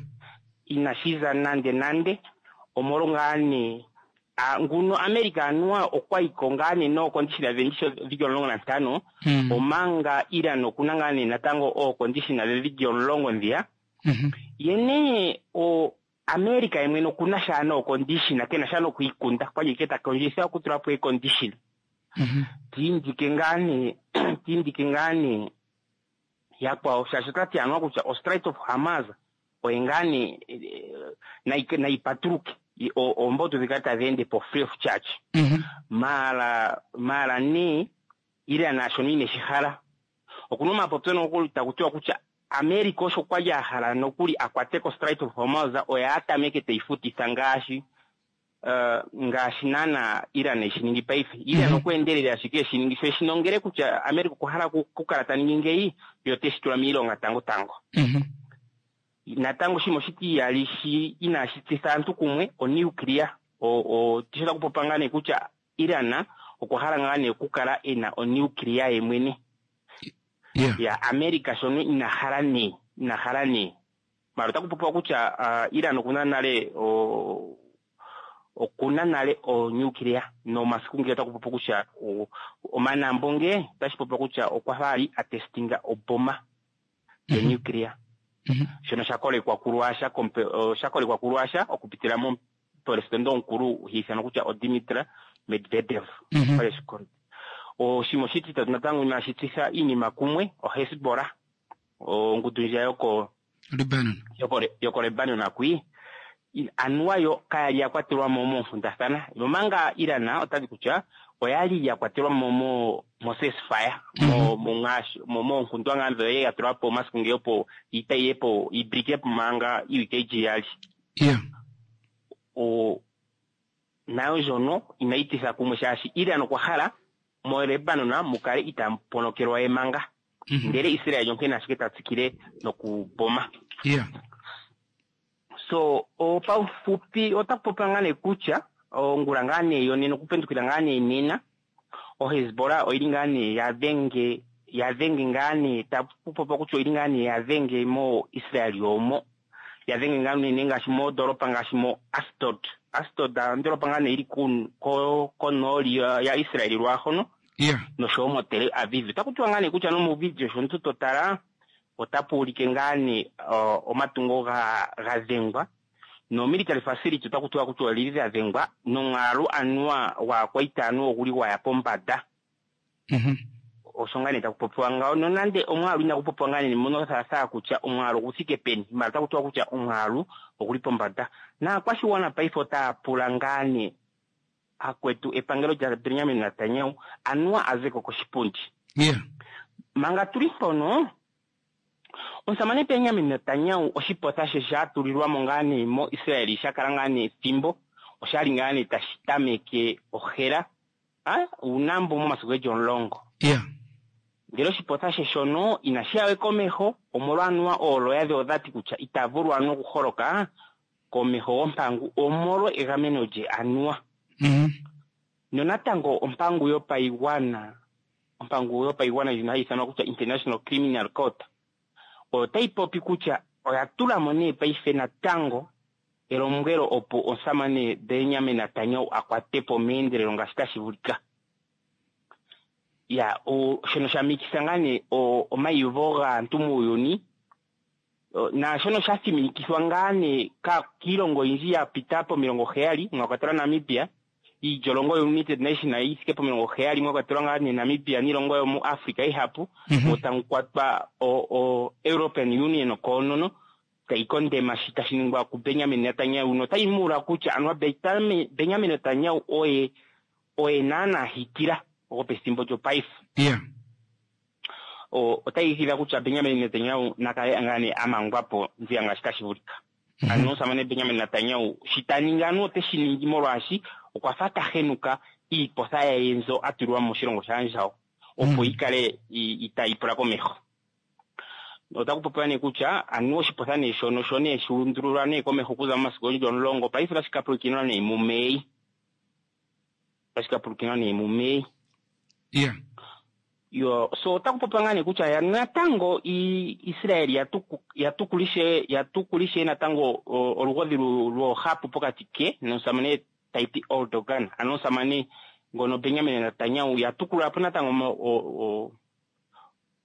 Inashi za nande nande omolwo ngaa nee a, nguno America anuwa okwa yiko ngaa nee nookondishina dhe ndisho dhili omulongo nantano Mm. omanga Iran okuna ngaa nee natango ookondishina dhe dhili omulongo ndhiya. Ye nee o America ye mwene okuna sha nookondishina kena sha nokwiikunda kwali ike ta kondjitha okutula po eekondishina. Tiindike ngaa nee tiindike ngaa nee yakwawo shaashi otati anuwa kutya o Strait of Hormuz oye ngaa nee nayi nayi patuluke oombotu dhikale tadhi ende po free of charge. Maala maala nee Iran shono ineshi hala. Okuna omapopyo nokuli taku tiwa kutya America osho kwali a hala nokuli a kwate ko Strait of Hormuz oye a tameke teyi futitha ngaashi uh, ngaashi naana Iran eshi ningi paife. Iran okwa endelele ashike eshi ningi sho eshi nongele kutya America okwa hala okukala ta ningi ngeyi yo oteshi tula miilonga tango tango. Natango shimwe oshitiyali shi inashi tsitha aantu kumwe o nuclear o o tisho taku popiwa ngaa nee kutya Iran okwa hala ngaa nee okukala ena o nuclear ye mwene. Yeah. Ya America shono ina hala nee ina hala nee. Mara otaku popiwa kutya uh, Iran okuna nale o okuna nale o nuclear nomasiku ngele otaku popiwa kutya omanambo nge otashi popiwa kutya okwa fa ali a testinga oboma yo nuclear. Shono sha kolekwa ku Russia sha kolekwa ku Russia okupitila momupresidente omukulu ha ithanwa kutya o Dmitry Medvedev. Oshimwe oshititatu natango inashi tsitha iinima kumwe o Hezbollah ongundu ndjiya yoko Lebanon yoko yoko Lebanon akwi anuwa yo kayali ya kwatelwa mo moonkundathana nomanga Iran otati kutya oyali ya kwatelwa mo mo mo ceasefire mo mo ngaashi mo moonkundwa ngaa ndhono ya tulwa po omasiku ngeyo opo iita yiye po ibrike po manga iiwike yili iyali. Yeah. O nayo ndjono inayi titha kumwe shaashi Iran okwa hala mo Lebanon mukale itaamu ponokelwa ye manga. Ndele Israel onkene ashike ta tsikile nokuboma. Yeah. So paufupi otaku popiwa ngaa nee kutya ongula ngaa nee yonena okupendukila ngaa nee nena o Hezbollah oyili ngaa nee ya dhenge ya dhenge ngaa nee taku popiwa kutya oyili ngaa nee ya dhenge mo Israel yomo ya dhenge ngaa nee ngaashi mondoolopa ngaashi mo Ashdod. Ashdod ondoolopa ngaa nee yili ku konooli ya Israel lwaahono. Yeah. Noshowo mo Tel Aviv. Otaku tiwa ngaa nee kutya nomuvidio sho omuntu to tala otapu ulike ngaa nee omatungo ga ga dhengwa no military facility otaku tiwa kutya olili lya dhengwa nomwaalu anuwa gwaakwaita anuwa oguli gwaya pombanda. Osho ngaa nee taku popiwa ngawo nonande omwaalu inagu popiwa ngaa nee mono thaathaa kutya omwaalu ogu thike peni mara otaku tiwa kutya omwaalu oguli pombanda. Naakwashigwana paife otaya pula ngaa nee akwetu epangelo lya Benjamin Netanyahu anuwa a zeko koshipundi. Yeah. Manga tuli mpono omusamane Benjamin Netanyahu oshipotha she sha tulilwa mo ngaa nee mo Israel sha kala ngaa nee ethimbo oshali ngaa nee tashi tameke ohela ah uunambo momasiku geli omulongo. Yeah. Ndele oshipotha she shono inashi ya we komeho omolwa anuwa ooloya dhe odhati kutya ita vulu anuwa okuholoka komeho gompangu omolwa egameno lye anuwa. Nonatango ompangu yopaigwana ompangu yopaigwana ndjono hayi ithanwa kutya International Criminal Court otayi popi kutya oya tula mo nee paife natango elombwelo opo omusamane Benjamin Netanyahu a kwate po meendelelo ngaashi tashi vulika. Ya, o, shono sha mikisa ngaa nee omaiyuvo gaantu muuyuni Naashono sha thiminikithwa ngaa nee kiilongo oyindji ya pita pomilongo heyali mwa kwatelwa Namibia, iilyolongo yo-United Nation yi thike pomilongo heyali mwa kwatelwa ngaa nee Namibia niilongo yomuAfrica ihapu, mo tamu kwatwa o-European Union koonono tayi kondema shi tashi ningwa kuBenjamin Netanyahu, notayi muula kutya anuwa Benjamin Netanyahu oye oye naanaa Hitler gopethimbo lyopaife. Yeah. Otayi igidha kutya Benjamin Netanyahu na kale ngaa nee a mangwa po nziya ngaashi tashi vulika. Ano omusamane Benjamin Netanyahu shi ta ningi anuwa ote shi ningi molwaashi okwa fa ta henuka iipotha yaye mbyo a tulwa moshilongo shaandjawo opo yi kale itaayi pula komeho. Otaku popiwa nee kutya anuwa oshipotha nee shono sho nee shu undululwa nee komeho okuza momasiku geli omulongo, paife otashi ka pulukinwa nee muMei. Otashi ka pulukinwa nee muMei. Yeah. Yo, so otaku popiwa ngaa nee kutya ya natango Israel ya tukulishe ya tukulishe natango olugodhi lwoohapu pokati ke nomusamane Tayyip Erdogan, ano omusamane ngono Benjamin Netanyahu ya tukulula po natango mo,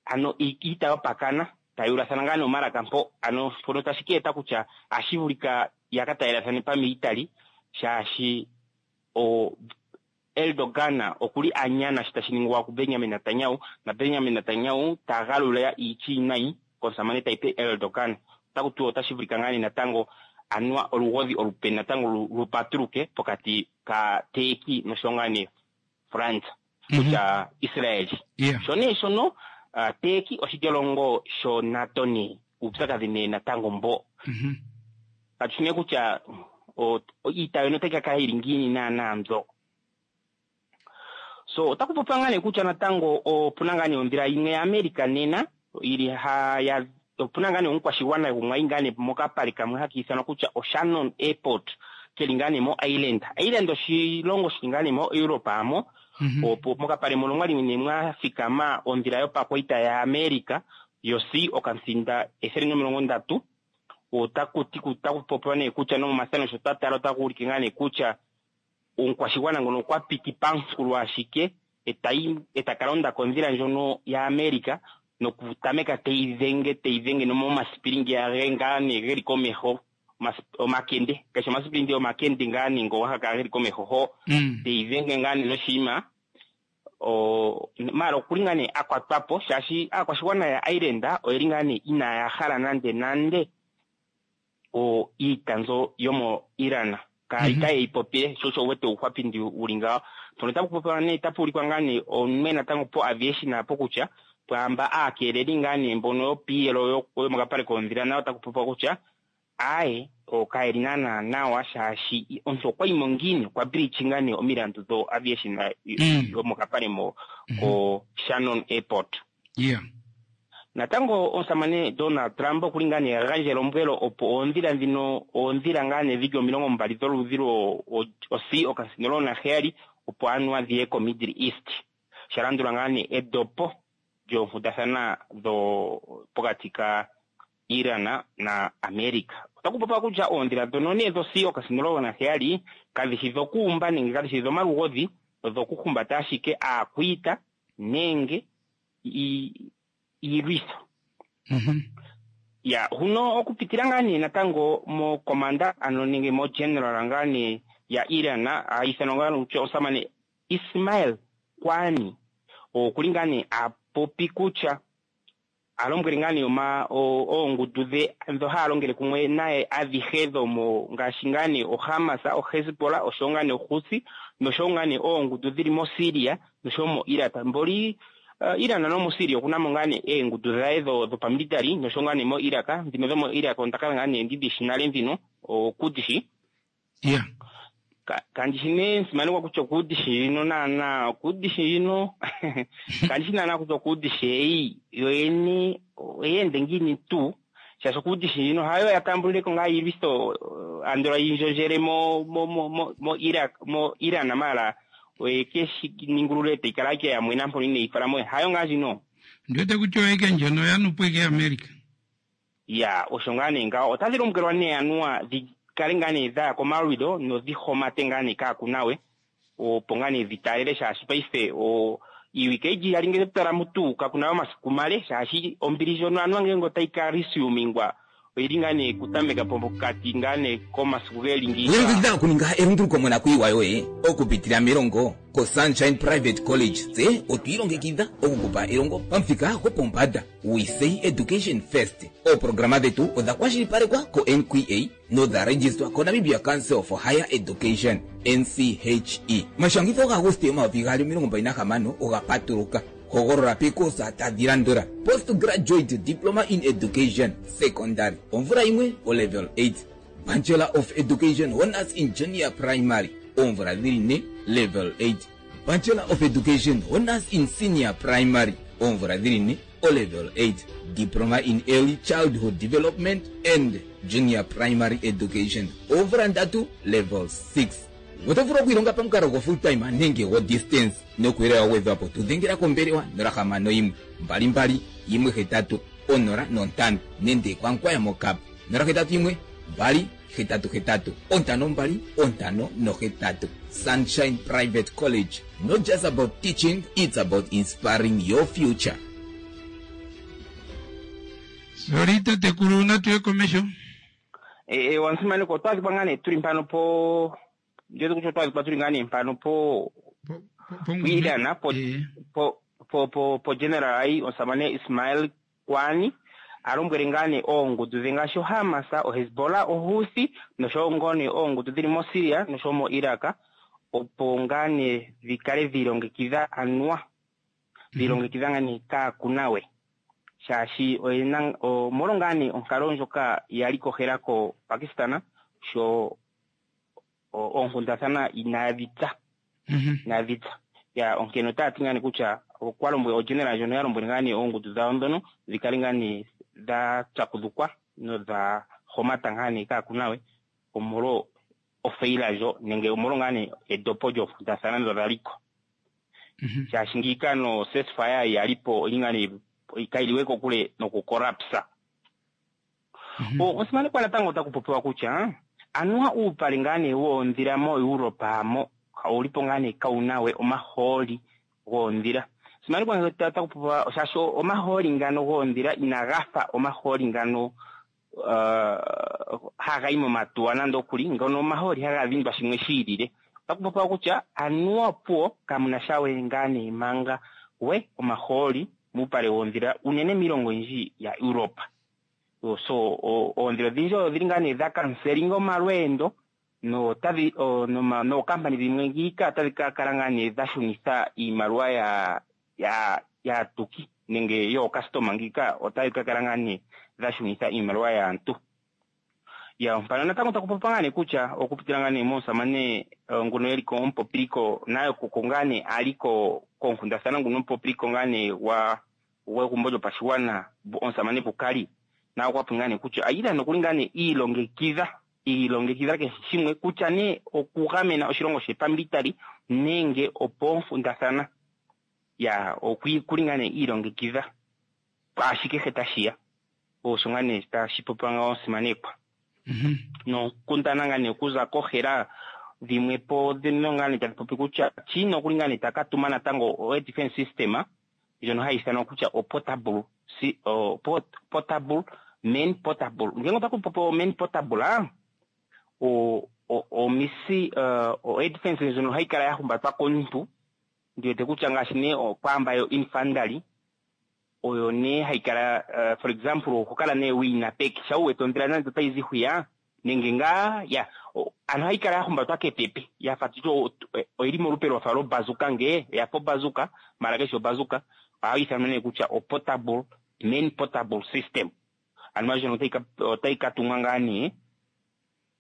ano iita yopakana taya ulathana ngaa nee omalaka mpo, ano mpono tashi ka eta kutya ohashi vulika ya ka talelathane pamilitali shaashi o Erdogan okuli a nyana shi tashi ningwa kuBenjamin Netanyahu, naBenjamin Netanyahu ta galula iitya iinayi komusamane Tayyip Erdogan. Otaku tiwa otashi vulika ngaa nee natango anuwa olugodhi olupe natango lu patuluke pokati kaTurkey noshowo ngaa nee France kutya Israel. Sho nee shono Turkey oshilyolongo sho NATO nee uupyakadhi nee natango mbo. Katu shi nee kutya iita yono otayi ka kala yili ngiini naanaa mbyo. So otaku popiwa ngaa nee kutya natango opuna ngaa nee ondhila yimwe yaAmerica nena yili ha ya opuna ngaa nee omukwashigwana gumwe ayi ngaa nee mokapale kamwe haka ithanwa kutya oShannon Airport keli ngaa nee moIreland. Ireland oshilongo shili ngaa nee moEurope amo. Opo mokapale mono mwali nee mwa thikama ondhila yopakwaita yaAmerica yo C okansinda ethele nomilongo ndatu. Otaku ti otaku popiwa nee kutya nomomathano sho twa tala otaku ulike ngaa nee kutya omukwashigwana ngono okwa piti pamunkulo ashike etayi eta ka londa kondhila ndjono yaAmerica nokutameka teyi dhenge teyi dhenge nomomasipili ngeya ge ngaa nee geli komeho omakende kashi omasipili ndi omakende ngaa nee ngo haga kala geli komeho ho teyi dhenge ngaa nee noshinima o maala okuli ngaa nee a kwatwa po shaashi aakwashigwana ya Ireland oyeli ngaa nee inaaya hala nande nande o iita mbyo yomo Iran kaali taye yi popile sho osho wete uuhwapindi wuli ngawo. Mpono tapu popiwa nee tapu ulikwa ngaa nee omunwe natango po aviation apo kutya pwaamba aakeeleli ngaa nee mbono yopiiyelo yomokapale koondhila nayo otaku popiwa kutya aaye kayeli naanaa nawa shaashi omuntu okwa yimo ngiini okwa breachinga nee omilandu dho aviation yomokapale mo ko Shannon Airport. Yeah. Natango omusamane Donald Trump okuli ngaa nee a gandja elombwelo opo oondhila ndhino oondhila ngaa nee dhili omilongo mbali dholudhi lwo o-C okasinda omulongo naheyali opo anuwa dhiye ko Middle East sha landula ngaa nee edopo lyoonkundathana dho pokati ka Iran na America. Otaku popiwa kutya oondhila dhono nee dho C okasinda omulongo naheyali kadhi shi dhokuumba nenge kadhi shi dhomalugodhi, odhokuhumbata ashike aakwiita nenge iilwitho. Ya huno okupitila ngaa nee natango mo commander ano nenge mo general ngaa nee ya Iran a ithanwa ngaa kutya omusamane Ismail Kwani okuli ngaa nee a popi kutya a lombwele ngaa nee oma oongundu dhe ndho haya longele kumwe naye adhihe dhomo ngaashi ngaa nee oHamas, oHezbollah oshowo ngaa nee oHouthi noshowo ngaa nee oongundu dhili moSyria noshowo moIraq. Mboli Iran nomoSyria okuna mo ngaa nee eengundu dhaye dhopamilitary noshowo ngaa nee moIraq. Ndhino dhomoIraq onda kala ngaa nee ndidhi shi nale ndhino okudishi. Yeah. Kandi shi nee nsimanekwa kutya okudishi ndjino naanaa okudishi ndjino kandi shi naanaa kutya okudishi eyi yoyene oyeende ngiini tuu shaashi okudishi ndjino hayo ya tambulileko ngaa iilwitho andola yi ndjondjele mo mo mo mo Iraq mo Iran maala oye keshi ningulule tayi kala ike ya mwena mpono ineyi fala mo hayo ngaa ndjino. Ndiwete kutya oyeke ndjono ya nupo ike America. Ya osho ngaa nee ngawo otadhi lombwelwa nee anuwa dhi kale ngaa nee dhaya komalwido nodhi homate ngaa nee kaakunawe opo ngaa nee dhi taalele shaashi paife o iiwike iji iyali ngele totala mutu kakuna omasiku male shaashi ombili ndjono anuwa ngele otayi ka resumingwa Oyili ngaa nee kutameka pokati ngaa nee komasiku geli ngiika. Longekidha okuninga elunduluko monakuyiwa yoye okupitila melongo koSunshine Private College. Tse otwiilongekidha okukupa elongo pamuthika gopombanda. We say education first. Ooprograma dhetu odha kwashilipalekwa ko-N Q A nodha registwa koNamibia Council for Higher Education, N C H E. Omashangitho gaAguste omayovi gaali omilongo mbali nahamano oga patuluka. Hogolola pekosa tadhi landula: Postgraduate Diploma in Education Secondary, omvula yimwe, o level eight; Bachelor of Education Honors in Junior Primary, oomvula dhili ne, level eight; Bachelor of Education Honors in Senior Primary, oomvula dhili ne, o level eight; Diploma in Early Childhood Development and Junior Primary Education, oomvula ndatu, level six. Oto vulu okwiilonga pamukalo go full time nenge go distance. Nokuyelela wa gwedhwapo, tudhengela kombelewa nola hamano yimwe mbali mbali yimwe hetatu onola nontano nenge kwankwaya mokap nola hetatu yimwe mbali hetatu hetatu ontano mbali ontano nohetatu. Sunshine Private College, not just about teaching, it's about inspiring your future. Sorry tatekulu, natuye komesho. E, wansimaneko, otwa adhikwa ngaa nee tuli mpano po ndiwete kutya otwa adhikwa tuli ngaa nee mpano po pwiilana po po po po po general ai omusamane Ismail Kwani a lombwele ngaa nee oongundu dhe ngaashi oHamas, oHezbollah, oHouthi noshowo ngoo nee oongundu dhili moSyria noshowo moIraq opo ngaa nee dhi kale dhiilongekidha, anuwa dhiilongekidha ngaa nee kaakuna we, shaashi oyena omolwo ngaa nee onkalo ndjoka yali kohela ko Pakistan sho oonkundathana inaadhi tsa inaadhi tsa ya. Onkene otaya ti ngaa nee kutya okwa lombwele ogeneral ndjono ya lombwele ngaa nee oongundu dhawo ndhono dhi kale ngaa nee dha pyakudhukwa nodha homata ngaa nee kaakuna we omolwo ofeila ndjo nenge omolwo ngaa nee edopo lyoonkundathana ndho dha liko, shaashi ngiika no ceasefire yali po oli ngaa nee kayili kokule nokukolapsa. Osimanekwa natango otaku popiwa kutya anuwa uupale ngaa nee woondhila moEuropa mo owulipo ngaa nee kawuna we omahooli goondhila. Simanekwa otaku popiwa shaashi omahooli ngano goondhila inaga fa omahooli ngano uh, haga yi momatuwa nande okuli ngono omahooli haga dhindwa shimwe shi ilile. Otaku popiwa kutya anuwa puwo kamuna sha we ngaa nee manga we omahooli muupale woondhila, unene miilongo oyindji ya Europa. So oondhila odhindji odhili ngaa nee dha kanselinga omalweendo notadhi nookampani dhimwe ngiika otadhi ka kala ngaa nee dha shunitha iimaliwa ya ya yaatuki nenge yookastoma, ngiika otadhi ka kala ngaa nee dha shunitha iimaliwa yaantu ya. Mpano natango taku popiwa ngaa nee kutya okupitila ngaa nee momusamane nguno eli ko omupopiliko nayo koko ngaa nee ali ko koonkundathana, nguno omupopiliko ngaa nee gwa gwegumbo lyopashigwana, omusamane Bukali, naye okwa popi ngaa nee kutya Iran okuli ngaa nee iilongekidha iilongekidha kehe shimwe, kutya nee okugamena oshilongo she pamilitary nenge opoonkundathana ya, okuli ngaa nee iilongekidha ashikehe tashiya. Osho ngaa nee tashi popiwa ngawo, simanekwa. Nonkundana ngaa nee okuza kohela dhimwe po dhino ngaa nee tadhi popi kutya China okuli ngaa nee taka tuma natango o air defense system ndjono hayi ithanwa kutya o portable si, o port, portable man portable. Ngenge otaku popi o man portable a o o omisi uh, o air defense ndjono hayi kala ya humbatwa komuntu, ndiwete kutya ngaashi nee okwaamba yo infantry oyo nee hayi kala uh, for example okukala nee wiina peke sha uwete ondhila nande otayi zi hwiya nenge ngaa ya ano hayi kala ya humbatwa kepepe yafa tutye oyili molupe lwafa lobazuka, nge yafa obazuka mala keshi obazuka. Ohayi ithanwa nee kutya o portable man portable system. Ano ndjono otayi ka tumwa ngaa nee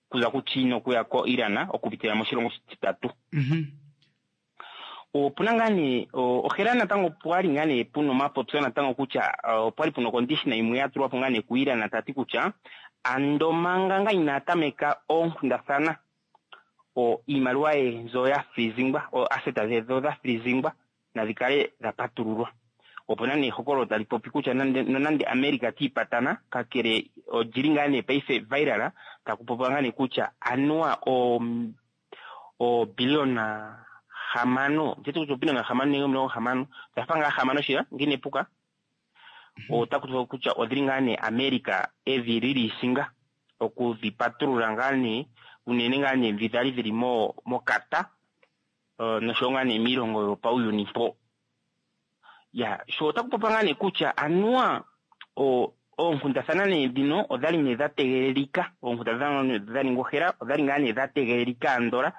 kuza kuChina okuya ko Iran okupitila moshilongo oshititatu. Opuna ngaa nee ohela natango pwali ngaa nee puna omapopyo natango kutya opwali puna ocondition yimwe ya tulwa po ngaa nee kuIran, tati kutya ando manga nga inaa tameka oonkundathana o iimaliwa ye nzo ya freezingwa, o asset dhe dho dha freezingwa nadhi kale dha patululwa. Opuna nee ehokololo tali popi kutya nonande America tiipatana, kakele olyili ngaa nee paife viral, taku popiwa ngaa nee kutya anuwa o obilliona hamano, ndeti kutya obilliona hamano nenge omilongo hamano, oyafa ngaa hamano shila ngine epuka, Otaku tiwa kutya odhili ngaa nee America edhi lilisinga okudhipatulula ngaa nee unene ngaa nee ndhi dhali dhili mo mokata uh, noshowo ngaa nee miilongo yopauyuni mpo. Ya sho otaku popiwa ngaa nee kutya anuwa o oonkundathana nee dhino odhali nee dha tegelelika, oonkundathana dha ningwa ohela odhali ngaa nee dha tegelelika andola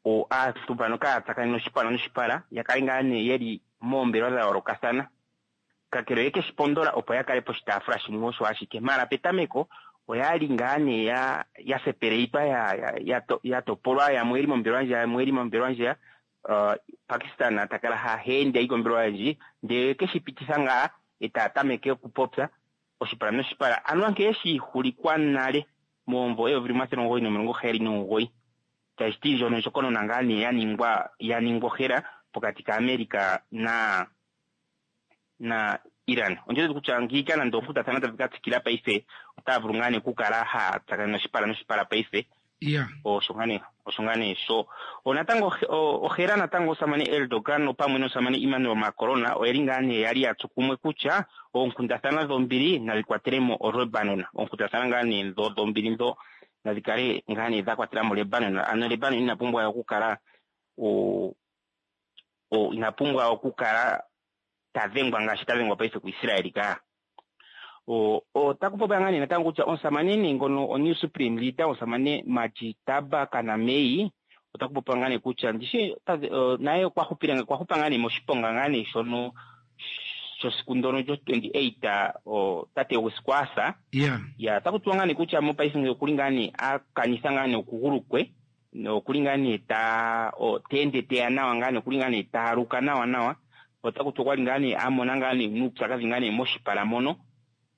o aantu mbano kaya tsakanene oshipala noshipala, ya kale ngaa nee yeli moombelewa dha yoolokathana, kakele oye keshi pondola opo ya kale poshitaafula shimwe osho ashike. Mara petameko oyali ngaa nee ya ya sepeleitwa ya ya, ya, to, ya topolwa, yamwe yeli mombelewa ndjiya, yamwe yeli mombelewa ndjiya. Uh, Pakistan ta kala ha ende ayi kombelewa ndji ndele keshi pititha ngaa eta tameke okupopya oshipala noshipala. Anuwa nkene shiihulikwa nale momumvo eyovi limwe omathele omugoyi nomilongo heyali nomugoyi, tashi ti ndjono ondjokonona ngaa nee ya ningwa ya ningwa ohela pokati kaAmerica na na Iran. Ondjele kutya ngiika nande oonkundathana tadhi ka tsikila paife, otaya vulu ngaa nee okukala haya tsakanene oshipala noshipala paife. Yeah. Osho ngaa nee, osho ngaa nee sho. Onatango ohela natango osamane Erdogan opamwe nosamane Emmanuel Macron oyeli ngaa nee yali ya tsu kumwe kutya oonkundathana dhombili nadhi kwatele mo Lebanon. Oonkundathana ngaa nee ndho dhombili ndho nadhi kale ngaa nee dha kwatela mo Lebanon. Ano Lebanon ina pumbwa okukala o o ina pumbwa okukala ta dhengwa ngaashi ta dhengwa paife kuIsraeli ka. O otaku popiwa ngaa nee natango kutya omusamane nee ngono o new supreme leader omusamane Mojtaba Khamenei, otaku popiwa ngaa nee kutya ndishi naye okwa hupile, okwa hupa ngaa nee moshiponga ngaa nee shono shosiku ndono lyo twenty-eight o tate gwesiku asa. Yeah. Ya otaku tiwa ngaa nee kutya mopaife ngele okuli ngaa nee a kanitha ngaa nee okugulu kwe, nokuli ngaa nee ta o ta ende teya nawa ngaa nee, okuli ngaa nee ta aluka nawa nawa. Otaku tiwa kwali ngaa nee a mona ngaa nee nuupyakadhi ngaa nee moshipala mono.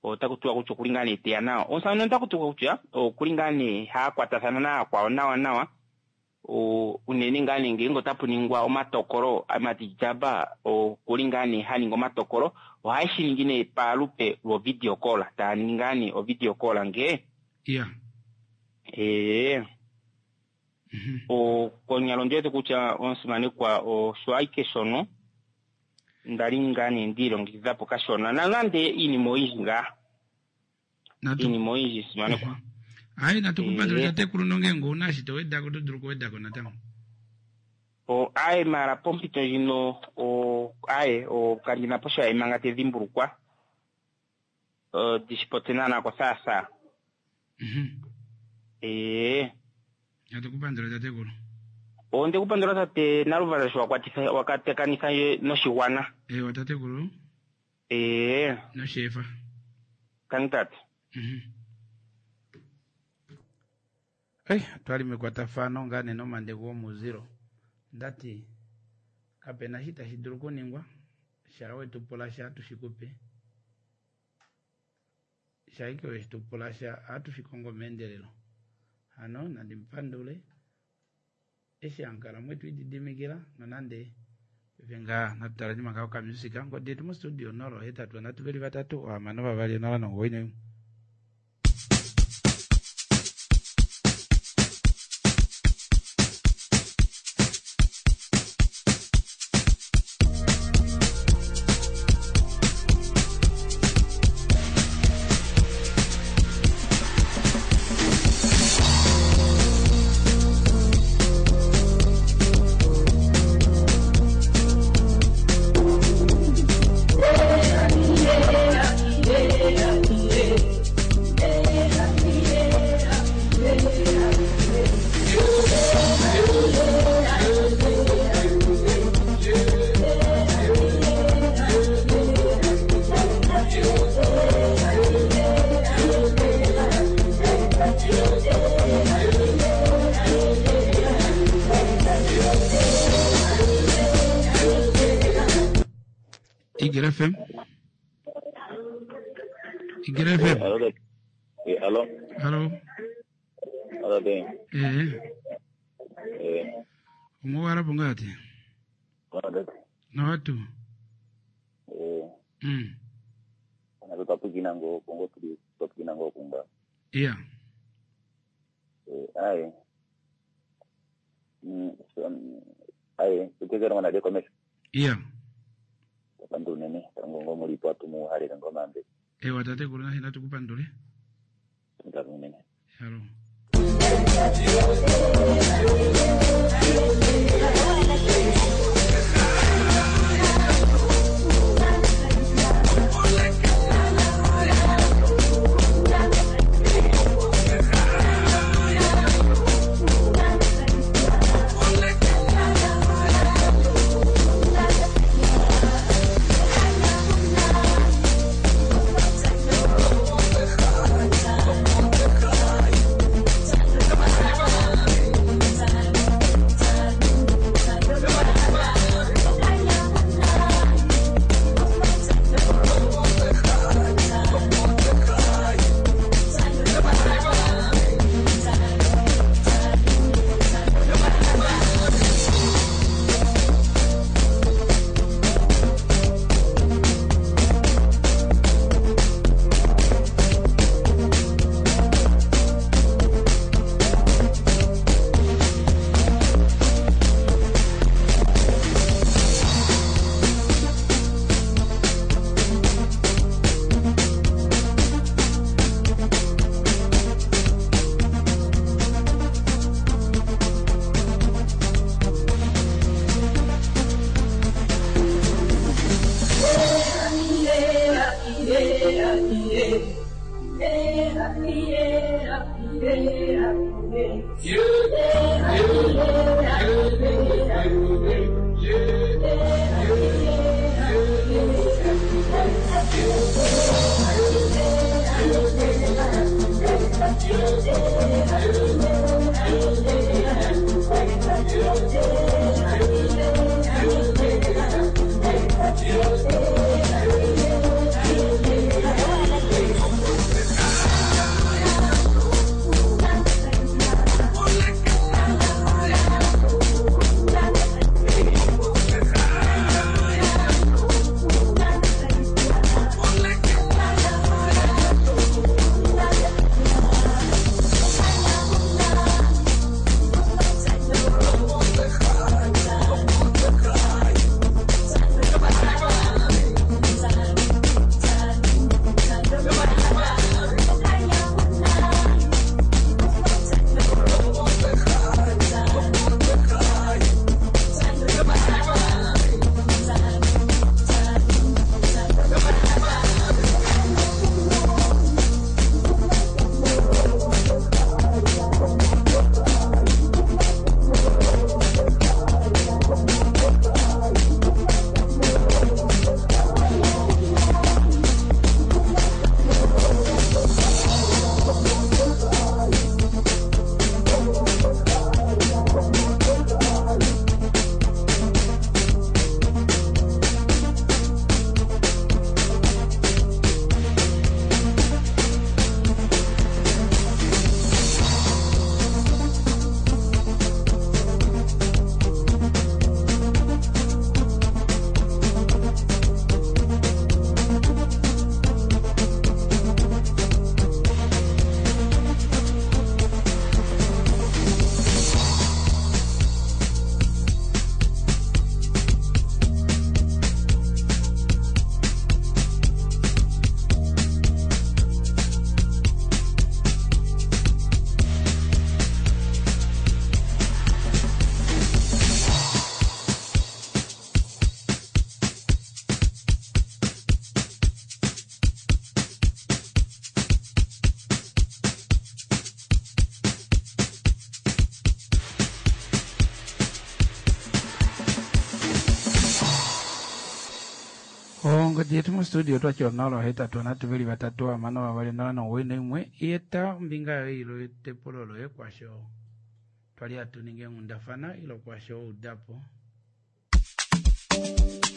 Otaku tiwa kutya okuli ngaa nee teya nawa. Omusamane otaku tiwa kutya okuli ngaa nee ha kwatathana nayakwawo nawa nawa. O unene ngaa nee ngele otapu ningwa omatokolo, Mojtaba okuli ngaa nee ha ningi omatokolo, ohaye shi ningi nee palupe lwo video call, taya ningi ngaa nee o video call ngee. Yeah. Ee. O konyala ondi wete kutya omusimanekwa osho ashike shono ndali ngaa nee ndiilongekidha po kashona, nonande iinima oyindji ngaa. Iinima oyindji simanekwa. Hayi, natukupandula tatekulu nonge ouna shi to wedako, oto dulu okuwedako natango. O aye mara pompito ndjino o aye o kandina po sha manga te dhimbulukwa. O dishipote naana kothaathaa. Ee. Natukupandula tatekulu. Onde kupandula tate Naluvala sho wakwatitha wakatekanitha noshigwana. Ewa tatekulu. Ee. Noshefa. Tangi tate. Ei, twali mekwatafano ngaa nee nomande gomuzilo. Ndati kapena shi tashi dulu kuningwa, sha wetu pula sha tushikupe. Sha ike wetu pula sha atushikongo meendelelo. Hano nandi mpandule eshi ankala mwetu ididimikila nonande venga natutala nyuma kao kamusika ngodi yetu mu studio nolo hetatu natu veli vatatu ohamano vavali nola nomugoyi naimwe. Igir F M. Igir F M. Allo. Allo. Allo. Allo ben. Eh. Eh. Omuwara bungati. Na watu. Eh. Mm. Ana tupigina ngo kongo tuli tupigina ngo kunga. Yeah. Eh ai. Mm ai tukezera mwana de commerce. Yeah. Pandu nene tango ngo muri po atu mu halele ngoo omayambeko. Ewa tatekulu nafye natu kupandule. Ngame unene. Halo. Ongodi yetu mostudio twatya onola ohetatu onhatu veli vatatu hamano vavali nola nomuwoi noimwe yeta ombinga yoye ilo etepulo loye kwasho twali hatu ningi eenghundafana ilo kwasho waudapo. Thank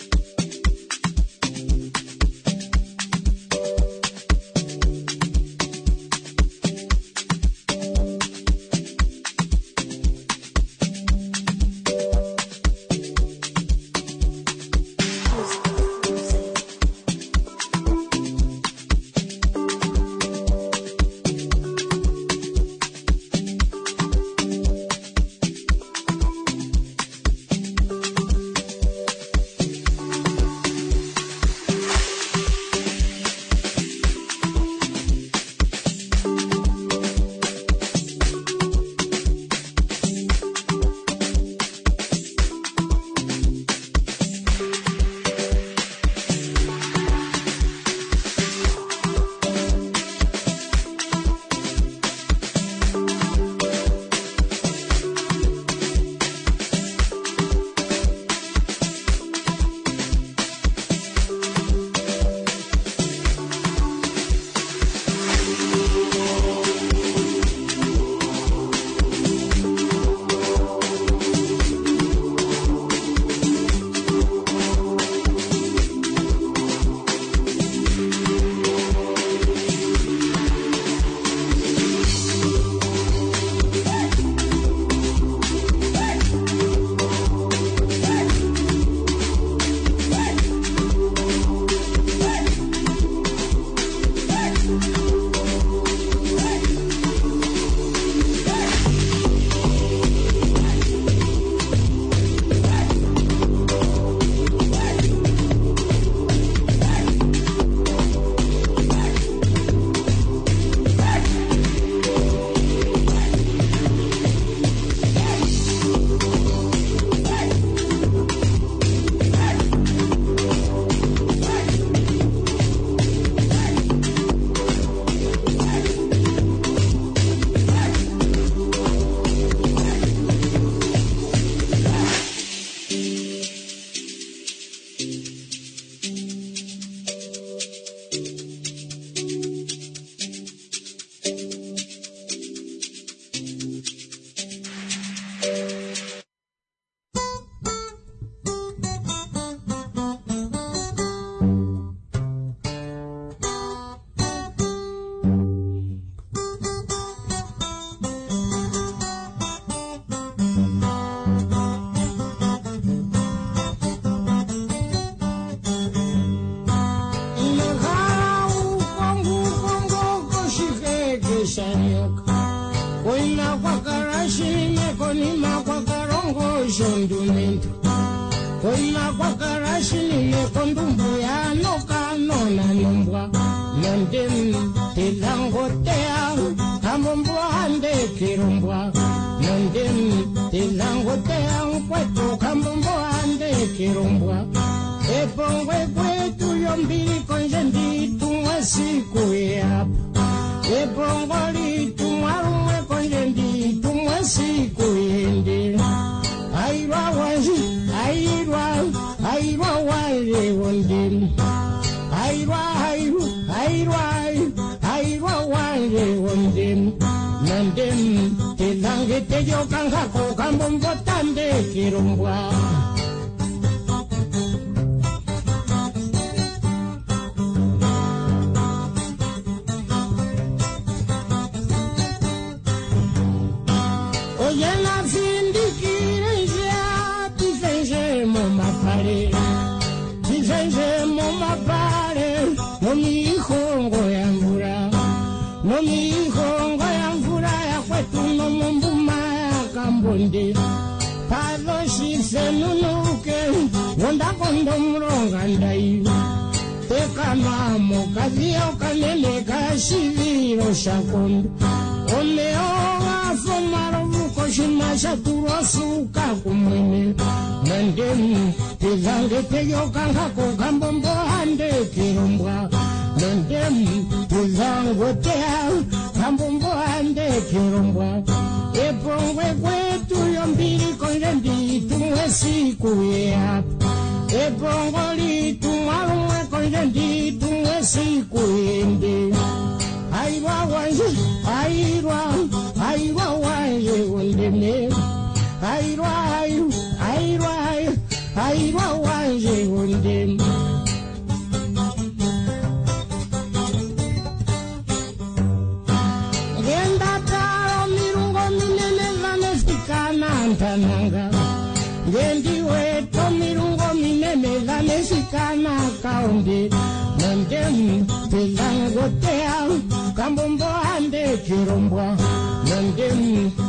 ondumbu yanokanona nombwa nondem telangotea kambombo ande kirombwa nondem telangotea nkwetu kambombo ande kirombwa epongwe kwetu yombili konje nditumwa siku yapa epongo litumwa lumwe konje nditumwa siku yende airwa wanje airwa airwa wanje wondem airwa airwa airwa airwa wanje wondem nandem telange teyokankako kambombo tande kirombwa. Oyena findikire nje tifenje momapale tifenje momapale nomihongo ya mvula nomihongo ya mvula ya kwetu nomombuma ya kambonde padoshisenunuke wondakondo mulonga ndai tekama mokadhiya okanene kashivilo shakondo omeya ogafa omalovu koshima sha tulwa suka kumwene nandem tezange teyokankako kambombo ande kirombwa nandem tezangotea kambombo ande kirombwa epongwe kwetu yombili konje nditumwe siku yeapa epongo litumwa lumwe konje nditumwe siku yende airwa wanje airwa airwa wanje wondeme airwa airwa airwa airwa wanje wondeme. Ngenda talo mirungo minene vanefikana ntananga ngendiweto mirungo minene vanefikana kaonde nandem telangotea kambombo ande kirombwa nandem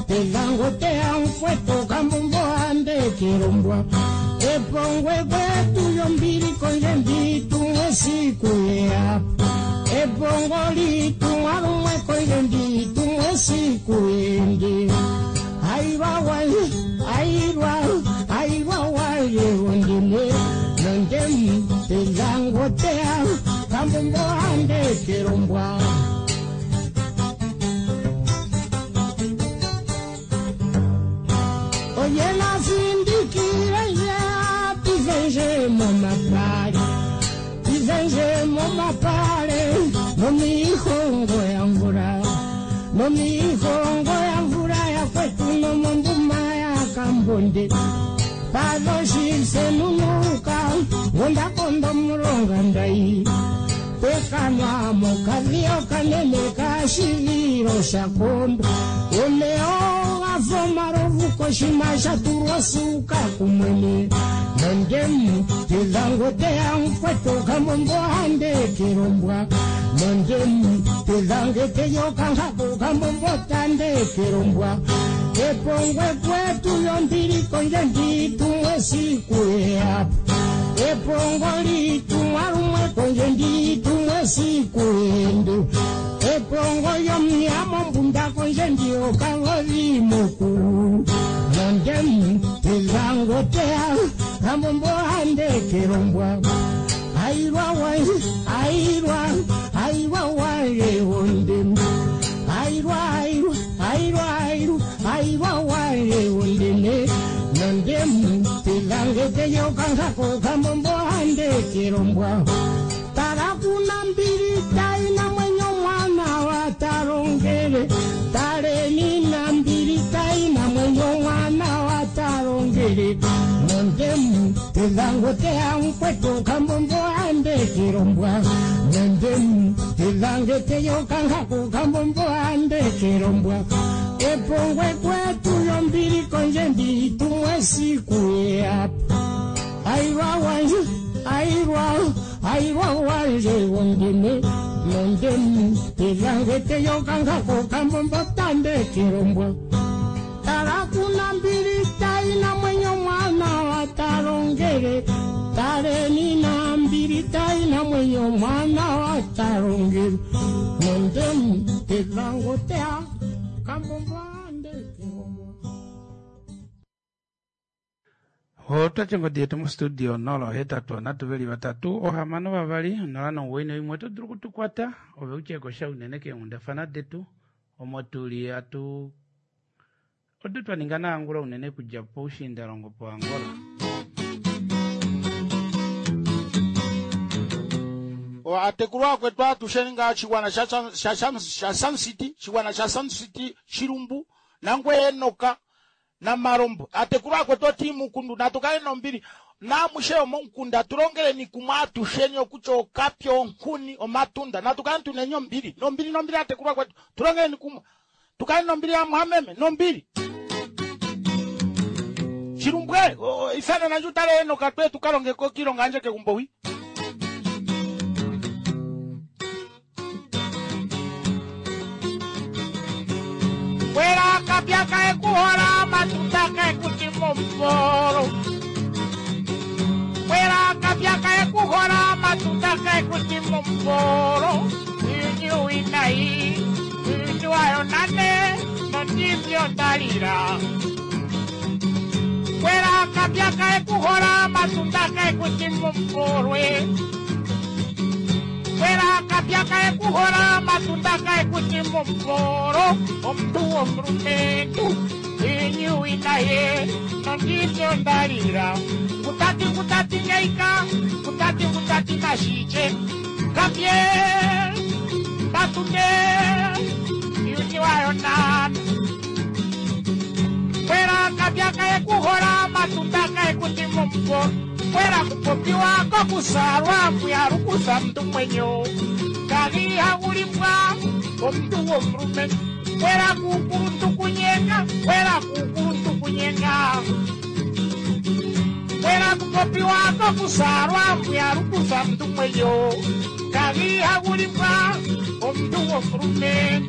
telangotea mfweto kambombo ande kirombwa epongwe kwetu yombili konje nditumwe siku yeapa epongo litumwa lumwe konje nditumwe siku yende airwa wanje airwa airwa wanje wondime nandem telangotea kambombo ande kirombwa. Oyena findikire nje tifenje momapale tifenje momapale nomihongo ya mvula nomihongo ya mvula ya kwetu nomombuma ya kambonde padoshisenunuka wondakondo mulonga ndai tekanwa mokadhiya okanene kashivilo shakondo omeya ogafa omalovu koshima sha tulwa suka kumwene nondemu tezangoteya mkwetu kambombo ande kirombwa nondemu tezange teyokankako kambombo tande kirombwa epongwe kwetu yombili konje nditumwe siku yeapa epongo litumwa lumwe konje nditumwe siku yende epongo yomnyamo mbunda konje ndiyo kangozi mukulu nondem tezangotea kambombo ande kirombwa airwa wanje airwa airwa wanje wondem airwa airwa airwa airwa airwa wanje wondeme nondem telangeteyokankako kambombo ande kirombwa tarakuna mbili taina mwenyo mwana watarongele taleni na mbili taina mwenyo mwana watarongele nondem telangotea mkwetu kambombo ande kirombwa nondem telangeteyokankako kambombo ande kirombwa epongwe kwetu yombili konje nditumwe siku yeapa airwa wanje airwa airwa wanje wondime nondem telangeteyokankako kambombo tande kirombwa tarakuna mbili taina mwenyo mwana watarongele taleni na mbili Nambili taina mwenyo mwana wa talongele Nondemu telango tea Kambombo ande Otwa ngodi yetu mostudio nola ohetatu onhatu veli vatatu ohamano vavali onola nomuwoi noimwe oto dulu okutukwata ove utye kosha unene keenghundafana detu omo tuli atu odo twa ninga naAngola unene kudja poushiindalongo poAngola. Atekulu akwetu atusheni nga chigwana sha sha sha sha Sun City, chigwana sha Sun City Chilumbu nangwe Enoka na Marombo. Atekulu akwetu oti mukundu natukale nombili namushe omomukunda tulongeleni kumwe atusheni okutya okapya onkuni omatunda natukale tunenye ombili nombili nombili atekulu akwetu tulongeleni kumwe tukale nombili amwameme nombili Chilumbwe ifana nanje utale Enoka twe tukalongeko kilonga anje kegumbo wi. Kwela kapya kae kuhola matuta kae kutimomporo. Kwela kapya kae kuhola matuta kae kutimomporo. Inyu inai, inyu ayo nane, nondivyo ndalira. Kwela kapya kae kuhola matuta kae kutimomporo. Kwela kapya kae kuhola matunda kae kutimomporo. Omuntu womulumentu inyu inaye nondivyo ndalira. Ngutati ngutati ngeika, ngutati ngutati nashiche. Kapye matunde inyu ayo nane. Kwela kapya kae kuhola matunda kae kutimomporo. Kwela kupopiwa kokusalwa mbuyalukusa mntu mwenyo kagiha ulimbwa omuntu womulume. Kwela kukuluntu kunyenga, kwela kukuluntu kunyenga. Kwela kupopiwa kokusalwa mbuyalukusa mntu mwenyo kagiha ulimbwa omuntu womulume.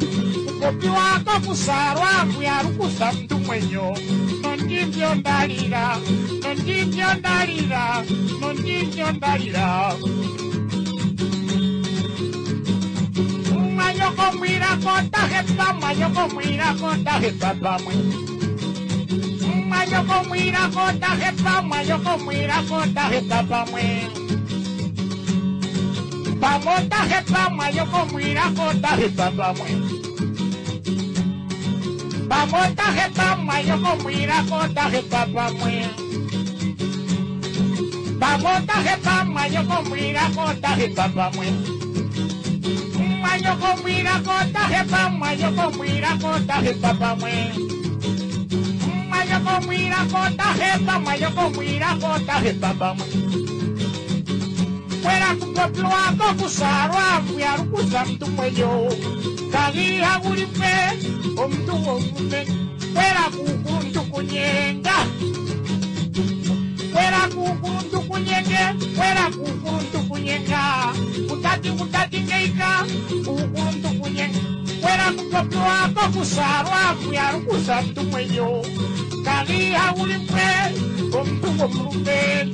Kupopiwa kokusalwa mbuyalukusa mntu mwenyo nondivyo ndalira, nondivyo ndalira, nondivyo ndalira. Mwanyoko mwira kota hepa, mwanyoko mwira kota hepa pamwe. Mwanyoko mwira kota hepa, mwanyoko mwira kota hepa pamwe. Pamota hepa, mwanyoko mwira kota hepa pamwe. Pamota hepa, mwanyoko mwira kota hepa pamwe. Pamota hepa, mwanyoko mwira kota hepa pamwe. Mwanyoko mwira kota hepa, mwanyoko mwira kota hepa pamwe. Mwanyoko mwira kota hepa, mwanyoko mwira kota hepa pamwe. Kwela kupopiwa kokusalwa mbuyalukusa mntu mwenyo kagiha ulipe omuntu womume. Kwela kukuluntu kunyenga, kwela kukuluntu kunyenge, kwela kukuluntu kunyenga. Kutati kutati ngeika, kukuluntu kunyenga. Kwela kupopiwa kokusalwa mbuyalukusa mntu mwenyo kagiha ulipe omuntu womulume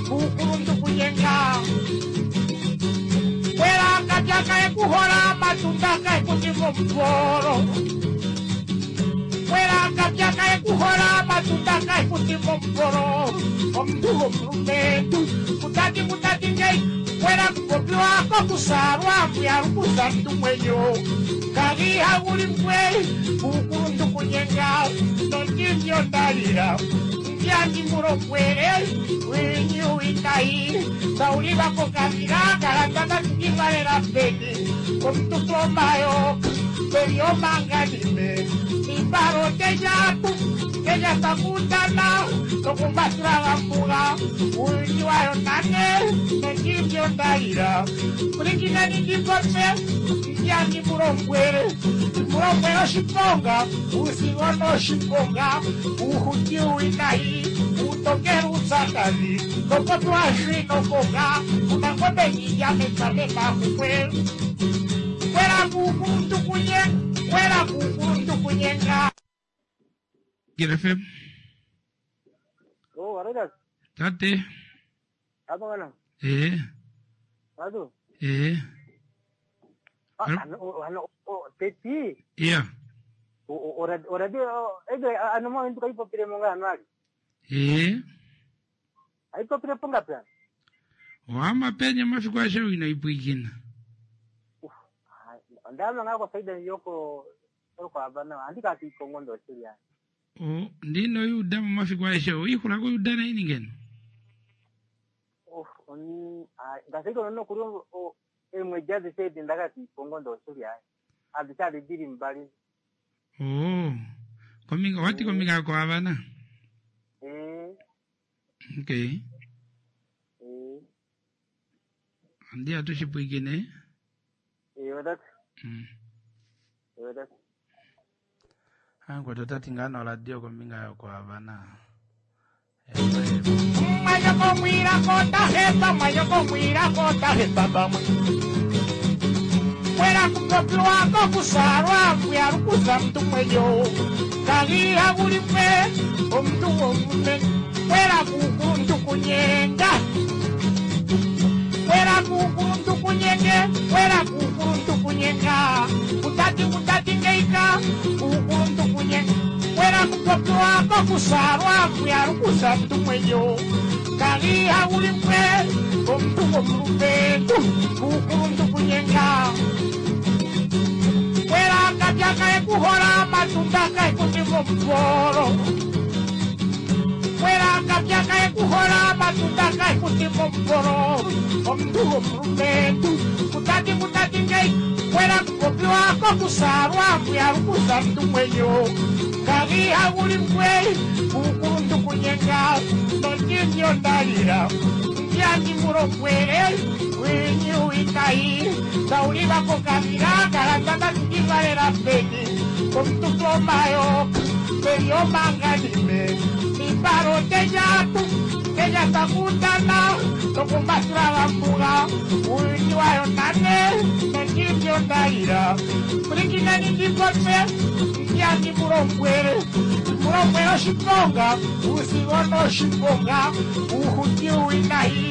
kukuluntu kunyenga. Kwela kapya kae kuhola matunda kae kutimomporo. Kwela kapya kae kuhola matunda kae kutimomporo. Omuntu womulumentu kutati kutati ngei. Kwela kupopiwa kokusalwa mbuyalukusa mntu mwenyo kagiha ulimbwe kukuluntu kunyenga nondivyo ndalira. Ndiandi mulombwele winyu inayi saulivako kavila kalandana tukivalela peni omuntu tomayoka peliomanganime ibaro tejapu tejasakutana nokumbatulagambuga uyu wayo nane nondivyo ndalira. Kulinginani ndipope ndiandi mulombwele mulombwele oshiponga usigono oshiponga uhuti uinayi utokela utsakadhi kopopiwa shwinokoga unangombe nyijamekame makukwe. Kwela kukuluntu kunyenga, kwela kukuluntu kunyenga. Eagle F M. Oh, Vargas. Tate. Apa kana? Eh. Adu. Ee. Ah, ano ano o teti. Iya. O ora ora de ege ano mo ndu kaipopile mo nga anwali. Ee. Aipopile ponga pia. Wama penye mafiku ashe wina ipwikina. Ndama ngako faida yoko yoko abana andika ati kongondo siria. O ndino yuda mu mafiku ashe uikhula ko yuda na ini ngeno. Of oni ngasiko no kuri o emwe jazi sedi ndakati kongondo siria. Adisali diri mbali. Oh. Kominga wati kominga ko abana. Eh. Okay. Eh. Andi atushipwikine. Eh wadat. Mm. Eh wadat. Angu totati ngano radio kominga yoko abana. Mayo mwira kota hepa, mayo mwira kota hepa bamwe. Kwera kupopiwa ko kusarwa kuyarukuza mtu mweyo. Kagiha bulimwe omuntu womume. Kwera kukuntu kunyenga. Kwera kukuntu kunyenge, kwera kukuntu kunyenga. Kutati kutati ngeika, kukuntu kunyenga. Kwera kupopiwa ko kusarwa kuyarukuza mtu mweyo. Kagiha bulimwe omuntu womume. Kukuntu kunyenga. Kwera kapya kae kuhora matunda kae kutimo mporo. Kwera kapya kae kuhora matunda kae kutimo mporo. Omuntu womulumentu kutati kutati ngei. Kwera kupopiwa ko kusarwa kuyarukuza mtu mwenyo. Kagiha bulimwe kukuntu kunyenga. Nondinyo ndalira ndiani murokwere winyu ikai sauliva kokavira karandanda ndivalera peni komututomayo peliomanganime miparo tejatu tejatakutana tokumbatura vambuga uini wayo nane nondivyo ndalira kulikinani ndipotse ndiani murokwere murokwere oshiponga usivono oshiponga uhuti uinahi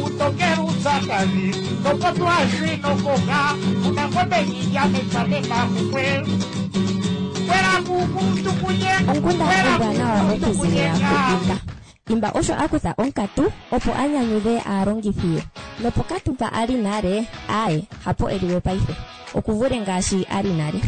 utokera utsakali topotwashwinokoka unakobenyijametsamemamukwe kwera kukuntu kunyenga Onkundana ombwanawa okuzilila kuImba. Imba osho a kutha onkatu opo a nyanyudhe aalongithi ye. Nopokatu mpa a li nale, aaye, hapo e li we paife. Okuvule ngaashi a li nale.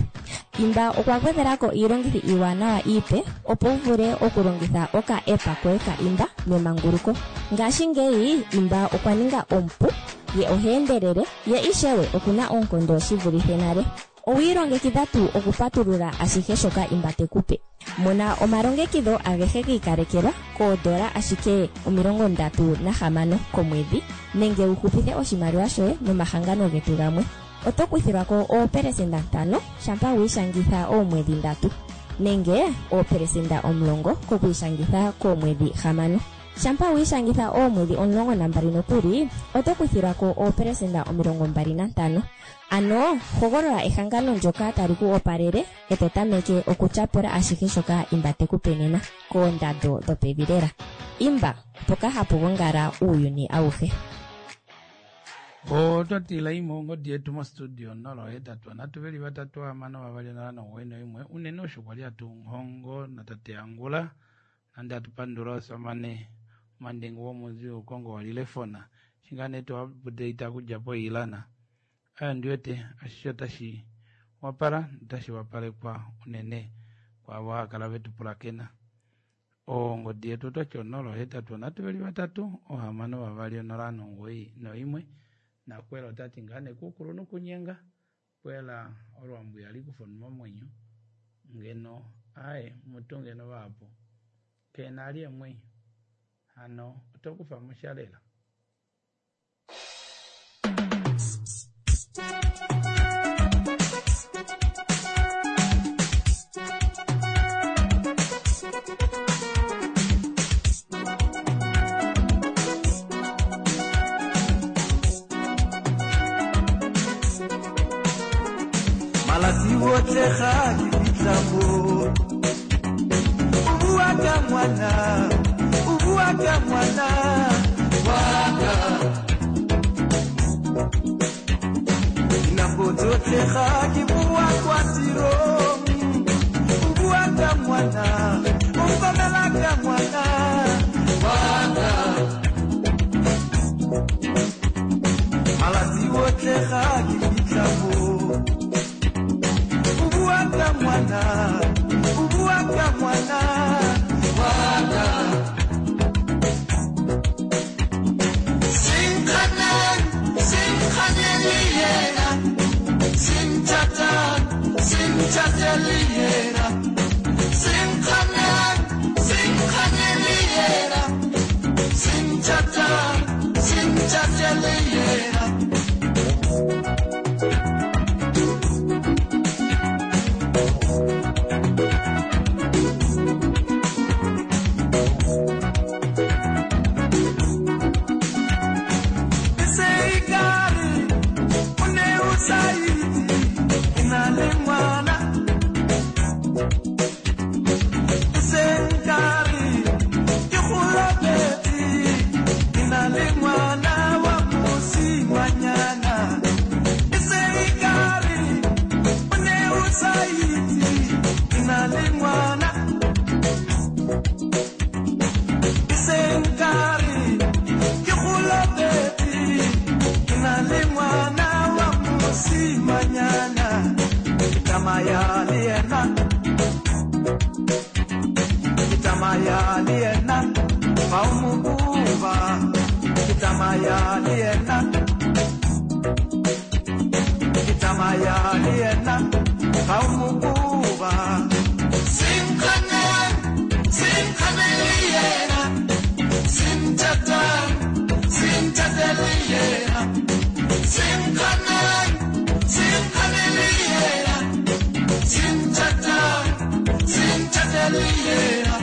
Imba okwa gwedhela ko iilongithi iiwanawa iipe opo wu vule okulongitha oka-app koye ka Imba memanguluko. Ngashingeyi Imba okwa ninga omupu, ye oha endelele, ye ishewe okuna oonkondo shi vulithe nale. Owi ilongekidha tuu okupatulula ashihe shoka Imba te ku pe? Mona omalongekidho agehe gi ikalekelwa koodola ashike omilongo ndatu nahamano komwedhi nenge wu hupithe oshimaliwa shoye nomahangano getu gamwe. Oto kuthilwa ko oopelesenda ntano shampa wi ishangitha oomwedhi ndatu nenge oopelesenda omulongo kokwiishangitha koomwedhi hamano. Shampa wi ishangitha oomwedhi omulongo nambali nokuli oto kuthilwa ko oopelesenda omilongo mbali nantano. Ano hogolola ehangano ndyoka tali ku opalele e to tameke okutyapula ashihe shoka Imba te ku pe nena koondando dhopevi lela. Imba, mpoka hapu gongala uuyuni awuhe. Otwatila imwe ongodi yetu mostudio nolo hetatu nhatu veli vatatu hamano vavali nhano nomugoyi noimwe unene osho kwali hatu hongo natate Angula nande hatupandula osamane mandengu womunzi ukongo walilefona shingane twaupdate kudja poilana aya ndiwete ashishe otashi wapala notashi wapalekwa unene kwaavo haakala vetupulakena. Ongodi yetu otwati onolo hetatu nhatu veli vatatu ohamano vavali onola nomugoyi noimwe nakwela otati ngane kukulu nokunyenga kwela olwambu yali kufa momwenyo ngeno aye mutu ngeno vapo kena ali emwenyo hano otokufa mushalela. Malatsi otlhe ga ke fitlha mo. O bua ka ngwana, o bua ka ngwana wa ka. Tsotlhe ga ke boa kwa tirong o bua ka ngwana o nkomela ka ngwana waka malatsi otlhe ga ke fitlha mo o bua ka ngwana o bua ka ngwana waka Sinkhaneng, sinkhanele yena Sinthatang, sinthathele yena Sinkhaneng, sinkhanele yena Sinthatang, sinthathele yena E se ekare o ne o sa itse ke na le ngwana. E se nkare ke go lapetse, ke na le ngwana wa mosimanyana. E se ekare o ne o sa itse ke na le ngwana. E se nkare ke go lapetse, ke na le ngwana wa mosimanyana. Ke tsamaya le yena, ke tsamaya le yena, fa o mo koba. Ke tsamaya le yena, ke tsamaya le yena, fa o mo koba. Sinkhaneng, sinkhanele yena, sinthatang, sinthathele yena. Sinkhaneng, sinkhanele yena, sinthatang, sinthathele yena.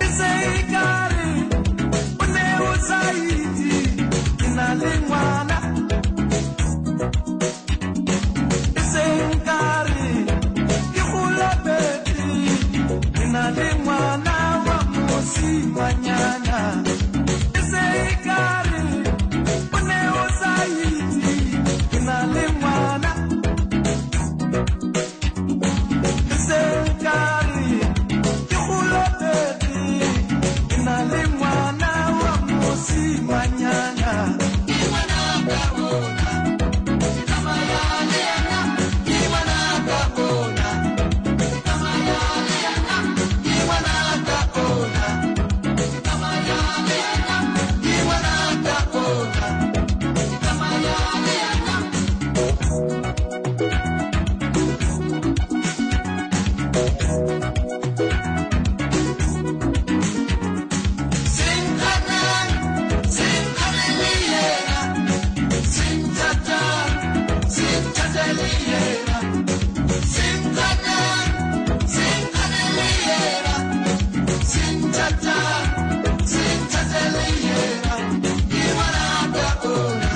E se ekare o ne o sa itse ke na le ngwana. E se nkare ke go lapetse, ke na le ngwana wa mosimanyana. E se ekare o ne o sa itse ke na le ngwana. E se nkare ke go lapetse, ke na le ngwana wa mosimanyana. Ke ngwana ka ona, ke tsamaya le yena, ke ngwana ka ona. Ke tsamaya le yena, ke ngwana ka ona. Ke tsamaya le yena, ke ngwana ka ona. Ke tsamaya le yena. Sinkhaneng, sinkhanele yena, sinthatang, sinthathele yena. Sinkhaneng, sinkhanele yena, sinthatang, sinthathele yena. Ke ngwana ka ona,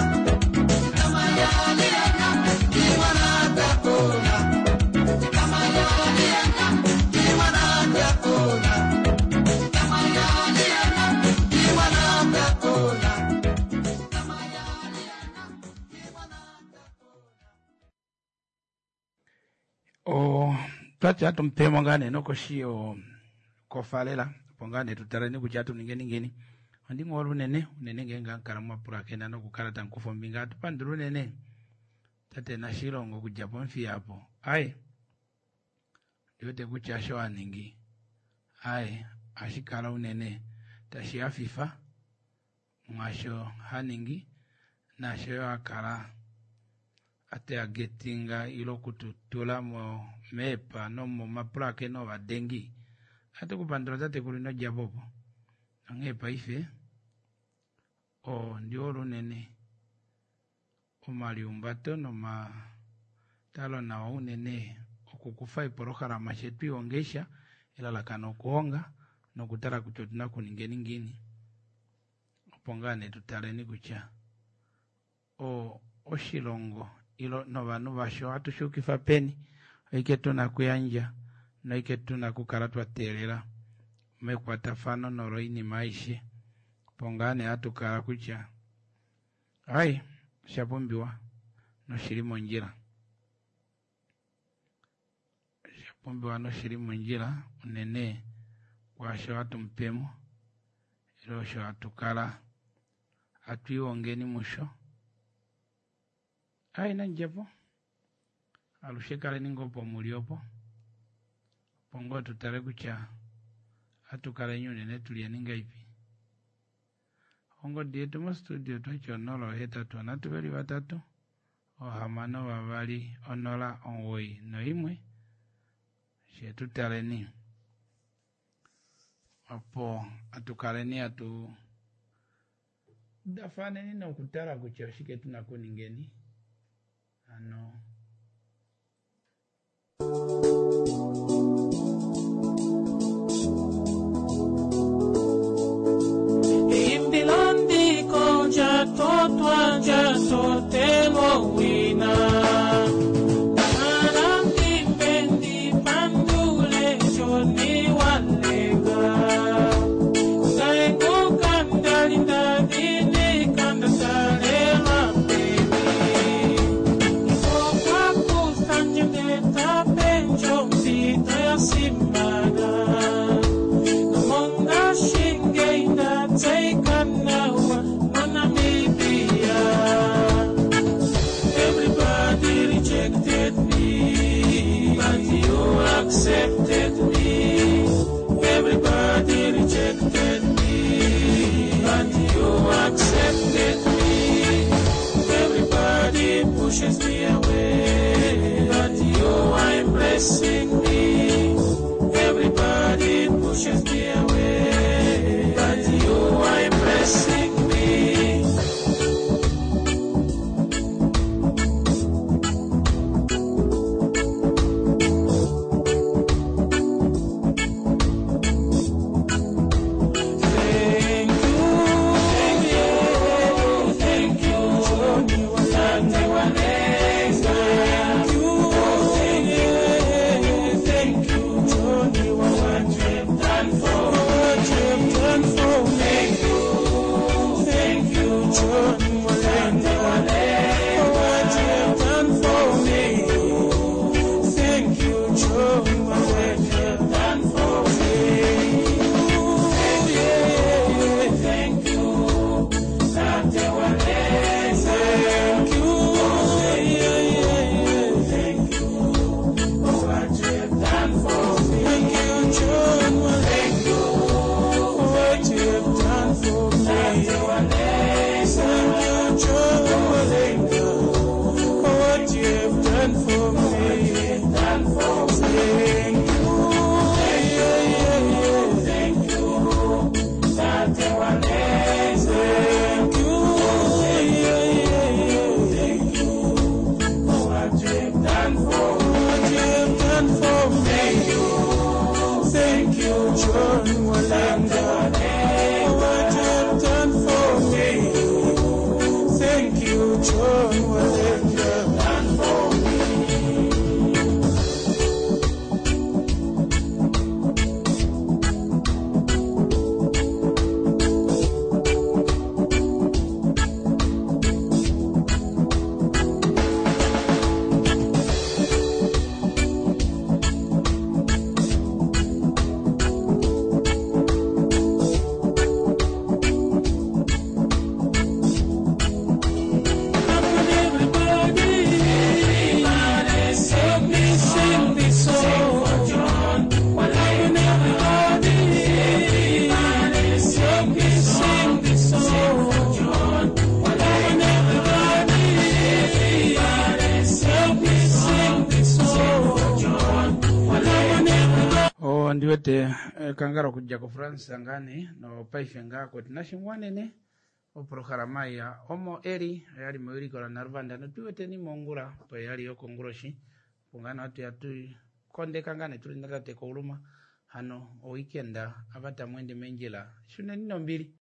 ke tsamaya le yena, ke ngwana ka ona. Ke tsamaya le yena, ke ngwana ka ona. Ke tsamaya le yena, ke ngwana ka ona. O twati hatumupemo ngaa nee nokoshi yo kofalela opo ngaa nee tutaleni kutya atuningeni ngeni ondinghola unene unene ngeenge hamukala mwapulakena nokukala tamukufa ombinga atupandula unene tate Nashilongo okudja pOmuthiya apo aye ndiwete kutya osho aningi aye ohashi kala unene tashi hafifa mwaasho haningi naasho yo akala ateagetinga ile okututula mo meepa nomomapulakeno ovadengi atukupandula tatekulu inodjapo opo onghee paife ondihole unene omaliumbato nomatalo nawa unene okukufa eepolohalama shetwiihongesha elalakano okuhonga nokutala kutya otuna okuningeni ngiini opo ngaa nee tutaleni kutya o oshilongo ilo novanhu vasho ohatu shuukifa peni oike tuna okuyandja noike tuna okukala twa teelela mekwatafano noloinima aishe opo ngaa nee hatukala kutya ai oshapumbiwa noshili mondjila oshapumbiwa noshili mondjila unene kwaasho hatu mupemo ile osho hatukala hatwiihongeni musho ai nandjepo alushe kaleni ngoo pomuli opo opo ngoo tutale kutya ohatukaleni unene tulyeni ngahelipi ongodi yetu mostudio otwati onola ohetatu onhatu veli vatatu ohamano vavali onola omugoyi noimwe fyee tutaleni opo hatukaleni hatu dafaneni nokutala kutya oshike tuna okuningeni hano Eimbilo ndika olya totwa lya totelwa owina. Kala ndimbe ndipandule sho niwalenga. Ngaye ngoka ndali ndadhinika ndatalelwa pevi. Okwa kutha ndje ndele ta pe ndje ompito ya simana. Nomongashingeyi nda tseyika nawa moNamibia. Everybody rejected me, but you accepted me. Everybody rejected me, but you accepted me. Everybody pushes me away, but you are embracing me. Everybody pushes me away, but you are embracing me. Thank you, thank you, thank you, Tate Walenga. Thank you, thank you, thank you, what you've done for me. What you've done for me. Thank you, thank you, Tate Walenga. What you've done for me. Thank you, John, what you've done for me. Yeah, thank you, Tate Walenga. Thank you, yeah, yeah, thank you for what you've done for me. Thank you, John. Thank you for what you've done for me. Tate Walenga. Thank you, John Walenga, for what you've done for me. Done for me. Thank you, yeah, yeah, yeah, thank you. Tate Walenga. Thank you, yeah, yeah, yeah, thank you for what you've done for me. What you've done for me. Thank you, thank you, John Walenga, for what you've done for me. Thank you, John Walenga. Done for me. Everybody, help me sing this song for John. Everybody, everybody, help me sing this song for John. Everybody, everybody, help me sing this song for John. o ndiwete eh, kangalo okudja kofrance ngane nopaife ngaa koti nashingwanene oprograma ya omo eli oyali mewiliko la Naruvanda notuweteni mongula opo yali yokonguloshi opo ngaa hatuya tukondeka ngaa netuli natate Kauluma hano oweekend ava tamweende meendjila shuneni nombili.